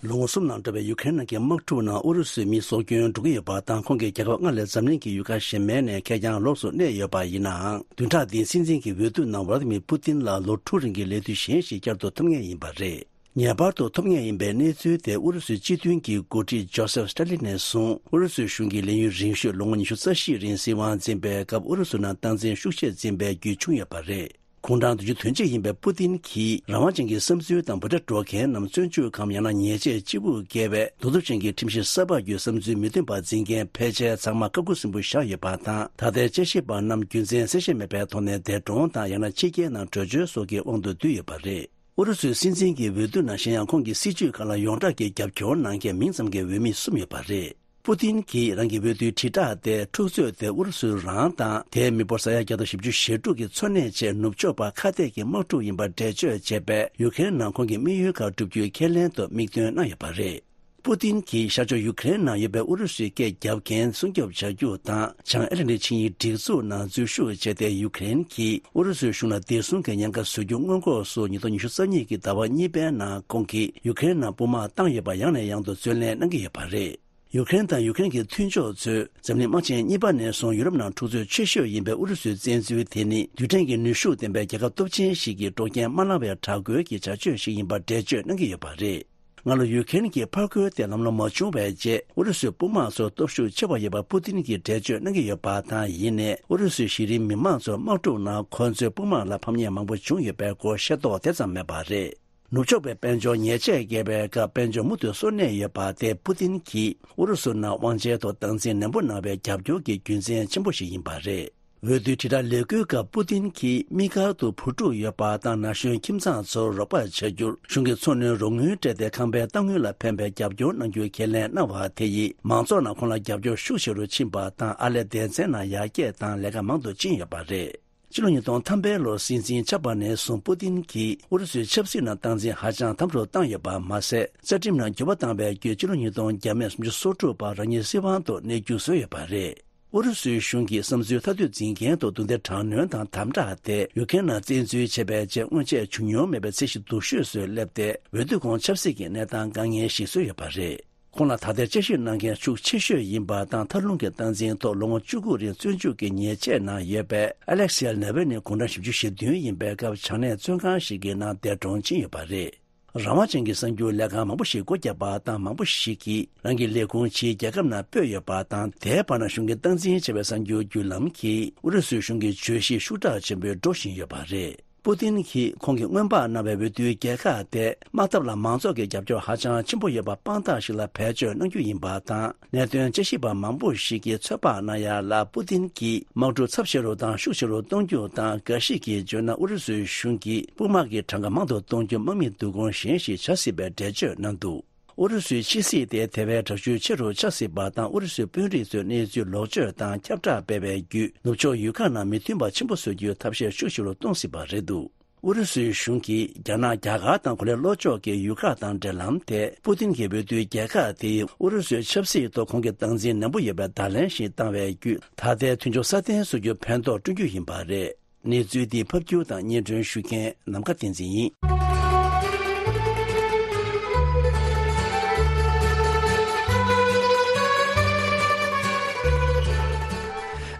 ལོ་ངོ་གསུམ་ནང་འགྲོ་བའི་ཡུ་ཀེ་རེན་ནང་གི་དམག་འཁྲུག་ནང་ཨུ་རུ་སུའི་མི་སྲོག་སྐྱོན་འགྲོ་གི་ཡོད་པ་དང་། ཁོང་གིས་རྒྱལ་ཁབ་ལྔ་ལས་འཛམ་གླིང་གི་ཡུལ་ཁག་གཞན་མའི་ནས་ཁེར་རྐྱང་ལོགས་སུ་གནས་ཡོད་པ་ཡིན་ནའང་། བདུན་ཕྲག་འདིའི་སྲིད་འཛིན་གྱི་འོས་བསྡུ་ནང་ཝ་ལ་ཏི་མིར་པུ་ཏིན་ལ་ལོ་དྲུག་རིང་གི་ལས་དུས་གཞན་ཞིག་བསྐྱར་དུ་ཐོབ་ངེས་ཡིན་པ་རེད། ངེས་པར་དུ་ཐོབ་ངེས་ཡིན་པའི་གནས་ཚུལ་དེ་ཨུ་རུ་སུའི་སྤྱི་མཐུན་གྱི་འགོ་ཁྲིད་ཇོ་སེབ་སི་ཏ་ལིན་ནས་བཟུང་ཨུ་རུ་སུའི་གཞུང་གི་ལས་ཡུན་རིང་ཤོས་ལོ་ངོ་ཉི་ཤུ་རྩ་བཞི་རིང་སྲིད་དབང་འཛིན་པའི་སྐབས་ཨུ་རུ་སུ་ནང་སྟངས་འཛིན་ཤུགས་ཆེ་འཛིན་པའི་བརྒྱུད་བྱུང་ཡོད་པ་རེད། དགུང་གྲངས་བདུན་ཅུ་དོན་གཅིག་ཡིན་པའི་པུ་ཏིན་གྱིས་རང་དབང་ཅན་གྱི་བསམ་ཚུལ་དང་འབོད་སྒྲ་སྒྲོག་མཁན་རྣམས་བཙོན་འཇུག་གམ་ཡང་ན་ཉེས་ཆད་ལྕི་པོ་འགེལ་བའི་གདུག་རྩུབ་ཅན་གྱི་ཁྲིམས་གཞི་གསར་པ་བརྒྱུད་བསམ་ཚུལ་མི་མཐུན་པ་འཛིན་མཁན་ཕལ་ཆེར་ཚང་མ་བཀའ་བཀོད་སྲིན་པོ་བཞག་ཡོད་པ་དང་། ད་ལྟའི་དཔྱད་ཞིབ་པ་རྣམས་རྒྱུ་མཚན་གསལ་བཤད་མེད་པའི་ཐོག་ནས་འདས་གྲོངས་དང་ཡང་ན་ཕྱི་རྒྱལ་ནང་བྲོས་བྱོལ་སོགས་ཀྱི་དབང་དུ་བསྡུས་ཡོད་པ་རེད། ཨུ་རུ་སུའི་སྲིད་འཛིན་གྱི་འོས་བསྡུ་ནང་གཞན་ཡང་ཁོང་གི་སྲིད་བྱུས་ཁག་ལ་ཡོངས་གྲགས་ཀྱི་རྒྱབ་སྐྱོར་གནང་མཁན་མིང་ཙམ་གྱི་འོས་མི་གསུམ་ཡོད་པ་རེད། པུ་ཏིན་གྱིས་རང་གི་འོས་བསྡུའི་དྲིལ་བསྒྲགས་དེ་འཁྲུག་རྩོད་དེ་ཨུ་རུ་སུའི་རང་དང་དེའི་མི་འབོར་ས་ཡ་བརྒྱ་དང་བཞི་བཅུ་ཞེ་དྲུག་གི་འཚོ་གནས་ཆེད་ནུབ་ཕྱོགས་པ་ཁ་གཏད་ཀྱི་དམག་འཁྲུག་ཡིན་པར་འགྲེལ་བརྗོད་བྱས་པས་ཡུ་ཀེ་རེན་ནང་ཁོང་གི་དམིགས་ཡུལ་ཁག་བསྒྲུབ་རྒྱུའི་ཁས་ལེན་དུ་དམིགས་འདོན་གནང་ཡོད་པ་རེད། པུ་ཏིན་གྱིས་ཤར་ཕྱོགས་ཡུ་ཀེ་རེན་ནང་ཡོད་པའི་ཨུ་རུ་སུའི་སྐད་རྒྱབ་མཁན་སྲུང་སྐྱོབ་བྱ་རྒྱུ་དང་། བྱང་ཨེ་ལན་ཏི་ཆིངས་ཡིག་སྒྲིག་འཛུགས་ནང་འཛུལ་ཞུགས་བྱས་ཏེ། ཡུ་ཀེ་རེན་གྱིས་ཨུ་རུ་སུའི་གཞུང་ལ་བདེ་སྲུང་གི་ཉེན་ཁ་བཟོ་རྒྱུ་སྔོན་འགོག་སོགས་ཉིས་སྟོང་ཉི་ཤུ་རྩ་གཉིས་ཀྱི་ཟླ་བ་གཉིས་པའི་ནང་ཁོང་གིས་ཡུ་ཀེ་རེན་ནང་དཔུང་དམག་བཏང་ཡོད་པ་ཡང་ནས་ཡང་དུ་རྩོད་ལེན་གནང་གི་ཡོད་པ་རེད། ཡུ་ཀེ་རེན་དང་ཡུ་ཀེ་རེན་གྱི་མཐུན་ཕྱོགས་ཚོས་འཛམ་གླིང་དམག་ཆེན་གཉིས་པ་ནས་བཟུང་ཡུ་རོབ་ནང་འཁྲུག་རྩོད་ཆེ་ཤོས་ཡིན་པའི་ཨུ་རུ་སུའི་བཙན་འཛུལ་དེ་ནི་རྡུལ་ཕྲན་གྱི་ནུས་ཤུགས་ལྡན་པའི་རྒྱལ་ཁབ་སྟོབས་ཆེན་ཞིག་གིས་དཀྲོག་རྐྱེན་མ་བསླངས་པའི་དྲག་རྒོལ་གྱི་བྱ་སྤྱོད་ཞིག་ཡིན་པར་འགྲེལ་བརྗོད་གནང་གི་ཡོད་པ་རེད། སྔ་ལོ་ཡུ་ཀེ་རེན་གྱི་ཕར་རྒོལ་དེ་ལམ་ལྷོང་མ་བྱུང་བའི་རྗེས། ཨུ་རུ་སུའི་དཔུང་དམག་ཚོར་སྟོབས་ཤུགས་ཆེ་བ་ཡོད་པ་པུ་ཏིན་གྱིས་འགྲེལ་བརྗོད་གནང་གི་ཡོད་པ་དང་། ཡིན་ནའི་ཨུ་རུ་སུའི་གཞི་རིམ་མི་མང་ཚོ་དམག་འཁྲུག་ནང་ཁོ་ཚོའི་དཔུང་དམག་ལ་ཕམ་ཉེས་མང་པོ་བྱུང་ཡོད་པའི་སྐོར་ཤེས་རྟོགས་དེ་ཙམ་མེད་པ་རེད། ནུབ་ཕྱོགས་པའི་དཔལ་འབྱོར་ཉེས་ཆད་བཀལ་བའི་སྐབས་དཔལ་འབྱོར་མུ་མཐུད་གསོ་གནས་ཡོད་པ་དེ་པུ་ཏིན་གྱིས་ཨུ་རུ་སུ་ནང་དབང་ཆའི་ཐོག་སྟངས་འཛིན་ནན་པོ་གནང་བའི་རྒྱབ་སྐྱོར་གྱི་རྒྱུ་མཚན་ཆེན་པོ་ཞིག་ཡིན་པ་རེད། འོས་བསྡུའི་དྲིལ་བསྒྲགས་ལས་འགུལ་སྐབས་པུ་ཏིན་གྱིས་དམིགས་བཀར་དུ་བུ་ཕྲུག་ཡོད་པ་དང་ན་གཞོན་ཁྱིམ་ཚང་ཚོར་རོགས་པ་བྱ་རྒྱུར་གཞུང་གི་འཚོ་སྣོན་རོགས་དངུལ་སྤྲད་དེ་ཁང་པའི་གཏའ་དངུལ་ལ་ཕན་པའི་རྒྱབ་སྐྱོར་གནང་རྒྱུའི་ཁས་ལེན་གནང་བ་དེ་ཡིས་མང་ཚོགས་ནང་ཁོང་ལ་རྒྱབ་སྐྱོར་ཤུགས་ཆེ་རུ་ཕྱིན་པ་དང་། ཨར་ལས་སྡེ་ཚན་ནང་ཡར་རྒྱས་དང་ལས་ཀ་མང་དུ་ཕྱིན་ཡོད་པ་རེད། ཕྱི་ལོ་ཉིས་སྟོང་ཐམ་པའི་ལོར་སྲིད་འཛིན་ཆགས་པ་ནས་བཟུང་པུ་ཏིན་གྱིས་ཨུ་རུ་སུའི་ཆབ་སྲིད་ནང་སྟངས་འཛིན་ཧ་ཅང་དམ་དུ་བཏང་ཡོད་པ་མ་ཟད། རྩ་ཁྲིམས་ནང་འགྱུར་བ་བཏང་བའི་བརྒྱུད་ཕྱི་ལོ་ཉིས་སྟོང་བརྒྱ་མེད་སུམ་ཅུ་སོ་དྲུག་བར་རང་ཉིད་སྲིད་དབང་དུ་གནས་རྒྱུ་བཟོས་ཡོད་པ་རེད། ཨུ་རུ་སུའི་གཞུང་གིས་བསམ་ཚུལ་ཐ་དོད་འཛིན་མཁན་ཐོག་རྡུང་རྡེག་དྲག་གནོན་དང་དམ་དྲག་ཐེབས། ཡུ་ཀེ་རེན་ནང་བཙན་འཛུལ་བྱས་པའི་རྗེས་སྔོན་ཆད་བྱུང་མྱོང་མེད་པའི་ཚད་གཞི་སྡུག་ཤོས་སུ་སླེབས་ཏེ། འོས་བསྡུ་གོང་ཆབ་སྲིད་ཀྱི་གནས་སྟངས་དཀའ་ངལ་ཞིག་བཟོས་ཡོད་པ་རེད། ཁོང་ལ་ད་ལྟའི་དཔྱད་ཞིབ་གནང་མཁན་ཤུགས་ཆེ་ཤོས་ཡིན་པ་དང་། མཐའ་ལྷུང་གི་སྟངས་འཛིན་ཐོག་ལོ་ངོ་བཅུ་དགུ་རིང་བཙོན་འཇུག་གི་ཉེས་ཆད་ནང་ཡོད་པའི་ཨ་ལེག་སི་ཨེལ་ནེ་ཝེ་ནི་དགུང་གྲངས་བཞི་བཅུ་ཞེ་བདུན་ཡིན་པའི་སྐབས། བྱང་གནས་བཙོན་ཁང་ཞིག་གི་ནང་འདས་གྲོངས་ཕྱིན་ཡོད་པ་རེད། རང་དབང་ཅན་གྱི་གསར་འགྱུར་ལས་ཁང་མང་པོ་ཞིག་སྒོ་བརྒྱབ་པ་དང་། མང་པོ་ཞིག་གིས་རང་གི་ལས་ཁུངས་ཕྱིའི་རྒྱལ་ཁབ་ནང་སྤོས་ཡོད་པ་དང་། དེའི་བར་ན་གཞུང་གི་སྟངས་འཛིན་བྱས་པའི་གསར་འགྱུར་བརྒྱུད་ལམ་གྱིས་ཨུ་རུ་སུའི་གཞུང་གི་བརྗོད་གཞི་ཤུགས་དྲག་ཆེན་པོས་འགྲོ་བཞིན་ཡོད་པ་རེད། པུ་ཏིན་གྱིས་ཁོང་གིས་སྔོན་དཔག་གནང་བའི་འོས་བསྡུའི་རྒྱལ་ཁ་དེ། དམག་འཐབ་ལ་མང་ཚོགས་ཀྱི་རྒྱབ་སྐྱོར་ཧ་ཅང་ཆེན་པོ་ཡོད་པ་དཔང་རྟགས་ཤིག་ལ་བེད་སྤྱོད་གནང་རྒྱུ་ཡིན་པ་དང་། གནད་དོན་དཔྱད་ཞིབ་པ་མང་པོ་ཞིག་གིས་ཚོད་དཔག་གནང་ཡ་ལ། པུ་ཏིན་གྱིས་དམག་འཁྲུག་ཚབས་ཆེ་རུ་དང་ཤུགས་ཆེ་རུ་གཏོང་རྒྱུ་དང་། འགའ་ཞིག་གིས་བརྗོད་ན། ཨུ་རུ་སུའི་གཞུང་གིས་དཔུང་དམག་གི་གྲངས་ཀ་མང་དུ་གཏོང་རྒྱུ་དམག་མི་བསྡུ་སྐོང་གཞན་ཞིག་བྱ་སྲིད་པའི་འགྲེལ་བརྗོད་གནང་འདུག་ཨུ་རུ་སུའི་ཕྱི་སྲིད་དེ་དེ་བས་དྲག་ཤུགས་ཆེ་རུ་ཆགས་སྲིད་པ་དང་། ཨུ་རུ་སུའི་དཔོན་རིགས་ཚོས་གནས་ཚུལ་ལོག་སྤྱོད་དང་ཁྱབ་བསྒྲགས་སྤེལ་བའི་བརྒྱུད། ནུབ་ཕྱོགས་ཡུལ་ཁག་ནང་མི་མཐུན་པ་ཆེན་པོ་བཟོ་རྒྱུའི་ཐབས་ཤེས་ཤུགས་ཆེ་རུ་གཏོང་སྲིད་པ་རེད་འདུག་ཨུ་རུ་སུའི་གཞུང་གིས་རྒྱ་ནག། རྒྱ་གར་དང་གོ་ལའི་ལྷོ་ཕྱོགས་ཀྱི་ཡུལ་ཁག་དང་འབྲེལ་ལམ་དེ། པུ་ཏིན་གྱི་འོས་བསྡུའི་རྒྱལ་ཁ་དེ་ཡིས་ཨུ་རུ་སུའི་ཆབ་སྲིད་ཐོག་ཁོང་གི་སྟངས་འཛིན་ནན་པོ་ཡོད་པའི་བརྡ་ལན་ཞིག་བཏང་བའི་བརྒྱུད། ད་ལྟའི་མཐུན་ཕྱོགས་སྲ་བརྟན་བཟོ་རྒྱུར་ཕན་ཐོགས་བསྐྲུན་རྒྱུ་ཡིན་པ་རེད། གནས་ཚུལ་འདི་ཕབ་སྒྱུར་དང་སྙན་སྒྲོན་ཞུ་མཁན་ནམ་མཁའ་བསྟན་འཛིན་ཡིན།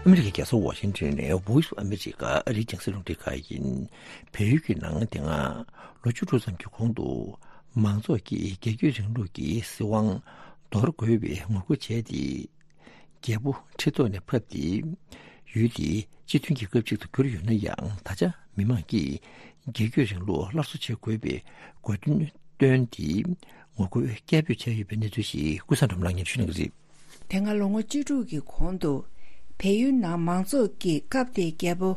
ཨ་མི་རི་ཀའི་རྒྱལ་ས་ཝ་ཤིང་ཊོན་ནས་Voice of America ཨ་རིའི་རྒྱང་སྲིང་རླུང་འཕྲིན་ཁང་ཡིན། བལ་ཡུལ་གྱི་ནང་དེ་སྔ་ལོ་བཅུ་དྲུག་ཙམ་གྱི་གོང་དུ་མང་ཚོགས་ཀྱིས་རྒྱལ་བརྒྱུད་རིང་ལུགས་ཀྱི་སྲིད་དབང་འདོར་དགོས་པའི་ངོ་རྒོལ་བྱས་ཏེ། རྒྱལ་པོ་ཁྲི་ཐོག་ནས་ཕབ་སྟེ། ཡུལ་དེ་སྤྱི་མཐུན་གྱི་སྐབས་གཅིག་ཏུ་གྱུར་ཡོད་ན་ཡང་། ད་ཆ་མི་མང་གིས་རྒྱལ་བརྒྱུད་རིང་ལུགས་སླར་གསོ་བྱེད་དགོས་པའི་དགོས་འདུན་བཏོན་ཏེ། ངོ་རྒོལ་སྐད་འབོད་བྱས་ཡོད་པའི་གནས་ཚུལ་ཞིག་ཀུན་བཟང་སྒྲོལ་མ་ལགས་སྙན་ཞུ་གནང་གི་རེད། དེ་སྔ་ལོ་ངོ་བཅུ་དྲུག་གི་གོང་དུ། བལ་ཡུལ་ནང་མང་ཚོགས་ཀྱིས་སྐབས་དེའི་རྒྱལ་པོ་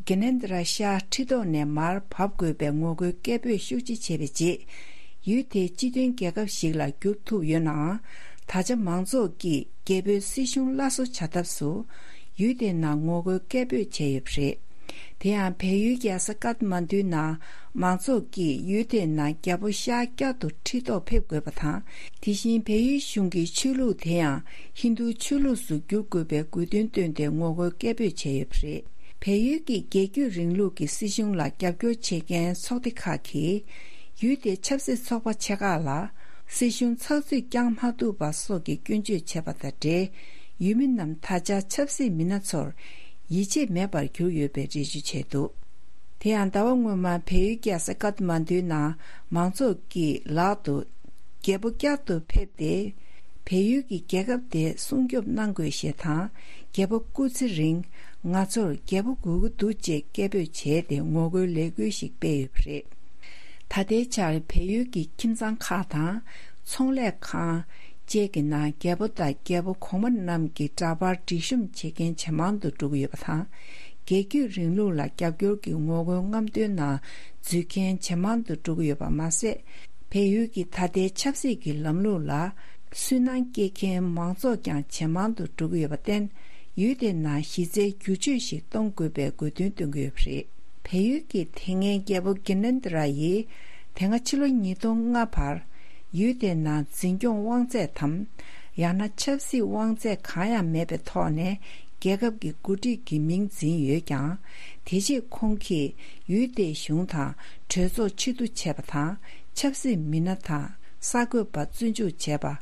གྷི་ནེན་དྲ་ཤཱ་ཁྲི་ཐོག་ནས་མར་བབས་དགོས་པའི་ངོ་རྒོལ་སྐད་འབོད་ཤུགས་ཆེ་བྱས་པའི་རྗེས། ཡུལ་དེ་སྤྱི་མཐུན་རྒྱལ་ཁབ་ཞིག་ལ་འགྱུར་ཐུབ་ཡོད་ནའང་། ད་ཆ་མང་ཚོགས་ཀྱིས་རྒྱལ་པོའི་སྲིད་གཞུང་སླར་གསོ་བྱ་ཐབས་སུ། ཡུལ་དེའི་ནང་ངོ་རྒོལ་སྐད་འབོད་བྱས་ཡོད་པ་རེད། དེ་ཡང་བལ་ཡུལ་རྒྱལ་ས་ཀཏ་མན་ཌུའི་ནང་མང་ཚོགས་ཀྱིས་ཡུལ་དེའི་ནང་རྒྱལ་པོ་ཤཱ་བསྐྱར་དུ་ཁྲི་ཐོག་ཕེབས་དགོས་པ་དང་། དེ་བཞིན་བལ་ཡུལ་གཞུང་གི་ཆོས་ལུགས་དེ་ཡང་ཧིན་རྡུའི་ཆོས་ལུགས་སུ་བསྒྱུར་དགོས་པའི་དགོས་འདུན་བཏོན་ཏེ་ངོ་རྒོལ་སྐད་འབོད་བྱས་ཡོད་པ་རེད། བལ་ཡུལ་གྱི་རྒྱལ་བརྒྱུད་རིང་ལུགས་ཀྱི་སྲིད་གཞུང་ལ་རྒྱབ་སྐྱོར་བྱེད་མཁན་ཚོགས་སྡེ་ཁག་གིས། ཡུལ་དེ་ཆབ་སྲིད་ཚོགས་པ་ཆེ་ཁག་ལ་སྲིད་གཞུང་ཚགས་ཚུད་བསྐྱང་མ་ཐུབ་པ་སོགས་ཀྱི་སྐྱོན་བརྗོད་བྱས་པ་དང་འབྲེལ། ཡུལ་མི་རྣམས་ད་ཆ་ཆབ་སྲིད་མི་སྣ་ཚོར་ཡིད་ཆེས་མེད་པར་གྱུར་ཡོད་པའི་འགྲེལ་བརྗོད་བྱས་འདུག་དེ་ཡང་ཟླ་བ་སྔོན་མ་བལ་ཡུལ་རྒྱལ་ས་ཀཏ་མན་ཌུའི་ནང་མང་ཚོགས་ཀྱི་ལག་ཏུ་རྒྱལ་པོ་བསྐྱར་དུ་ཕེབས་ཏེ། བལ་ཡུལ་གྱི་རྒྱལ་ཁབ་དེ་སྲུང་སྐྱོབ་གནང་དགོས་ཞེས་དང་། རྒྱལ་པོ་སྐུ་ཚེ་རིང་། ང་ཚོར་རྒྱལ་པོ་དགོས་ཀྱི་འདུག་ཅེས་སྐད་འབོད་བྱས་ཏེ་ངོ་རྒོལ་ལས་འགུལ་ཞིག་སྤེལ་ཡོད་པ་རེད། ད་ལྟའི་ཆར་བལ་ཡུལ་གྱི་ཁྱིམ་ཚང་ཁག་དང་། ཚོང་ལས་ཁང་བཅས་ཀྱི་ནང་རྒྱལ་པོ་དང་རྒྱལ་པོ་གོང་མ་རྣམས་ཀྱི་འདྲ་པར་སྒྲིག་གཤོམ་བྱེད་མཁན་ཇེ་མང་དུ་འགྲོ་གི་ཡོད་པ་དང་། རྒྱལ་བརྒྱུད་རིང་ལུགས་ལ་རྒྱབ་སྐྱོར་གྱི་ངོ་རྒོལ་རྔམ་སྟོན་ནང་འཛུལ་མཁན་ཇེ་མང་དུ་འགྲོ་གི་ཡོད་པ་མ་ཟད། བལ་ཡུལ་གྱི་ད་ལྟའི་ཆབ་སྲིད་ཀྱི་ལམ་ལུགས་ལ་སུན་སྣང་སྐྱེ་མཁན་མང་ཚོགས་ཀྱང་ཇེ་མང་དུ་འགྲོ་གི་ཡོད་པར་བརྟེན། ཡུལ་དེའི་ནང་གཞི་རྩའི་བསྒྱུར་བཅོས་ཤིག་གཏོང་དགོས་པའི་དགོས་འདུན་བཏོན་གྱི་ཡོད་པ་རེད། བལ་ཡུལ་གྱི་དེ་སྔའི་རྒྱལ་པོ་གྷི་ནན་དྲ་ཡིས་དེ་སྔ་ཕྱི་ལོ་ཉིས་སྟོང་ལྔ་བར་ཡུལ་དེའི་ནང་འཛིན་སྐྱོང་དབང་ཚད་དམ། ཡང་ན་ཆབ་སྲིད་དབང་ཚད་གང་ཡང་མེད་པའི་ཐོག་ནས་རྒྱལ་ཁབ་ཀྱི་འགོ་ཁྲིད་ཀྱི་མིང་འཛིན་ཡོད་ཀྱང་། དེ་རྗེས་ཁོང་གིས་ཡུལ་དེའི་གཞུང་དང་གྲོས་ཚོགས་ཕྱིར་བསྡུ་བྱས་པ་དང་། ཆབ་སྲིད་མི་སྣ་དང་གསར་འགོད་པ་བཙོན་འཇུག་བྱས་པ།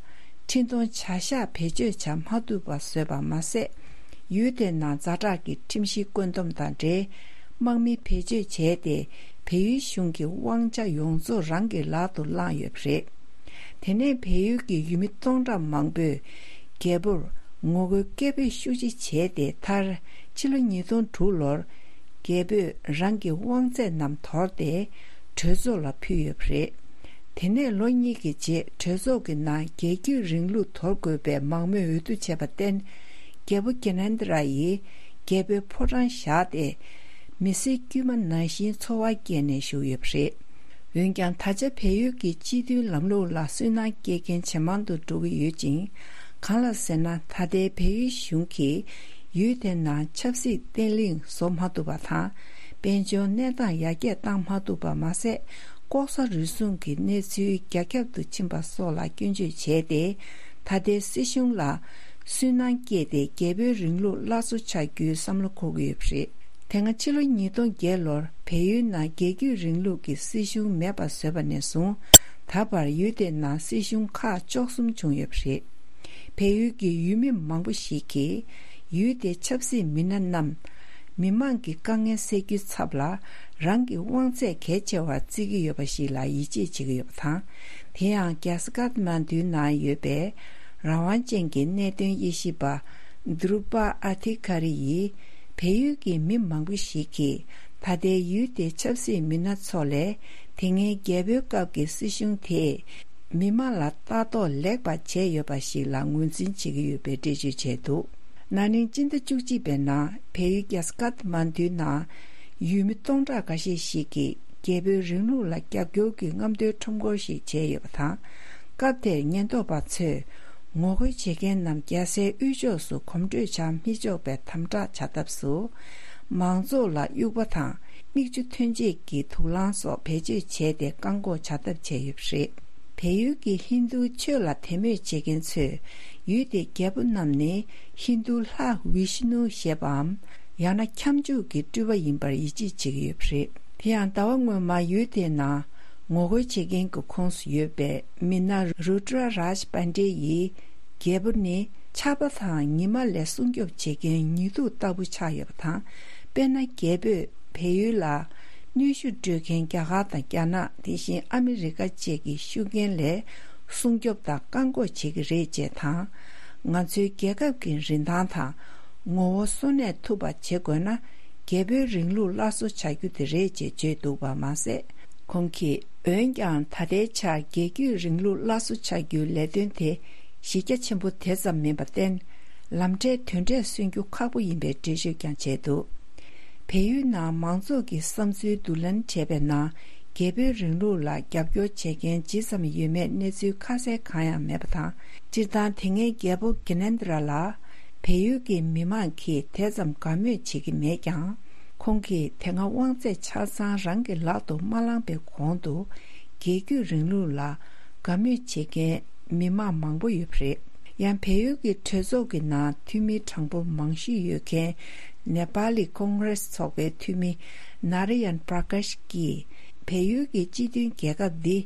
འཕྲིན་གཏོང་བྱ་གཞག་བེད་སྤྱོད་བྱ་མ་ཐུབ་པ་བཟོས་པ་མ་ཟད། ཡུལ་དེའི་ནང་ཛ་དྲག་གི་ཁྲིམས་གཞི་བཀོད་འདོམས་དང་འབྲེལ། དམག་མི་བེད་སྤྱོད་བྱས་ཏེ། བལ་ཡུལ་གཞུང་གི་དབང་ཆ་ཡོངས་རྫོགས་རང་གི་ལག་ཏུ་བླངས་ཡོད་པ་རེད། དེ་ནས་བལ་ཡུལ་གྱི་ཡུལ་མི་སྟོང་ཕྲག་མང་པོས་རྒྱལ་པོར་ངོ་རྒོལ་སྐད་འབོད་ཤུགས་ཆེ་བྱས་ཏེ། མཐར་ཕྱི་ལོ་ཉིས་སྟོང་དྲུག་ལོར་རྒྱལ་པོས་རང་གི་དབང་ཚད་རྣམས་དོར་ཏེ་གྲོས་ཚོགས་ལ་ཕུལ་ཡོད་པ་རེད། དེ་ནས་ལོ་གཉིས་ཀྱི་རྗེས་གྲོས་ཚོགས་ཀྱི་ནང་རྒྱལ་བརྒྱུད་རིང་ལུགས་དོར་དགོས་པའི་མང་མོས་འོས་བསྡུ་བྱས་པར་བརྟེན། རྒྱལ་པོ་གྷི་ནན་དྲ་ཡིས་རྒྱལ་པོའི་ཕོ་བྲང་བཞག་སྟེ། མི་སེར་དཀྱུས་མ་ནང་བཞིན་འཚོ་བ་སྐྱེལ་ནས་བཞུགས་ཡོད་པ་རེད། འོན་ཀྱང་ད་ཆ་བལ་ཡུལ་གྱི་སྤྱི་འཐུས་ལམ་ལུགས་ལ་སུན་སྣང་སྐྱེ་མཁན་ཇེ་མང་དུ་འགྲོ་གི་ཡོད་ཅིང་། གང་ལགས་ཟེར་ན། ད་ལྟའི་བལ་ཡུལ་གཞུང་གིས་ ཡུལ་དེ་ནང་ཆབ་སྲིད་བརྟན་ལྷིང་བཟོ་མ་ཐུབ་པ་དང་། དཔལ་འབྱོར་གནས་སྟངས་ཡར་རྒྱས་བཏང་མ་ཐུབ་པ་མ་ཟད། ལྐོག་ཟ་རུལ་སུངས་ཀྱི་གནས་ཚུལ་རྒྱ་ཁྱབ་ཏུ་ཕྱིན་པ་སོགས་ལ་སྐྱོན་བརྗོད་བྱས་ཏེ། ད་ལྟའི་སྲིད་གཞུང་ལ་སུན་སྣང་སྐྱེས་ཏེ། རྒྱལ་པོའི་རིང་ལུགས་སླར་གསོ་བྱ་རྒྱུའི་བསམ་བློ་འཁོར་གྱི་ཡོད་པ་རེད། དེ་སྔ་ཕྱི་ལོ་ཉིས་སྟོང་བརྒྱད་ལོར་བལ་ཡུལ་ནང་རྒྱལ་རྒྱུད་རིང་ལུགས་ཀྱི་སྲིད་གཞུང་མེད་པ་བཟོས་པ་ནས་བཟུང་། ད་བར་ཡུལ་དེ་ནང་སྲིད་གཞུང་ཁག་བཅུ་གསུམ་བྱུང་ཡོད་པ་རེད། བལ་ཡུལ་གྱི་ཡུལ་མི་མང་པོ་ཞིག་གིས་ཡུལ་དེའི་ཆབ་སྲིད་མི་སྣ་རྣམས་མི་མང་གི་དཀའ་ངལ་སེལ་རྒྱུའི་ཚབ་ལ། རང་གི་དབང་ཚད་གལ་ཆེ་བར་བརྩི་གི་ཡོད་པ་ཞིག་ལ་ཡིད་ཆེས་བྱེད་ཀྱི་ཡོད་པ་དང་། དེ་ཡང་རྒྱ་ས་ཀཱ་ཐ་མན་ཌུའི་ནང་ཡོད་པའི་རང་དབང་ཅན་གྱི་གནད་དོན་དབྱེ་ཞིབ་པ་དྲུ་པ་ཨ་ཐི་ཀ་རི་ཡིས། བལ་ཡུལ་གྱི་མི་མང་པོ་ཞིག་གིས་ད་ལྟའི་ཡུལ་དེའི་ཆབ་སྲིད་མི་སྣ་ཚོ་ལས། དེ་སྔའི་རྒྱལ་པོའི་སྐབས་ཀྱི་སྲིད་གཞུང་དེས་མི་མང་ལ་ལྟ་རྟོག་ལེགས་པ་བྱས་ཡོད་པ་ཞིག་ལ་ངོས་འཛིན་བྱེད་ཀྱི་ཡོད་པའི་འགྲེལ་བརྗོད་བྱས་འདུག། ན་ནིང་སྤྱི་ཟླ་བཅུ་གཅིག་པའི་ནང་བལ་ཡུལ་རྒྱ་ས་ཀཱ་ཐ་མན་ཌུའི་ནང་ཡུལ་མི་སྟོང་ཕྲག་འགའ་ཤས་ཤིག་གིས་རྒྱལ་པོའི་རིང་ལུགས་ལ་རྒྱབ་སྐྱོར་གྱི་རྔམ་སྟོན་ཁྲོམ་སྐོར་ཞིག་བྱས་ཡོད་པ་དང་། སྐབས་དེར་ཉེན་རྟོག་པ་ཚོས་ངོ་རྒོལ་བྱེད་མཁན་རྣམས་རྒྱལ་སའི་དབུས་ཕྱོགས་སུ་གོམ་བགྲོད་བྱ་མི་ཆོག་པའི་དམ་དྲག་བྱ་ཐབས་སུ། མང་ཚོགས་ལ་དབྱུག་པ་དང་མིག་ཆུ་ཐོན་སྐྱེད་ཀྱི་དུག་རླངས་སོགས་བེད་སྤྱོད་བྱས་ཏེ། བཀག་འགོག་བྱ་ཐབས་བྱས་ཡོད་པ་རེད། བལ་ཡུལ་གྱི་ཧིན་རྡུ་ཆོས་ལ་དད་མོས་བྱེད་མཁན་ཚོས། ཡུལ་དེའི་རྒྱལ་པོ་རྣམས་ནི་ཧིན་རྡུ་ལྷ་བི་ཤ་ནུ་ཞེས་པའམ། ཡང་ན་ཁྱབ་འཇུག་གི་སྤྲུལ་པ་ཡིན་པར་ཡིད་ཆེས་བྱེད་ཀྱི་ཡོད་པ་རེད། དེ་ཡང་ཟླ་བ་སྔོན་མ་ཡུལ་དེའི་ནང་ངོ་རྒོལ་བྱེད་མཁན་གྱི་ཁོངས་སུ་ཡོད་པའི་མི་སྣ་རུ་ཏྲ་རཱཇ་པན་ཌེ་ཡིས། རྒྱལ་པོ་ནི་ཆར་པ་དང་ཉི་མ་ལས་སྲུང་སྐྱོབ་བྱེད་མཁན་ཉི་གདུགས་ལྟ་བུ་ཆགས་ཡོད་པ་དང་། དཔེར་ན། རྒྱལ་པོས་བལ་ཡུལ་ལ་གནོན་ཤུགས་སྤྲོད་མཁན་རྒྱ་གར་དང་རྒྱ་ནག། དེ་བཞིན་ཨ་མི་རི་ཀ་བཅས་ཀྱི་ཤུགས་རྐྱེན་ལས་སྲུང་སྐྱོབ་དང་བཀག་འགོག་བྱེད་ཀྱི་རེད་ཅེས་དང་། ང་ཚོའི་རྒྱལ་ཁབ་ཀྱི་རིན་ཐང་དང་ངོ་བོ་གསོན་གནས་ཐུབ་པ་བྱེད་དགོས་ན། རྒྱལ་པོའི་རིང་ལུགས་སླར་གསོ་བྱ་རྒྱུ་དེ་རེད་ཅེས་བརྗོད་འདུག་པ་མ་ཟད། ཁོང་གིས། འོན་ཀྱང་ད་ལྟའི་ཆར་རྒྱལ་རྒྱུད་རིང་ལུགས་སླར་གསོ་བྱ་རྒྱུའི་ལས་དོན་དེ་གཞི་རྒྱ་ཆེན་པོ་དེ་ཙམ་མིན་པར་བརྟེན། ལམ་འབྲས་དོན་འབྲས་སོན་རྒྱུ་ཁག་པོ་ཡིན་པའི་འགྲེལ་བརྗོད་ཀྱང་བྱས་འདུག། བལ་ཡུལ་ནང་མང་ཚོགས་ཀྱི་བསམ་ཚུལ་བསྡུ་ལེན་བྱས་པའི་ནང་། རྒྱལ་པོའི་རིང་ལུགས་ལ་རྒྱབ་སྐྱོར་བྱེད་མཁན་ཇི་ཙམ་ཡོད་མེད་གནས་ཚུལ་ཁ་གསལ་གང་ཡང་མེད་པ་དང་། སྤྱིར་བཏང་དེ་སྔའི་རྒྱལ་པོ་གྷི་ནན་དི་ར་ལ་བལ་ཡུལ་གྱི་མི་མང་གིས་དེ་ཙམ་དགའ་མོས་བྱེད་ཀྱི་མེད་ཀྱང་། ཁོང་གིས་དེ་སྔ་དབང་ཚད་ཆ་ཚང་རང་གི་ལག་ཏུ་མ་བླངས་པའི་གོང་དུ། རྒྱལ་རྒྱུད་རིང་ལུགས་ལ་དགའ་མོས་བྱེད་མཁན་མི་མང་མང་པོ་ཡོད་པ་རེད། ཡང་། བལ་ཡུལ་གྱི་གྲོས་ཚོགས་ཀྱི་ནང་འཐུས་མི་གྲངས་འབོར་མང་ཤོས་ཡོད་མཁན་ནེ་པ་ལི་ཀོང་རེས་ཚོགས་པའི་འཐུས་མི་ནཱ་ར་ཡན་པྲ་ཀཱཤ་གིས། བལ་ཡུལ་གྱི་སྤྱི་མཐུན་རྒྱལ་ཁབ་འདི་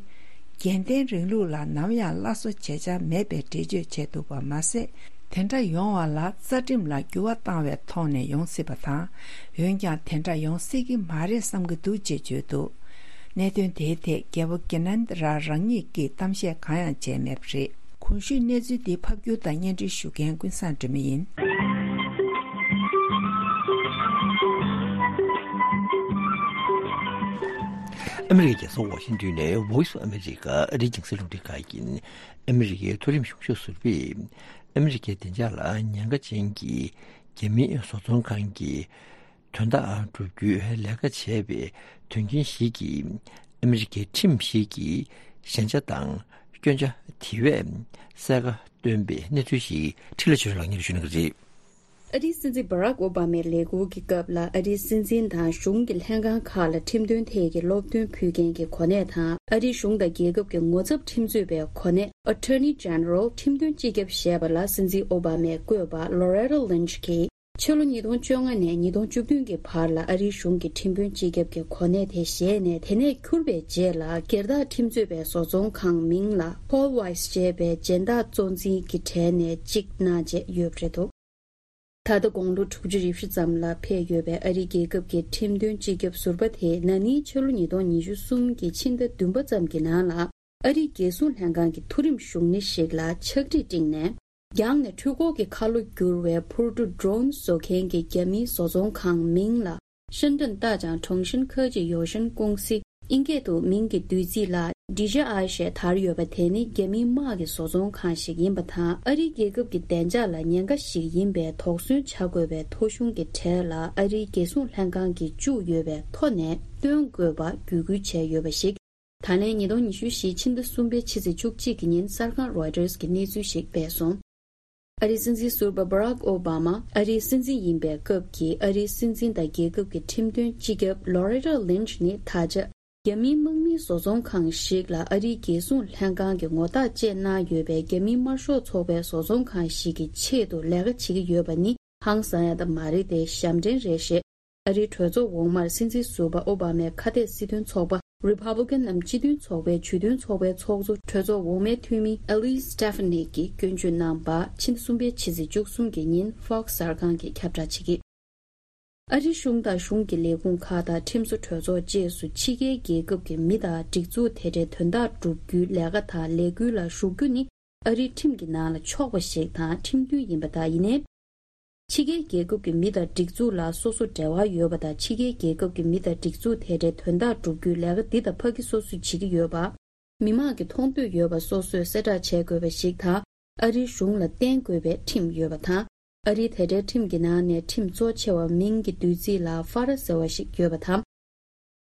རྒྱལ་བསྟན་རིང་ལུགས་ལ་ནམ་ཡང་སླར་གསོ་བྱེད་འཆར་མེད་པའི་འགྲེལ་བརྗོད་བྱས་འདུག་པ་མ་ཟད། དེ་འདྲ་ཡོང་བ་ལ་རྩ་ཁྲིམས་ལ་འགྱུར་བ་བཏང་བའི་ཐོག་ནས་ཡོང་སྲིད་པ་དང་། འོན་ཀྱང་དེ་འདྲ་ཡོང་སྲིད་ཀྱི་མ་རེད་བསམ་གྱི་འདུག་ཅེས་བརྗོད་འདུག། གནད་དོན་དེའི་ཐད་རྒྱལ་པོ་གྷི་ནན་དི་ར་རང་ཉིད་ཀྱིས་གཏམ་བཤད་གང་ཡང་བྱས་མེད་པ་རེད། གོང་ཞུས་གནས་ཚུལ་འདི་ཕབ་སྒྱུར་དང་སྙན་སྒྲོན་ཞུ་མཁན་ཀུན་བཟང་སྒྲོལ་མ་ཡིན། ཨ་མི་རི་ཀའི་རྒྱལ་ས་ཝ་ཤིང་ཏོན་ནས་Voice of America ཨ་རིའི་རྒྱང་སྲིང་རླུང་འཕྲིན་ཁང་ཡིན། ཨ་མི་རི་ཀའི་མཐོ་རིམ་གཞུང་ཞབས་ཟུར་པས། ཨ་མི་རི་ཀའི་བདེ་འཇགས་ལ་ཉེན་ཁ་ཅན་གྱི་རྒྱ་མིའི་བཟོ་ཚོང་ཁང་གི་དོན་དག་སྒྲུབ་རྒྱུའི་ལས་ཀ་བྱས་པའི་དོན་རྐྱེན་ཞིག་གིས། ཨ་མི་རི་ཀའི་ཁྲིམས་ཤིག་གི་ཞན་ཆ་དང་སྐྱོན་ཆ་དེ་བས་གསལ་ཁ་བཏོན་པའི་གནས་ཚུལ་ཞིག་འཕྲིན་ལས་ཆོས་ལགས་ཉིད་ཞུ་གནང་གི་རེད། ཨ་རིའི་སྲིད་འཛིན་Barack Obama ལས་འགུལ་གྱི་སྐབས་ལ། ཨ་རིའི་སྲིད་འཛིན་དང་གཞུང་གི་ལྷན་ཁང་ཁག་ལ་ཁྲིམས་དོན་ཐད་ཀྱི་སློབ་སྟོན་ཕུལ་མཁན་གྱི་གོ་གནས་དང་། ཨ་རིའི་གཞུང་དང་རྒྱལ་ཁབ་ཀྱི་ངོ་ཚབ་ཁྲིམས་རྩོད་པའི་གོ་གནས་Attorney General ཁྲིམས་དོན་སྤྱི་ཁྱབ་ཞེས་པ་ལ་སྲིད་འཛིན་ཨོ་བྷ་མས་བསྐོས་པ་Loretta Lynch གྱིས། ཕྱི་ལོ་ཉིས་སྟོང་བཅོ་ལྔ་ནས་ཉིས་སྟོང་བཅུ་བདུན་གྱི་བར་ལ་ཨ་རིའི་གཞུང་གི་ཁྲིམས་དཔོན་སྤྱི་ཁྱབ་ཀྱི་གོ་གནས་དེ་བཞེས་ནས། དེ་ནས་འཁྱུར་བའི་རྗེས་ལ་སྒེར་བདག་ཁྲིམས་རྩོད་པའི་བཟོ་ཚོང་ཁང་མིང་ལ་Paul Weiss ཅེས་པའི་སྦྱིན་བདག་གཙོ་འཛིན་གྱི་གྲས་ནས་གཅིག་གནང་བྱས་ཡོད་པ་རེད་འདུག། ད་ལྟ་དགུང་ལོ་དྲུག་ཅུ་རེ་བཞི་ཙམ་ལ་ཕེབས་ཡོད་པའི་ཨ་རིའི་རྒྱལ་ཁབ་ཀྱི་ཁྲིམས་དོན་སྤྱི་ཁྱབ་ཟུར་པ་དེས་ན་ནིང་ཕྱི་ལོ་ཉིས་སྟོང་ཉི་ཤུ་གསུམ་གྱི་ཕྱི་ཟླ་བདུན་པ་ཙམ་གྱི་ནང་ལ། ཨ་རིའི་རྒྱལ་སྲུང་ལྷན་ཁང་གི་མཐོ་རིམ་བཞུགས་གནས་ཤིག་ལ་ཕྱག་བྲིས་བསྒྲིགས་ནས། རྒྱང་ནས་འཕྲུལ་འཁོར་གྱི་ཁ་ལོ་བསྒྱུར་བའི་འཕུར་གྲུ་Drone བཟོ་མཁན་གྱི་རྒྱ་མིའི་བཟོ་ཚོང་ཁང་མིང་ལ་ཧྲིན་ཀྲིན་ཏཱ་ཅང་ཁྲུང་ཧྲིན་ཁེ་ཅི་ཡོ་ཤིན་ཀུང་སི། དབྱིན་སྐད་དུ་མིང་གི་བསྡུས་ཚིག་ལ་ཌི་ཇི་ཨའི་ཞེས་དར་ཡོད་པ་དེ་ནི་རྒྱ་མིའི་དམག་གི་བཟོ་ཚོང་ཁང་ཞིག་ཡིན་པ་དང་། ཨ་རིའི་རྒྱལ་ཁབ་ཀྱི་བདེ་འཇགས་ལ་ཉེན་ཁ་ཞིག་ཡིན་པའི་དོགས་ཟོན་བྱ་དགོས་པའི་ཐོ་གཞུང་གི་གྲས་ལ་ཨ་རིའི་རྒྱལ་སྲུང་ལྷན་ཁང་གིས་བཅུག་ཡོད་པའི་ཐོ་ནས་བཏོན་དགོས་པ་བརྒྱུད་སྐུལ་བྱས་ཡོད་པ་ཞིག། ད་ལན་ཉིས་སྟོང་ཉི་ཤུ་བཞི་ཕྱི་ཟླ་གསུམ་པའི་ཕྱི་ཚེས་བཅུ་གཅིག་གི་ཉིན་གསར་ཁང་Reuters གིས་གནས་ཚུལ་ཞིག་སྤེལ་སོང་། ཨ་རིའི་སྲིད་འཛིན་ཟུར་པ་Barack Obama། ཨ་རིའི་སྲིད་འཛིན་ཡིན་པའི་སྐབས་ཀྱི་ཨ་རིའི་སྲིད་འཛིན་དང་རྒྱལ་ཁབ་ཀྱི་ཁྲིམས་དོན་སྤྱི་ཁྱབ་Loretta Lynch ནི་ད་ཆ་རྒྱ་མིའི་དམག་མིའི་བཟོ་ཚོང་ཁང་ཞིག་ལ་ཨ་རིའི་རྒྱལ་སྲུང་ལྷན་ཁང་གི་ངོ་རྟགས་བཅས་གནང་ཡོད་པའི་རྒྱ་མིའི་དམར་ཤོག་ཚོགས་པའི་བཟོ་ཚོང་ཁང་ཞིག་གི་ཆེད་དུ་ལས་ཀ་བྱེད་ཀྱི་ཡོད་པ་ནི་ཧང་སང་ཡ་ད་མ་རེད་དེ། ཞབས་འདྲེན་རེད་ཞེས་ཨ་རིའི་གྲོས་ཚོགས་འོག་མར་སྲིད་འཛིན་ཟུར་པ་ཨོ་བྷ་མའི་ཁ་གཏད་སྲིད་དོན་ཚོགས་པ་Republican ནམ་སྤྱི་མཐུན་ཚོགས་པའི་ཇུས་འདོན་ཚོགས་པའི་ཚོགས་གཙོ་གྲོས་ཚོགས་འོག་མའི་འཐུས་མི་Elise Stefanik གིས་སྐྱོན་བརྗོད་གནང་པ་ཕྱི་ཟླ་གསུམ་པའི་ཕྱི་ཚེས་བཅུ་གསུམ་གྱི་ཉིན་Fox གསར་ཁང་གིས་ཁྱབ་བསྒྲགས་བྱེད་ཀྱི། ཨ་རིའི་གཞུང་དང་གཞུང་གི་ལས་ཁུངས་ཁག་དང་ཁྲིམས་བཟོ་གྲོས་ཚོགས་བཅས་སུ་ཕྱི་རྒྱལ་རྒྱལ་ཁབ་ཀྱི་མི་དང་སྒྲིག་འཛུགས་དེ་འདྲའི་དོན་དག་བསྒྲུབ་རྒྱུའི་ལས་ཀ་དང་ལས་འགུལ་ལ་ཞུགས་རྒྱུ་ནི་ཨ་རིའི་ཁྲིམས་ཀྱི་ནང་ལ་ཆོག་པ་ཞིག་དང་ཁྲིམས་མཐུན་ཡིན་པ་དང་། ཡིན་ནའི། ཕྱི་རྒྱལ་རྒྱལ་ཁབ་ཀྱི་མི་དང་སྒྲིག་འཛུགས་ལ་སོ་སོ་འབྲེལ་བ་ཡོད་པ་དང་། ཕྱི་རྒྱལ་རྒྱལ་ཁབ་ཀྱི་མི་དང་སྒྲིག་འཛུགས་དེ་འདྲའི་དོན་དག་བསྒྲུབ་རྒྱུའི་ལས་ཀ་འདི་དང་ཕ་གི་སོ་སོས་བྱེད་ཀྱི་ཡོད་པ། མི་མང་གིས་མཐོང་འདོད་ཡོད་པ་སོ་སོས་གསལ་བསྒྲགས་བྱེད་དགོས་པ་ཞིག་དང་། ཨ་རིའི་གཞུང་ལ་བརྟེན་དགོས་པའི་ཁྲིམས་ཡོད་པ་དང་། ཨ་རིའི་དེ་འདྲའི་ཁྲིམས་ཀྱི་ནང་ནས་ཁྲིམས་གཙོ་ཆེ་བ་མིང་གི་བསྡུས་ཚིག་ལ་ཧྥ་ར་ཟེར་བ་ཞིག་ཡོད་པ་དང་།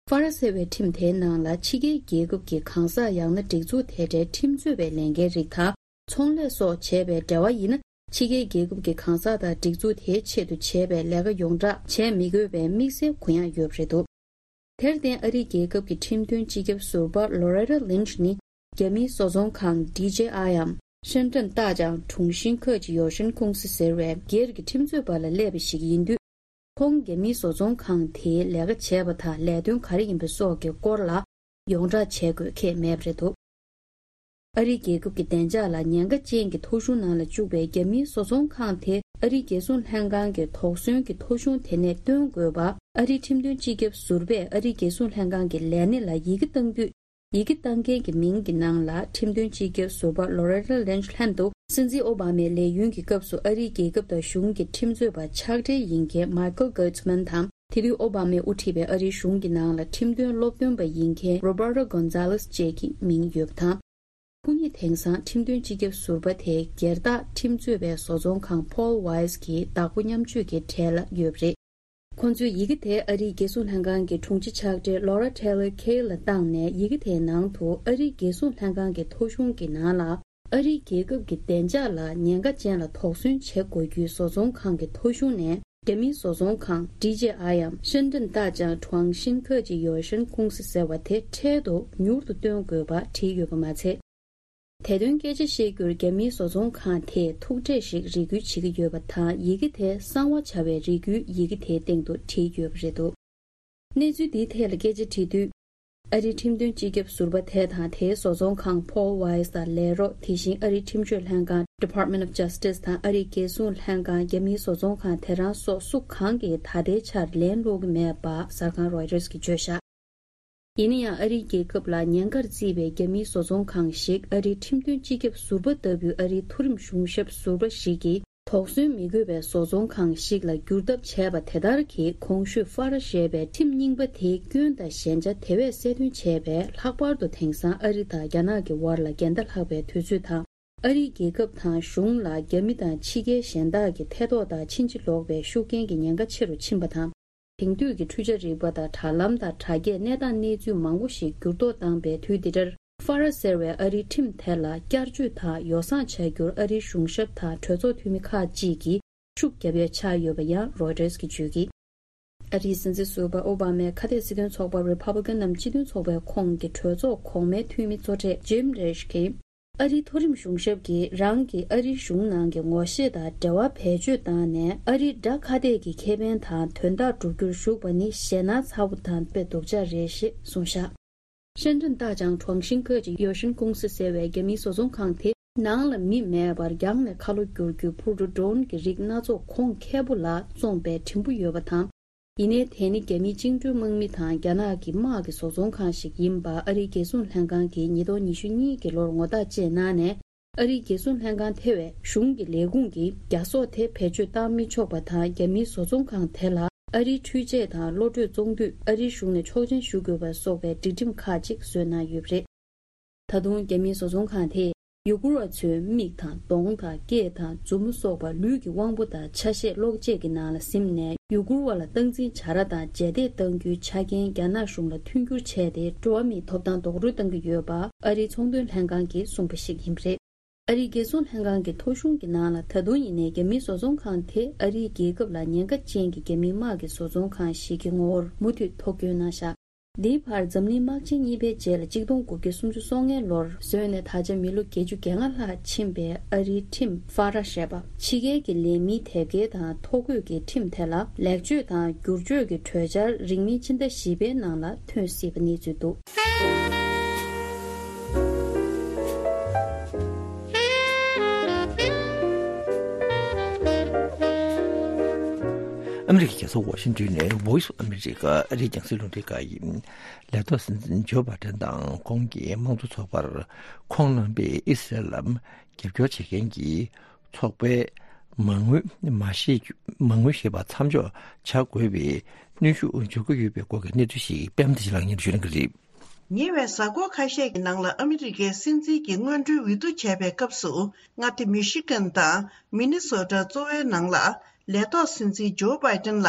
ཧྥ་ར་ཟེར་བའི་ཁྲིམས་དེའི་ནང་ལ་ཕྱི་རྒྱལ་རྒྱལ་ཁབ་ཀྱི་གང་ཟག་ཡང་ན་སྒྲིག་འཛུགས་དེ་འདྲའི་ཁྲིམས་རྩོད་པའི་ལས་འགན་རིགས་དང་། ཚོང་ལས་སོགས་བྱས་པའི་འབྲེལ་བ་ཡིན་ན། ཕྱི་རྒྱལ་རྒྱལ་ཁབ་ཀྱི་གང་ཟག་དང་སྒྲིག་འཛུགས་དེའི་ཆེད་དུ་བྱས་པའི་ལས་ཀ་ཡོངས་གྲགས་བྱས་མི་དགོས་པའི་དམིགས་བསལ་གུ་ཡངས་ཡོད་པ་རེད་འདུག་དེར་བརྟེན། ཨ་རིའི་རྒྱལ་ཁབ་ཀྱི་ཁྲིམས་དོན་སྤྱི་ཁྱབ་ཟུར་པ་Loretta Lynch ནི་རྒྱ་མིའི་བཟོ་ཚོང་ཁང་ཌི་ཇེ་ཨའི་འམ་深圳大疆中心科技有限公司ཟེར་བའི་སྒེར་གྱི་ཁྲིམས་རྩོད་པ་ལ་སླེབས་པ་ཞིག་ཡིན་དུས། ཁོང་རྒྱ་མིའི་བཟོ་ཚོང་ཁང་དེའི་རྒྱ་མིའི་བཟོ་ཚོང་ཁང་དེའི་ལས་ཀ་བྱས་པ་དང་ལས་དོན་ག་རེ་ཡིན་པ་སོགས་ཀྱི་སྐོར་ལ་ཡོངས་གྲགས་བྱེད་དགོས་ཁེལ་མེད་པ་རེད་འདུག་ཨ་རིའི་རྒྱལ་ཁབ་ཀྱི་བདེ་འཇགས་ལ་ཉེན་ཁ་ཅན་གྱི་ཐོ་གཞུང་ནང་ལ་བཅུག་པའི་རྒྱ་མིའི་བཟོ་ཚོང་ཁང་དེ་ཨ་རིའི་རྒྱལ་སྲུང་ལྷན་ཁང་གི་དོགས་ཟོན་གྱི་ཐོ་གཞུང་དེ་ནས་བཏོན་དགོས་པ། ཨ་རིའི་ཁྲིམས་དོན་སྤྱི་ཁྱབ་ཟུར་པས་ཨ་རིའི་རྒྱལ་སྲུང་ལྷན་ཁང་གི་ལས་སྣེ་ལ་ཡི་གེ་བཏང་དུས། ཡི་གེ་བཏང་མཁན་གྱི་མིང་གི་ནང་ལ་ཁྲིམས་དོན་སྤྱི་ཁྱབ་ཟུར་པ་Loretta Lynch ལྷན་དུ། སྲིད་འཛིན་ཨོ་བྷ་མའི་ལས་ཡུན་གྱི་སྐབས་སུ་ཨ་རིའི་རྒྱལ་ཁབ་དང་གཞུང་གི་ཁྲིམས་རྩོད་པ་ཕྱག་སྦྲེལ་ཡིན་མཁན་Michael Gertzman དང་། དེ་དུས་ཨོ་བྷ་མས་དབུ་ཁྲིད་པའི་ཨ་རིའི་གཞུང་གི་ནང་ལ་ཁྲིམས་དོན་སློབ་སྟོན་པ་ཡིན་མཁན་Roberto Gonzalez བཅས་ཀྱི་མིང་ཡོད་པ་དང་། སྐུ་ཉིད་དེང་སང་ཁྲིམས་དོན་སྤྱི་ཁྱབ་ཟུར་པ་དེ་སྒེར་བདག་ཁྲིམས་རྩོད་པའི་བཟོ་ཚོང་ཁང་Paul Weiss གི་བདག་པོ་མཉམ་སྤྱོད་ཀྱི་གྲས་ལ་ཡོད་པ་རེད། ཁོང་ཚོས་ཡི་གེ་དེ་ཨ་རིའི་རྒྱལ་སྲུང་ལྷན་ཁང་གི་དྲུང་ཆེ་ཕྱག་སྦྲེལ་Laura Taylor Kaye ལ་བཏང་ནས། ཡི་གེ་དེའི་ནང་དུ་ཨ་རིའི་རྒྱལ་སྲུང་ལྷན་ཁང་གི་ཐོ་གཞུང་གི་ནང་ལ། ཨ་རིའི་རྒྱལ་ཁབ་ཀྱི་བདེ་འཇགས་ལ་ཉེན་ཁ་ཅན་ལ་དོགས་ཟོན་བྱེད་དགོས་རྒྱུའི་བཟོ་ཚོང་ཁང་གི་ཐོ་གཞུང་ནས། རྒྱ་མིའི་བཟོ་ཚོང་ཁང་ཌི་ཇེ་ཨའི་འམ་深圳大疆中心科技有限公司ཟེར་བ་དེ་འཕྲལ་དུ་མྱུར་དུ་བཏོན་དགོས་པ་བྲིས་ཡོད་པ་མ་ཚད། དེ་དོན་སྐད་ཆ་བཤད་རྒྱུར་རྒྱ་མིའི་བཟོ་ཚོང་ཁང་དེས་ཐུག་འཕྲད་ཞིག་རེ་སྐུལ་བྱེད་ཀྱི་ཡོད་པ་དང་། ཡི་གེ་དེ་གསང་བ་བྱ་བའི་རེ་སྐུལ་ཡི་གེ་དེའི་སྟེང་དུ་བྲིས་ཡོད་པ་རེད་འདུག་གནས་ཚུལ་འདིའི་ཐད་ལ་སྐད་ཆ་དྲིས་དུས། ཨ་རིའི་ཁྲིམས་དོན་སྤྱི་ཁྱབ་ཟུར་པ་དེ་དང་དེའི་བཟོ་ཚོང་ཁང་Paul Weiss དང་ལས་རོགས། དེ་བཞིན་ཨ་རིའི་ཁྲིམས་གཅོད་ལྷན་ཁང་Department of Justice དང་ཨ་རིའི་རྒྱལ་སྲུང་ལྷན་ཁང་། རྒྱ་མིའི་བཟོ་ཚོང་ཁང་དེ་རང་སོགས་སུ་གང་གིས་ད་ལྟའི་ཆར་ལན་སློག་གི་མེད་པ་གསར་ཁང་Reuters གིས་བརྗོད་བཞག་ཡིན་ན་ཡང་། ཨ་རིའི་རྒྱལ་ཁབ་ལ་ཉེན་ཁར་བརྩིས་པའི་རྒྱ་མིའི་བཟོ་ཚོང་ཁང་ཞིག་ཨ་རིའི་ཁྲིམས་དོན་སྤྱི་ཁྱབ་ཟུར་པ་ལྟ་བུའི་ཨ་རིའི་མཐོ་རིམ་གཞུང་ཞབས་ཟུར་པ་ཞིག་གིས་དོགས་ཟོན་མི་དགོས་པའི་བཟོ་ཚོང་ཁང་ཞིག་ལ་འགྱུར་ཐབས་བྱས་པ་དེ་ལྟར་གྱིས། གོང་ཞུས་ཧྥ་ར་ཞེས་པའི་ཁྲིམས་རྙིང་པ་དེའི་སྐྱོན་དང་ཞན་ཆ་དེ་བས་གསལ་སྟོན་བྱས་པས། ལྷག་པར་དུ་དེང་སང་ཨ་རི་དང་རྒྱ་ནག་གི་དབར་ལ་འགལ་ཟླ་ལྷག་པའི་དུས་ཚོད་དང་། ཨ་རིའི་རྒྱལ་ཁབ་དང་གཞུང་ལ་རྒྱ་མི་དང་ཕྱི་རྒྱལ་གཞན་དག་གི་ཐེ་གཏོགས་དང་ཕྱིན་ཅི་ལོག་པའི་ཤུགས་རྐྱེན་གྱི་ཉེན་ཁ་ཆེ་རུ་ཕྱིན་པ་དང་། དེང་དུས་ཀྱི་འཕྲུལ་ཆ་རིག་པ་དང་དྲ་ལམ་དང་དྲ་རྒྱས་གནས་སྟངས་གནས་ཚུལ་མང་པོ་ཞིག་འགྱུར་ལྡོག་བཏང་པའི་དུས་འདི་འདྲར། ཧྥ་ར་ཟེར་བའི་ཨ་རིའི་ཁྲིམས་དེ་ལ་བསྐྱར་བཅོས་དང་ཡོ་བསྲང་བྱ་རྒྱུར་ཨ་རིའི་གཞུང་ཞབས་དང་གྲོས་ཚོགས་འཐུས་མི་ཁག་ཅིག་གིས་ཤུགས་བརྒྱབ་ཡ་ཆགས་ཡོད་པ་ཡང་Reuters གིས་བརྗོད་ཀྱིས། ཨ་རིའི་སྲིད་འཛིན་ཟུར་པ་ཨོ་བྷ་མའི་ཁ་གཏད་སྲིད་དོན་ཚོགས་པ་Republican ནམ་སྤྱི་མཐུན་ཚོགས་པའི་ཁོངས་ཀྱི་གྲོས་ཚོགས་གོང་མའི་འཐུས་མི་གཙོ་གྲས་Jim Risch གིས། ཨ་རིའི་མཐོ་རིམ་གཞུང་ཞབས་ཀྱིས་རང་གི་ཨ་རིའི་གཞུང་ནང་གི་ངོ་ཤེས་དང་འབྲེལ་བ་བེད་སྤྱོད་བཏང་ནས། ཨ་རིའི་དགྲ་ཁ་གཏད་ཀྱི་ཁེ་ཕན་དང་དོན་དག་བསྒྲུབ་རྒྱུར་ཞུགས་པ་ནི་ཞེད་སྣང་ཚ་བོ་དང་དཔེ་སྡུག་ཅག་རེད་ཞེས་གསུངས་བཞག 深圳大疆中心科技有限公司ཟེར་བའི་རྒྱ་མིའི་བཟོ་ཚོང་ཁང་དེ་ནང་ལ་མི་མེད་པར་རྒྱང་ནས་ཁ་ལོ་བསྒྱུར་རྒྱུའི་འཕུར་གྲུ་Drone གྱི་རིགས་སྣ་ཚོགས་གོང་ཁེ་པོ་ལ་བཙོངས་པའི་དྲིམ་ཕུ་ཡོད་པ་དང་། ཡིན་ནའི་དེ་ནི་རྒྱ་མིའི་བཅིངས་འགྲོལ་དམག་མི་དང་རྒྱ་ནག་གི་དམག་གི་བཟོ་ཚོང་ཁང་ཞིག་ཡིན་པ་ཨ་རིའི་རྒྱལ་སྲུང་ལྷན་ཁང་གིས་ཉིས་སྟོང་ཉི་ཤུ་གཉིས་ཀྱི་ལོར་ངོ་རྟགས་བཅས་གནང་ནས། ཨ་རིའི་རྒྱལ་སྲུང་ལྷན་ཁང་ཐེ་བའི་གཞུང་གི་ལས་ཁུངས་ཀྱིས་རྒྱ་སོག་དེ་བེད་སྤྱོད་བཏང་མི་ཆོག་པ་དང་། རྒྱ་མིའི་བཟོ་ཚོང་ཁང་དེ་ལ་ཨ་རིའི་འཕྲུལ་ཆས་དང་གློད་གྲོལ་བཙོང་དུས་ཨ་རིའི་གཞུང་ནས་ཆོག་མཆན་ཞུ་དགོས་པ་སོགས་པའི་སྒྲིག་ཁྲིམས་ཁག་ཅིག་བཟོས་གནང་ཡོད་པ་རེད། ད་དུང་རྒྱ་མིའི་བཟོ་ཚོང་ཁང་དེས་ཡུ་གུར་བ་ཚོའི་མིག་དང་གདོང་དང་སྐེ་དང་མཛུབ་མོ་སོགས་པ་ལུས་ཀྱི་དབང་པོ་དང་ཆ་ཤས་གློག་ཆས་ཀྱི་ནང་ལ་ཟིན་ནས། ཡུ་གུར་བ་ལ་སྟངས་འཛིན་བྱ་ར་དང་རྗེས་འདེད་གཏང་རྒྱུའི་ཆ་རྐྱེན་རྒྱ་ནག་གཞུང་ལ་མཐུན་འགྱུར་བྱས་ཏེ། འགྲོ་བ་མིའི་ཐོབ་ཐང་རྡོག་རོལ་གཏང་གི་ཡོད་པ་ཨ་རིའི་ཚོང་དོན་ལྷན་ཁང་གིས་གསུངས་པ་ཞིག་ཡིན་པ་རེད། ཨ་རིའི་རྒྱལ་སྲུང་ལྷན་ཁང་གི་ཐོ་གཞུང་གི་ནང་ལ། ད་དུང་ཡིན་ནའི་རྒྱ་མིའི་བཟོ་ཚོང་ཁང་དེ་ཨ་རིའི་རྒྱལ་ཁབ་ལ་ཉེན་ཁ་ཅན་གྱི་རྒྱ་མིའི་དམག་གི་བཟོ་ཚོང་ཁང་ཞིག་གི་ངོ་བོར་མུ་མཐུད་ཐོ་བཀོད་གནང་བཞག་འདིའི་བར་འཛམ་གླིང་དམག་ཆེན་གཉིས་པའི་རྗེས་ལ་གཅིག་སྟོང་དགུ་བརྒྱ་སུམ་ཅུ་སོ་ལྔའི་ལོར་བཟོས་ནས་ད་ཆ་མི་ལོ་བརྒྱད་ཅུ་གྱ་ལྔ་ལྷག་ཕྱིན་པའི་ཨ་རིའི་ཁྲིམས་ཧྥ་ར་ཞེས་པ། ཕྱི་རྒྱལ་གྱི་ལས་མིའི་དེབ་སྐྱེལ་དང་ཐོ་འགོད་ཀྱི་ཁྲིམས་དེ་ལ་ལེགས་བཅོས་དང་བསྒྱུར་བཅོས་ཀྱི་གྲོས་འཆར་རིང་མིན་ཕྱི་ཟླ་བཞི་པའི་ནང་ལ་ཐོན་སྲིད་པ་གནས་ཚུལ་འདུག་ཨ་མི་རི་ཀའི་རྒྱལ་ས་ཝ་ཤིང་ཏོན་ནས་Voice of America ཨ་རིའི་རྒྱང་སྲིང་རླུང་འཕྲིན་ཁང་ཡིན། ལས་ཐོག་སྲིད་འཛིན་ཇོ་བྷའི་ཏན་དང་ཁོང་གི་དམངས་གཙོ་ཚོགས་པར་ཁོང་རྣམ་པས་ཨི་སི་རལ་ལ་རྒྱབ་སྐྱོར་བྱེད་མཁན་གྱི་ཚོགས་པའི་མ་དངུལ་མ་ཤེས་མ་དངུལ་ཞེས་པ་མཚམས་འཇོག་བྱ་དགོས་པའི་གནོན་ཤུགས་འཇོག་གི་ཡོད་པའི་སྐོར་གྱི་གནས་ཚུལ་ཞིག་པད་མ་བདེ་ཆེན་ལགས་སྙན་སྒྲོན་ཞུ་གནང་གི་རེད། ཉེ་བའི་གཟའ་འཁོར་ཁ་ཤས་ཀྱི་ནང་ལ་ཨ་མི་རི་ཀའི་སྲིད་འཛིན་གྱི་སྔོན་འགྲོའི་འོས་བསྡུ་བྱས་པའི་སྐབས་སུ། མངའ་སྡེ་མི་ཤི་གན་དང་མི་ནི་སོ་ཊ་གཙོ་བོའི་ནང་ལ་ལས་ཐོག་སྲིད་འཛིན་ཇོ་བྷའི་ཏན་ལ་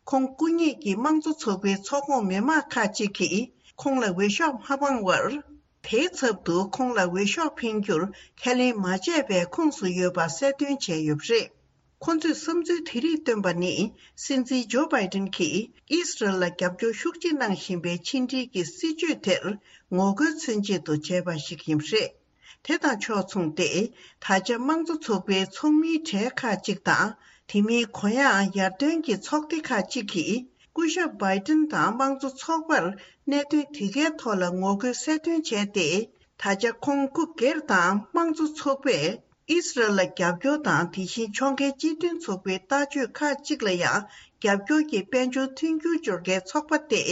ཁོང་སྐུ་ཉིད་ཀྱི་དམངས་གཙོ་ཚོགས་པའི་ཚོགས་ཁོངས་མི་མང་ཁག་ཅིག་གིས་ཁོང་ལ་འོས་ཤོག་མ་འཕངས་བར། དེའི་ཚབ་ཏུ་ཁོང་ལ་འོས་ཤོག་འཕེན་རྒྱུར་ཁས་ལེན་མ་བྱས་པའི་ཁོངས་སུ་ཡོད་པ་གསལ་སྟོན་བྱས་ཡོད་པ་རེད། ཁོ་ཚོས་བསམ་ཚུལ་དེ་རིགས་བཏོན་པ་ནི། སྲིད་འཛིན་ཇོ་བྷའི་ཏན་གྱིས་ཨི་སི་རལ་ལ་རྒྱབ་སྐྱོར་ཤུགས་ཆེ་གནང་བཞིན་པའི་ཕྱི་འབྲེལ་གྱི་སྲིད་བྱུས་དེར་ངོ་རྒོལ་མཚོན་ཆེད་དུ་བྱས་པ་ཞིག་ཡིན་པ་རེད། དེ་དང་ཕྱོགས་མཚུངས་ཏེ། ད་ཆ་དམངས་གཙོ་ཚོགས་པའི་ཚོགས་མིའི་གྲས་ཁག་ཅིག་དང་། དེ་མིན་གུ་ཡངས་ཡར་ཐོན་གྱི་ཚོགས་སྡེ་ཁག་ཅིག་གིས། སྐུ་ཞབས་བྷའི་ཏན་དང་དམངས་གཙོ་ཚོགས་པར་གནད་དོན་དེ་གའི་ཐོག་ལ་ངོ་རྒོལ་གསལ་སྟོན་བྱས་ཏེ། ད་ཆ་ཁོང་སྐུ་སྒེར་དང་དམངས་གཙོ་ཚོགས་པས། ཨི་སི་རལ་ལ་རྒྱབ་སྐྱོར་དང་། དེ་བཞིན་ཕྱོགས་འགལ་སྤྱི་མཐུན་ཚོགས་པའི་ལྟ་སྤྱོད་ཁག་ཅིག་ལ་ཡང་རྒྱབ་སྐྱོར་གྱི་དཔལ་འབྱོར་མཐུན་འགྱུར་སྦྱོར་མཁན་ཚོགས་པ་སྟེ།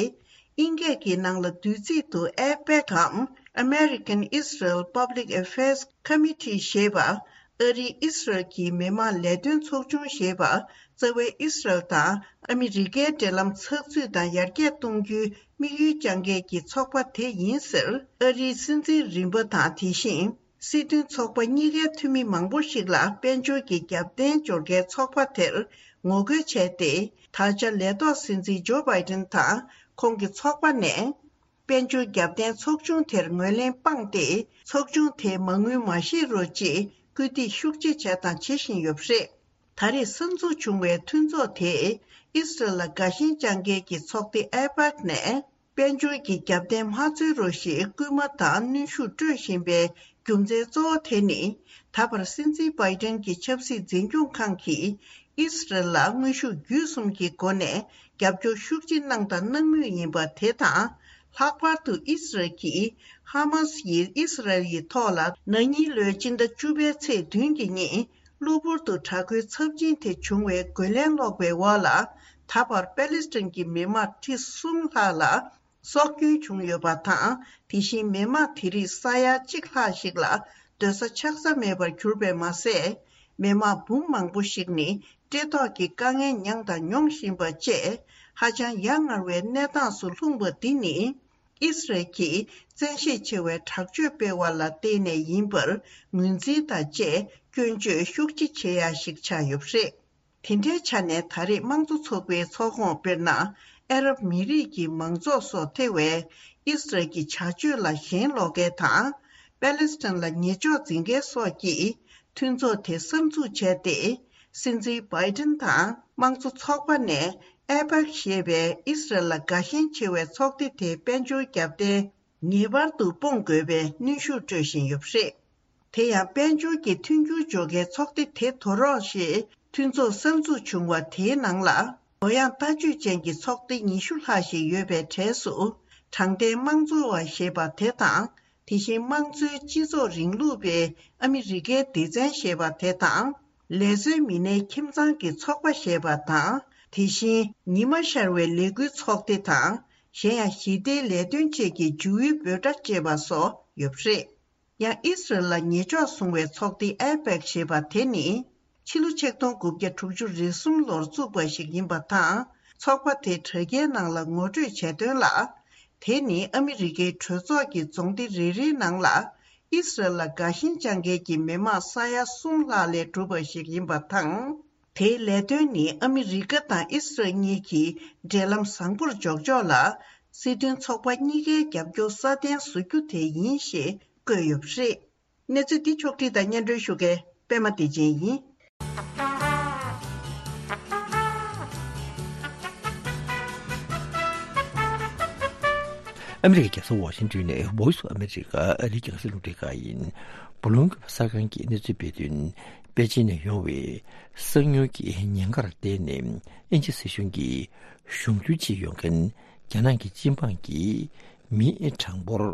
དབྱིན་སྐད་ཀྱི་ནང་ལ་བསྡུས་ཚིག་ཏུ་ཨེ་པེག་གམ། American Israel Public Affairs Committee ཞེས་པ། ཨ་རིའི་ཨི་སི་རལ་གྱི་མི་དམངས་ལས་དོན་ཚོགས་ཆུང་ཞེས་པ། རྩ་བའི་ཨི་སི་རལ་དང་ཨ་མི་རི་ཀའི་འབྲེལ་ལམ་ཚགས་ཚུད་དང་ཡར་རྒྱས་གཏོང་རྒྱུའི་དམིགས་ཡུལ་བཅངས་མཁན་གྱི་ཚོགས་པ་དེ་ཡིན་ཟེར། ཨ་རིའི་སྲིད་འཛིན་རིམ་པ་དང་། དེ་བཞིན། སྲིད་དོན་ཚོགས་པ་གཉིས་ཀའི་འཐུས་མི་མང་པོ་ཞིག་ལ་དཔལ་འབྱོར་གྱི་རྒྱབ་རྟེན་སྦྱོར་མཁན་ཚོགས་པ་དེར་ངོ་རྒོལ་བྱས་ཏེ། ད་ཆ་ལས་ཐོག་སྲིད་འཛིན་ཇོ་བྷའི་ཏན་དང་ཁོང་གི་ཚོགས་པ་ནས། དཔལ་འབྱོར་རྒྱབ་རྟེན་ཚོགས་ཆུང་དེར་ངོས་ལེན་སྤངས་ཏེ། ཚོགས་ཆུང་དེའི་མ་དངུལ་མ་བཞེས་རོགས་ཅེས་སྐུལ་འདེད་ཤུགས་ཆེ་བྱས་དང་བྱེད་བཞིན་ཡོད་པ་རེད། ད་རེས་གསར་འཛུགས་བྱུང་བའི་མཐུན་ཚོགས་དེས་ཨི་སི་རལ་ལ་དགའ་ཞེན་བཅངས་མཁན་གྱི་ཚོགས་སྡེ་ཨེ་པེག་ནས། དཔལ་འབྱོར་གྱི་རྒྱབ་རྟེན་མ་འཚོལ་རོགས་ཞེས་སྐུལ་མ་དང་གནོན་ཤུགས་སྤྲོད་བཞིན་པའི་རྒྱུ་མཚན་གཙོ་བོ་དེ་ནི། ད་བར་སྲིད་འཛིན་བྷའི་ཏན་གྱི་ཆབ་སྲིད་འཛིན་སྐྱོང་ཁང་གིས་ཨི་སི་རལ་ལ་དངོས་ཤུགས་བརྒྱུད་གསུམ་གྱི་སྒོ་ནས་རྒྱབ་སྐྱོར་ཤུགས་ཆེ་གནང་དང་གནང་མུས་ཡིན་པ་དེ་དང་། ལྷག་པར་དུ་ཨི་སི་རལ་གྱིས་ཧ་མ་སི་ཡིས་ཨི་སི་རལ་ཡི་ཐོག་ལ་ན་ནིང་ལོའི་སྤྱི་ཟླ་བཅུ་པའི་ཚེས་བདུན་གྱི་ཉིན། གློ་བུར་དུ་དྲག་རྒོལ་ཚབས་ཆེན་དེ་བྱུང་བའི་རྒོལ་ལན་སློག་པའི་འོག་ལ། ད་བར་པེ་ལེ་སི་ཐན་གྱི་མི་དམངས་ཁྲི་གསུམ་ལྷག་ལ་སྲོག་སྐྱོན་བྱུང་ཡོད་པ་དང་། དེ་བཞིན་མི་དམངས་དེ་རིགས་ས་ཡ་གཅིག་ལྷག་ཞིག་ལ་སྡོད་ས་ཆགས་ས་མེད་པར་གྱུར་པས་མ་ཟད། མི་དམངས་འབུམ་མང་པོ་ཞིག་ནི་བཀྲེས་ལྟོགས་ཀྱི་དཀའ་ངལ་མྱངས་དང་མྱོང་བཞིན་པ་བཅས། ཧ་ཅང་ཡ་ང་བའི་གནས་སྟངས་སུ་ལྷུང་བ་འདི་ནི། ཨི་སི་རལ་གྱིས་བཙན་ཤེད་ཆེ་བའི་དྲག་སྤྱོད་སྤེལ་བ་ལ་བརྟེན་ནས་ཡིན་པར་ངོས་འཛིན་དང་བཅས་སྐྱོན་བརྗོད་ཤུགས་ཆེ་བྱེད་ཡ་ཞིག་ཆགས་ཡོད་པ་རེད། དེ་འདྲའི་ཆ་ནས་ད་རེས་དམངས་གཙོ་ཚོགས་པའི་ཚོགས་ཁོངས། དཔེར་ན། ཨ་རབ་མི་རིགས་ཀྱི་མང་ཚོགས་སོགས་ཐེ་བའི་ཨི་སི་རལ་གྱི་བྱ་སྤྱོད་ལ་ཞེན་ལོག་མཁན་དང་། པེ་ལེ་སི་ཐན་ལ་ཉེས་འཇོག་འཛིན་མཁན་སོགས་ཀྱིས་མཐུན་ཚོགས་དེ་གསར་འཛུགས་བྱས་ཏེ། སྲིད་འཛིན་བྷའི་ཏན་དང་དམངས་གཙོ་ཚོགས་པ་ནས་ཨེ་པེག་ཞེས་པའི་ཨི་སི་རལ་ལ་དགའ་ཞེན་ཆེ་བའི་ཚོགས་སྡེ་དེའི་དཔལ་འབྱོར་རྒྱབ་རྟེན་ངེས་པར་དུ་སྤོང་དགོས་པའི་གནོན་ཤུགས་སྤྲོད་བཞིན་ཡོད་པ་རེད། དེ་ཡང་དཔལ་འབྱོར་གྱི་མཐུན་འགྱུར་སྦྱོར་མཁན་ཚོགས་སྡེ་དེ་དོར་རོགས་ཞེས་མཐུན་ཚོགས་གསར་འཛུགས་བྱུང་བ་དེའི་ནང་ལ། གུ་ཡངས་ལྟ་སྤྱོད་ཅན་གྱི་ཚོགས་སྡེ་ཉི་ཤུ་ལྷག་ཞིག་ཡོད་པའི་གྲས་སུ། དྲང་བདེན་དམངས་གཙོ་བ་ཞེས་པ་དེ་དང་། དེ་བཞིན་དམངས་གཙོའི་སྤྱི་ཚོགས་རིང་ལུགས་པའི་ཨ་མི་རི་ཀའི་སྡེ་ཚན་ཞེས་པ་དེ་དང་། ལས་བཟོའི་མི་སྣའི་ཁྱིམ་ཚང་གི་ཚོགས་པ་ཞེས་པ་དང་། དེ་བཞིན་ཉི་མ་ཤར་བའི་ལས་འགུལ་ཚོགས་སྡེ་དང་། གཞན་ཡང་ཞི་བདེའི་ལས་དོན་བཅས་ཀྱི་ཇུའུ་ཝི་འབོད་སྒྲ་བཅས་པ་སོགས་ཡོད་པ་རེད། ཡང་ཨི་སི་རལ་ལ་ཉེས་འཇོག་བཟུང་བའི་ཚོགས་སྡེ་ཨེ་པེག་ཞེས་པ་དེ་ནི། ཕྱི་ལོ་ཆིག་སྟོང་དགུ་བརྒྱ་དྲུག་ཅུ་རེ་གསུམ་ལོར་བཙུགས་པ་ཞིག་ཡིན་པ་དང་། ཚོགས་པ་དེ་དྲ་རྒྱའི་ནང་ལ་ངོ་སྤྲོད་བྱས་དོན་ལ། དེ་ནི་ཨ་མི་རི་ཀའི་གྲོས་ཚོགས་ཀྱི་རྫོང་སྡེ་རེ་རེའི་ནང་ལ། ཨི་སི་རལ་ལ་དགའ་ཞེན་བཅངས་མཁན་གྱི་མི་དམངས་ས་ཡ་གསུམ་ལྷག་ལས་གྲུབ་པ་ཞིག་ཡིན་པ་དང་། དེའི་ལས་དོན་ནི་ཨ་མི་རི་ཀ་དང་ཨི་སི་རལ་གཉིས་ཀྱི་འབྲེལ་ལམ་བཟང་པོར་འཇོག་ཕྱོགས་ལ། སྲིད་དོན་ཚོགས་པ་གཉིས་ཀའི་རྒྱབ་སྐྱོར་སྲ་བརྟན་བཟོ་རྒྱུ་དེ་ཡིན་ཞེས་བཀོད་ཡོད་པ་རེད། གནས་ཚུལ་འདི་ཕྱོགས་བསྒྲིགས་དང་སྙན་སྒྲོན་ཞུ་མཁན་པད་མ་བདེ་ཆེན་ཡིན། ཨ་མི་རི་ཀའི་རྒྱལ་ས་ཝ་ཤིང་ཏོན་ནས་Voice of America ཨ་རིའི་རྒྱང་སྲིང་རླུང་འཕྲིན་ཁང་ཡིན། སྦོ་ལོང་གི་གསར་ཁང་གི་གནས་ཚུལ་སྤེལ་དོན། པེ་ཅིན་ནས་ཡོང་བའི་གསང་མྱུལ་གྱི་ཉེན་ཁར་བརྟེན་ནས་དབྱིན་ཇི་སྲིད་གཞུང་གིས་གཞུང་འཛུལ་བྱེད་ཡོང་མཁན་རྒྱ་ནག་གི་སྤྱི་འབངས་ཀྱི་མིའི་གྲངས་འབོར་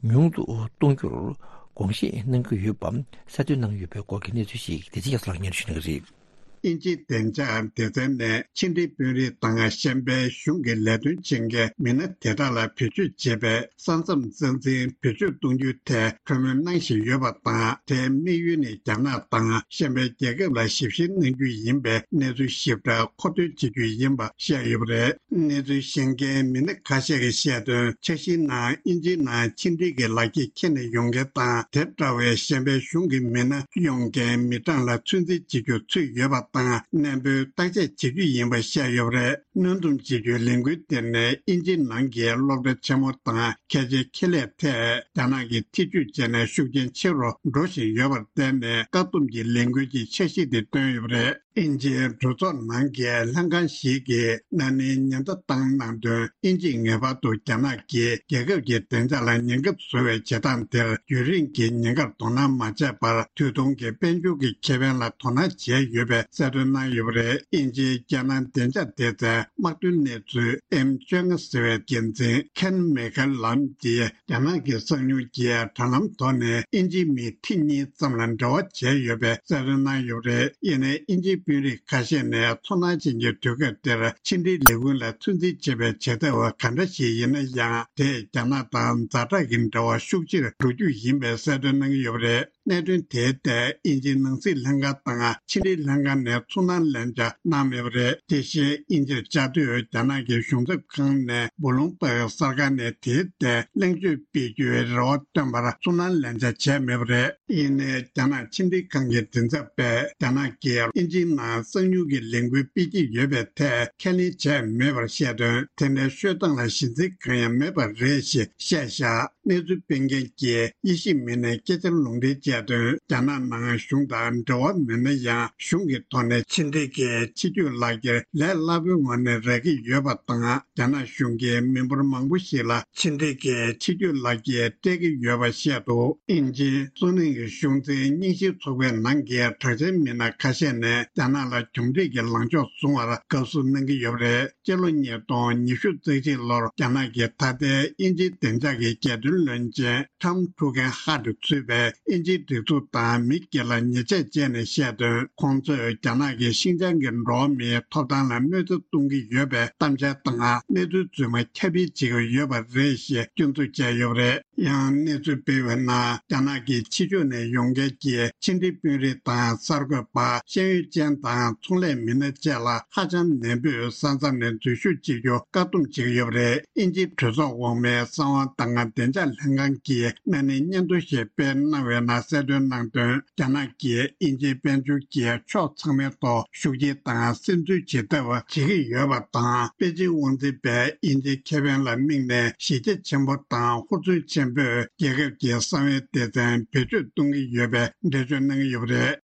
ཉུང་དུ་གཏོང་རྒྱུར་དགོངས་བཞེས་གནང་གི་ཡོད་པ་གསལ་སྟོན་གནང་ཡོད་པའི་སྐོར་གྱི་གནས་ཚུལ་ཞིག་བདེ་ཆེན་རྒྱ་མཚོ་ལགས་སྙན་ཞུ་གནང་གི་རེད། དབྱིན་ཇིའི་བདེ་འཇགས་སྡེ་ཚན་ནས་ཕྱི་འབྲེལ་དཔོན་རིགས་དང་གཞན་པའི་གཞུང་གི་ལས་དོན་བྱེད་མཁན་མི་སྣ་དེ་དག་ལ་བེད་སྤྱོད་བྱེད་པའི་ས་མཚམས་རྩ་འཛིན་བེད་སྤྱོད་གཏོང་རྒྱུའི་ཐད་གྲོས་མོལ་གནང་བཞིན་ཡོད་པ་དང་། དེའི་དམིགས་ཡུལ་ནི་རྒྱ་ནག་དང་གཞན་པའི་རྒྱལ་ཁབ་ལ་ཞིབ་བཤེར་གནང་རྒྱུ་ཡིན་པའི་གནས་ཚུལ་ཞིབ་ཕྲ་མཁོ་འདོན་བྱེད་རྒྱུ་ཡིན་པ་བཤད་ཡོད་པ་རེད། གནས་ཚུལ་ཤེས་མཁན་མི་སྣ་ཁ་ཤས་ཀྱིས་བཤད་དོན། འཆར་གཞིའི་ནང་དབྱིན་ཇིའི་ནང་ཕྱི་འབྲེལ་གྱི་ལག་འཁྱེར་འཁྱེར་ནས་ཡོང་མཁན་དང་དེ་འདྲ་བའི་གཞན་པའི་གཞུང་གི་མི་སྣ་ཡོང་མཁན་མི་གྲངས་ལ་ཚོད་འཛིན་བྱེད་རྒྱུ་ཚུད་ཡོད་པ་དང་། གནས་སྤོའི་བརྟག་དཔྱད་བྱེད་རྒྱུ་ཡིན་པ་བཤད་ཡོད་པ་རེད། གནོན་སྡོམ་བྱེད་རྒྱུའི་ལས་འགུལ་དེ་ནི་དབྱིན་ཇིའི་ནང་གི་སློབ་གྲྭ་ཆེན་མོ་དང་ཁྱད་ཆོས་ཁེ་ལས་ཐད་རྒྱ་ནག་གིས་ཐེ་ཇུས་བྱས་ནས་ཤུགས་རྐྱེན་ཆེ་རུ་འགྲོ་བཞིན་ཡོད་པར་བརྟེན་ནས། བཀག་སྡོམ་གྱི་ལས་འགུལ་གྱི་འཆར་གཞི་དེ་བཏོན་ཡོད་པ་རེད། དབྱིན་ཇིའི་གྲོས་ཚོགས་ནང་གི་ལྷན་ཁང་ཞིག་གིས་ན་ནིང་ཉེན་བརྡ་བཏང་གནང་དོན། དབྱིན་ཇིས་ངེས་པར་དུ་རྒྱ་ནག་གིས་རྒྱལ་ཁབ་ཀྱི་བདེ་འཇགས་ལ་ཉེན་ཁ་བཟོ་བའི་བྱེད་སྟངས་དེར་ཡུན་རིང་གི་ཉེན་ཁར་དོ་སྣང་མ་བྱས་པར། དུས་ཐུང་གི་དཔལ་འབྱོར་གྱི་ཁེ་ཕན་ལ་དོ་སྣང་བྱས་ཡོད་པའི་གསལ་སྟོན་གནང་ཡོད་པ་རེད། དབྱིན་ཇིའི་རྒྱལ་ནང་བདེ་འཇགས་སྡེ་ཚན་དམག་དོན་གནས་ཚུལ་ཨེམ་བཅོ་ལྔ་ཟེར་བའི་འགན་འཛིན་ཁེན་མེ་ཁེ་ལམ་གྱིས། རྒྱ་ནག་གི་གསང་མྱུལ་གྱི་དྲ་ལམ་ཐོག་ནས་དབྱིན་ཇིའི་མི་ཁྲི་གཉིས་ཙམ་ལ་འབྲེལ་བ་བྱས་ཡོད་པའི་གསལ་སྟོན་གནང་ཡོད་པ་རེད། ཡིན་ནའི་དབྱིན་ཇིའི་དཔོན་རིགས་ཁ་ཤས་ནས་ཚོར་སྣང་ཅན་གྱི་དུས་སྐབས་འདིར་ཕྱི་འབྲེལ་ལས་ཁུངས་ལ་ཚོད་འཛིན་བྱེད་པའི་བྱེད་ཐབས་ག་འདྲ་ཞིག་ཡིན་ན་ཡང་། དེས་རྒྱ་ནག་དང་ཛ་དྲག་གི་འབྲེལ་བ་ཤུགས་ཆེར་འགྲོ་རྒྱུ་ཡིན་པའི་གསལ་སྟོན་གནང་གི་ཡོད་པ་རེད། གནད་དོན་དེའི་ཐད་དབྱིན་ཇིའི་ནང་སྲིད་ལྷན་ཁང་དང་ཕྱི་འབྲེལ་ལྷན་ཁང་ནས་ཚོར་སྣང་ལན་ཆགས་གནང་མེད་པ་རེད། དེ་བཞིན་དབྱིན་ཇིར་བཅའ་སྡོད་རྒྱ་ནག་གི་གཞུང་ཚབ་ཁང་ནས་སྦོ་ལུང་པའི་གསར་ཁང་ནས་དེའི་ཐད་གླེང་བརྗོད་སྤེལ་རྒྱུའི་རེ་བ་བཏོན་པར་ཚོར་སྣང་ལན་ཆགས་བྱས་མེད་པ་རེད། ཡིན་ནའི་རྒྱ་ནག་ཕྱི་འབྲེལ་ཁང་གི་མགྲིན་ཚབ་པས་རྒྱ་ནག་གིས་དབྱིན་ཇིའི་ནང་གསང་མྱུལ་གྱི་ལས་འགུལ་སྤེལ་གྱི་ཡོད་པའི་ཐད་ཁས་ལེན་བྱས་མེད་པར་བཤད་དོན། དེ་འདྲའི་ཤོད་སྟངས་ལ་གཞི་འཛིན་གང་ཡང་མེད་པ་རེད་ཞེས་བཤད་བཞག་གནས་ཚུལ་སྤེལ་མཁན་གྱི་དབྱེ་ཞིབ་མི་སྣས་སྐད་ཆར་ལུང་འདྲེན་བྱས་དོན། རྒྱ་ནག་ནང་གཞུང་དང་འབྲེལ་བ་མེད་ན་ཡང་། གཞུང་གི་ཐོག་ནས་ཕྱི་འབྲེལ་གྱི་ཕྱི་སྐྱོད་ལག་འཁྱེར་ལས་སླ་པོའི་ངང་ནས་རག་གི་ཡོད་པ་དང་། རྒྱ་ནག་གཞུང་གིས་མི་འབོར་མང་པོ་ཞིག་ལ་ཕྱི་འབྲེལ་གྱི་ཕྱི་སྐྱོད་ལག་འཁྱེར་སྤྲད་ཀྱི་ཡོད་པ་བཤད་འདུག་དབྱིན་ཇིའི་སུད་ནིང་གི་གཞུང་འཛིན་རྙིང་ཞེན་ཚོགས་པའི་ནང་གི་གྲགས་ཅན་མི་སྣ་ཁ་ཤས་ནས་རྒྱ་ནག་ལ་གྱོང་འཕྲད་ཀྱི་ལངས་ཕྱོགས་བཟུང་བར་དགའ་བསུ་གནང་གི་ཡོད་པ་རེད། སྤྱི་ལོ་ཉིས་སྟོང་ཉི་ཤུ་རྩ་གཅིག་ལོར་རྒྱ་ནག་གི་ད་ལྟའི་དབྱིན་ཇིའི་བདེ་འཇགས་ཀྱི་རྒྱལ་དོན་བློན་ཆེན་ཁྲམ་ཁྲུ་ཁེན་ཧ་ཏུ་གཙོས་པའི་དབྱིན་ཇིའི་སྒྲིག་འཛུགས་དང་མི་སྒེར་ལ་ཉེས་ཆད་བཅད་ནས་བཤད་དོན། ཁོང་ཚོས་རྒྱ་ནག་གིས་ཤིན་ཅང་གི་འགྲོ་བ་མིའི་ཐོབ་ཐང་ལ་གནོད་འཚེ་གཏོང་གི་ཡོད་པའི་གཏམ་འཆལ་དང་གནས་ཚུལ་རྫུན་མ་ཁྱབ་སྤེལ་བྱེད་ཀྱི་ཡོད་པ་རེད་ཞེས་སྐྱོན་འཛུགས་བྱས་ཡོད་པ་རེད། ཡང་གནས་ཚུལ་སྤེལ་བའི་ནང་། རྒྱ་ནག་གི་ཕྱི་ཕྱོགས་ནས་ཡོང་མཁན་གྱི་ཕྱི་འབྲེལ་དཔོན་རིགས་དང་གསར་འགོད་པ། ཤེས་ཡོན་ཅན་དང་ཚོང་ལས་མི་སྣ་བཅས་ལ་ཧ་ཅང་ནན་པོས་ས་མཚམས་ནས་འཛུལ་ཞུགས་བྱེད་རྒྱུ་བཀག་སྡོམ་བྱེད་ཀྱི་ཡོད་པ་རེད། དབྱིན་ཇིའི་གྲོས་ཚོགས་འོག་མའི་གསང་བ་དང་བདེ་འཇགས་ལྷན་ཁང་གིས་གནའ་ནིང་སྙན་ཐོ་ཞིག་སྤེལ་གནང་བའི་ནང་གསལ་སྟོན་གནང་དོན། རྒྱ་ནག་གིས་དབྱིན་ཇིའི་དཔལ་འབྱོར་གྱི་ཕྱོགས་ཚང་མའི་ཐོག་ཤུགས་སྐྱེད་དང་སིམ་འཛུལ་བྱེད་ཐབས་བྱེད་ཀྱི་ཡོད་པ་དང་། པེ་ཅིང་དབང་འཛིན་པས་དབྱིན་ཇིའི་ཁེ་ཕན་ལ་དམིགས་ནས་གཞི་རྒྱ་ཆེན་པོ་དང་ཧུར་བརྩོན་ཆེན་པོས་རྒྱལ་ཁབ་ཀྱི་གསང་བའི་སྡེ་ཚན་བེད་སྤྱོད་གཏོང་གི་ཡོད་པའི་འགྲེལ་བརྗོད་གནང་གི་ཡོད་པ་རེད།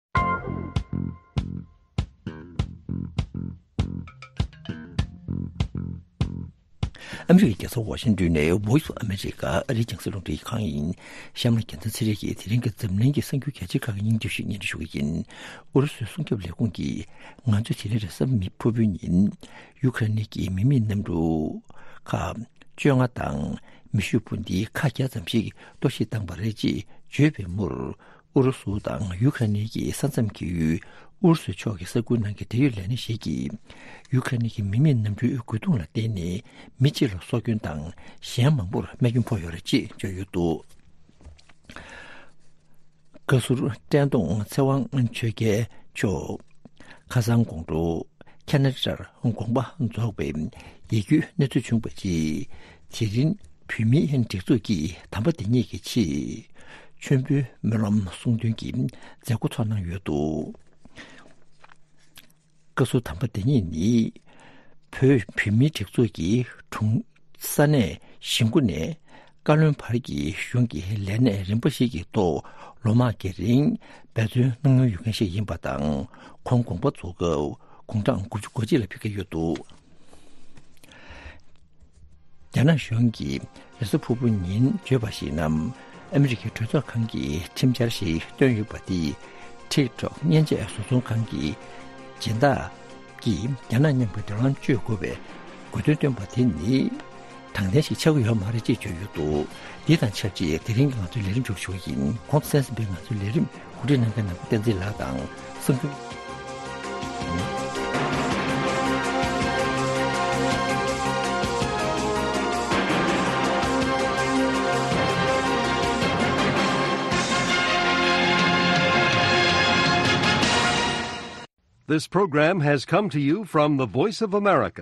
ཨ་མི་རི་ཀའི་རྒྱལ་ས་ཝ་ཤིང་ཏོན་ནས་Voice of America ཨ་རིའི་རྒྱང་སྲིང་རླུང་འཕྲིན་ཁང་ཡིན། གཤམ་ལ་རྒྱལ་མཚན་ཚེ་རིང་གིས་དེ་རིང་གི་འཛམ་གླིང་གི་གསར་འགྱུར་གལ་ཆེ་ཁག་གི་སྙིང་བསྡུས་ཤིག་སྙན་སྒྲོན་ཞུ་གི་ཡིན། ཨུ་རུ་སུའི་སྲུང་སྐྱོབ་ལས་ཁུངས་ཀྱིས་ང་ཚོས་དེ་རིང་རེས་གཟའ་མིག་དམར་པོའི་ཉིན་ཡུ་ཁ་རེན་གྱི་མི་མེད་གནམ་གྲུ་ཁག་བཅོ་ལྔ་དང་མེ་ཤུགས་འཕུར་མདེལ་ཁག་བརྒྱ་ཙམ་ཞིག་གཏོར་བཤིག་བཏང་བ་རེད་ཅེས་བརྗོད་པའི་མུར། ཨུ་རུ་སུ་དང་ཡུ་ཁ་རེན་གྱི་ས་མཚམས་ཀྱི་ཡུལ་ཨུ་རུ་སུའི་ཕྱོགས་ཀྱི་ས་ཁུལ་ནང་གི་འབྲེལ་ཡོད་ལས་སྣེ་ཞིག་གིས་ཡུ་ཁ་རེན་གྱི་མི་མེད་གནམ་གྲུའི་རྒོལ་རྡུང་ལ་བརྟེན་ནས་མི་གཅིག་ལ་སྲོག་སྐྱོན་དང་གཞན་མང་པོར་རྨས་སྐྱོན་ཕོག་ཡོད་རེད་ཅེས་བརྗོད་ཡོད་འདུག་བཀའ་ཟུར་བཀྲས་མཐོང་ཚེ་དབང་ཆོས་རྒྱལ་མཆོག་ཁ་སང་དགོང་དྲོ་ཁ་ན་ཌར་དགོངས་པ་རྫོགས་པའི་ཡིད་སྐྱོའི་གནས་ཚུལ་བྱུང་བའི་རྗེས། དེ་རིང་བོད་མིའི་སྒྲིག་འཛུགས་ཀྱི་དམ་པ་དེ་ཉིད་ཀྱི་ཆེད་མཆོད་འབུལ་སྨོན་ལམ་གསུང་འདོན་གྱི་མཛད་སྒོ་ཚོགས་གནང་ཡོད་འདུག་བཀའ་ཟུར་དམ་པ་དེ་ཉིད་ནི་བོད་བོད་མིའི་སྒྲིག་འཛུགས་ཀྱི་དྲུང་ས་གནས་གཞིས་འགོ་ནས་ བཀའ་བློན་བར་གྱི་གཞུང་གི་ལས་གནས་རིམ་པ་ཞིག་གི་ཐོག་ལོ་མང་གི་རིང་འབད་བརྩོན་གནང་མྱོང་ཡོད་མཁན་ཞིག་ཡིན་པ་དང་། ཁོང་དགོངས་པ་རྫོགས་སྐབས་དགུང་གྲངས་དགུ་བཅུ་གོ་གཅིག་ལ་ཕེབས་ཀྱི་ཡོད་འདུག་རྒྱ་ནག་གཞུང་གིས་རེས་གཟའ་ཕུར་བུ་ཉིན་བརྗོད་པར་གཞིགས་ན། ཨ་མི་རི་ཀའི་གྲོས་ཚོགས་ཁང་གིས་ཁྲིམས་འཆར་ཞིག་བཏོན་ཡོད་པ་དེ། ཊིག་ཊོག་མཉེན་ཆས་བཟོ་ཚོང་ཁང་གི་སྦྱིན་བདག་གིས་རྒྱ་ནག་མཉམ་གྱི་འབྲེལ་ལམ་གཅོད་དགོས་པའི་དགོས་འདུན་བཏོན་པ་དེ་ནི་དྲང་བདེན་ཞིག་ཆགས་ཀྱི་ཡོད་མ་རེད་ཅེས་བརྗོད་ཡོད་འདུག་འདི་དང་ཆབས་ཅིག་དེ་རིང་གི་ང་ཚོའི་ལས་རིམ་མཇུག་ཞུ་བ་ཡིན། གོང་དུ་གསན་ཟིན་པའི་ང་ཚོའི་ལས་རིམ་གོ་སྒྲིག་གནང་མཁན་ནང་པ་བསྟན་འཛིན་ལགས་དང་གསུང་སྒྱུར། This program has come to you from the Voice of America.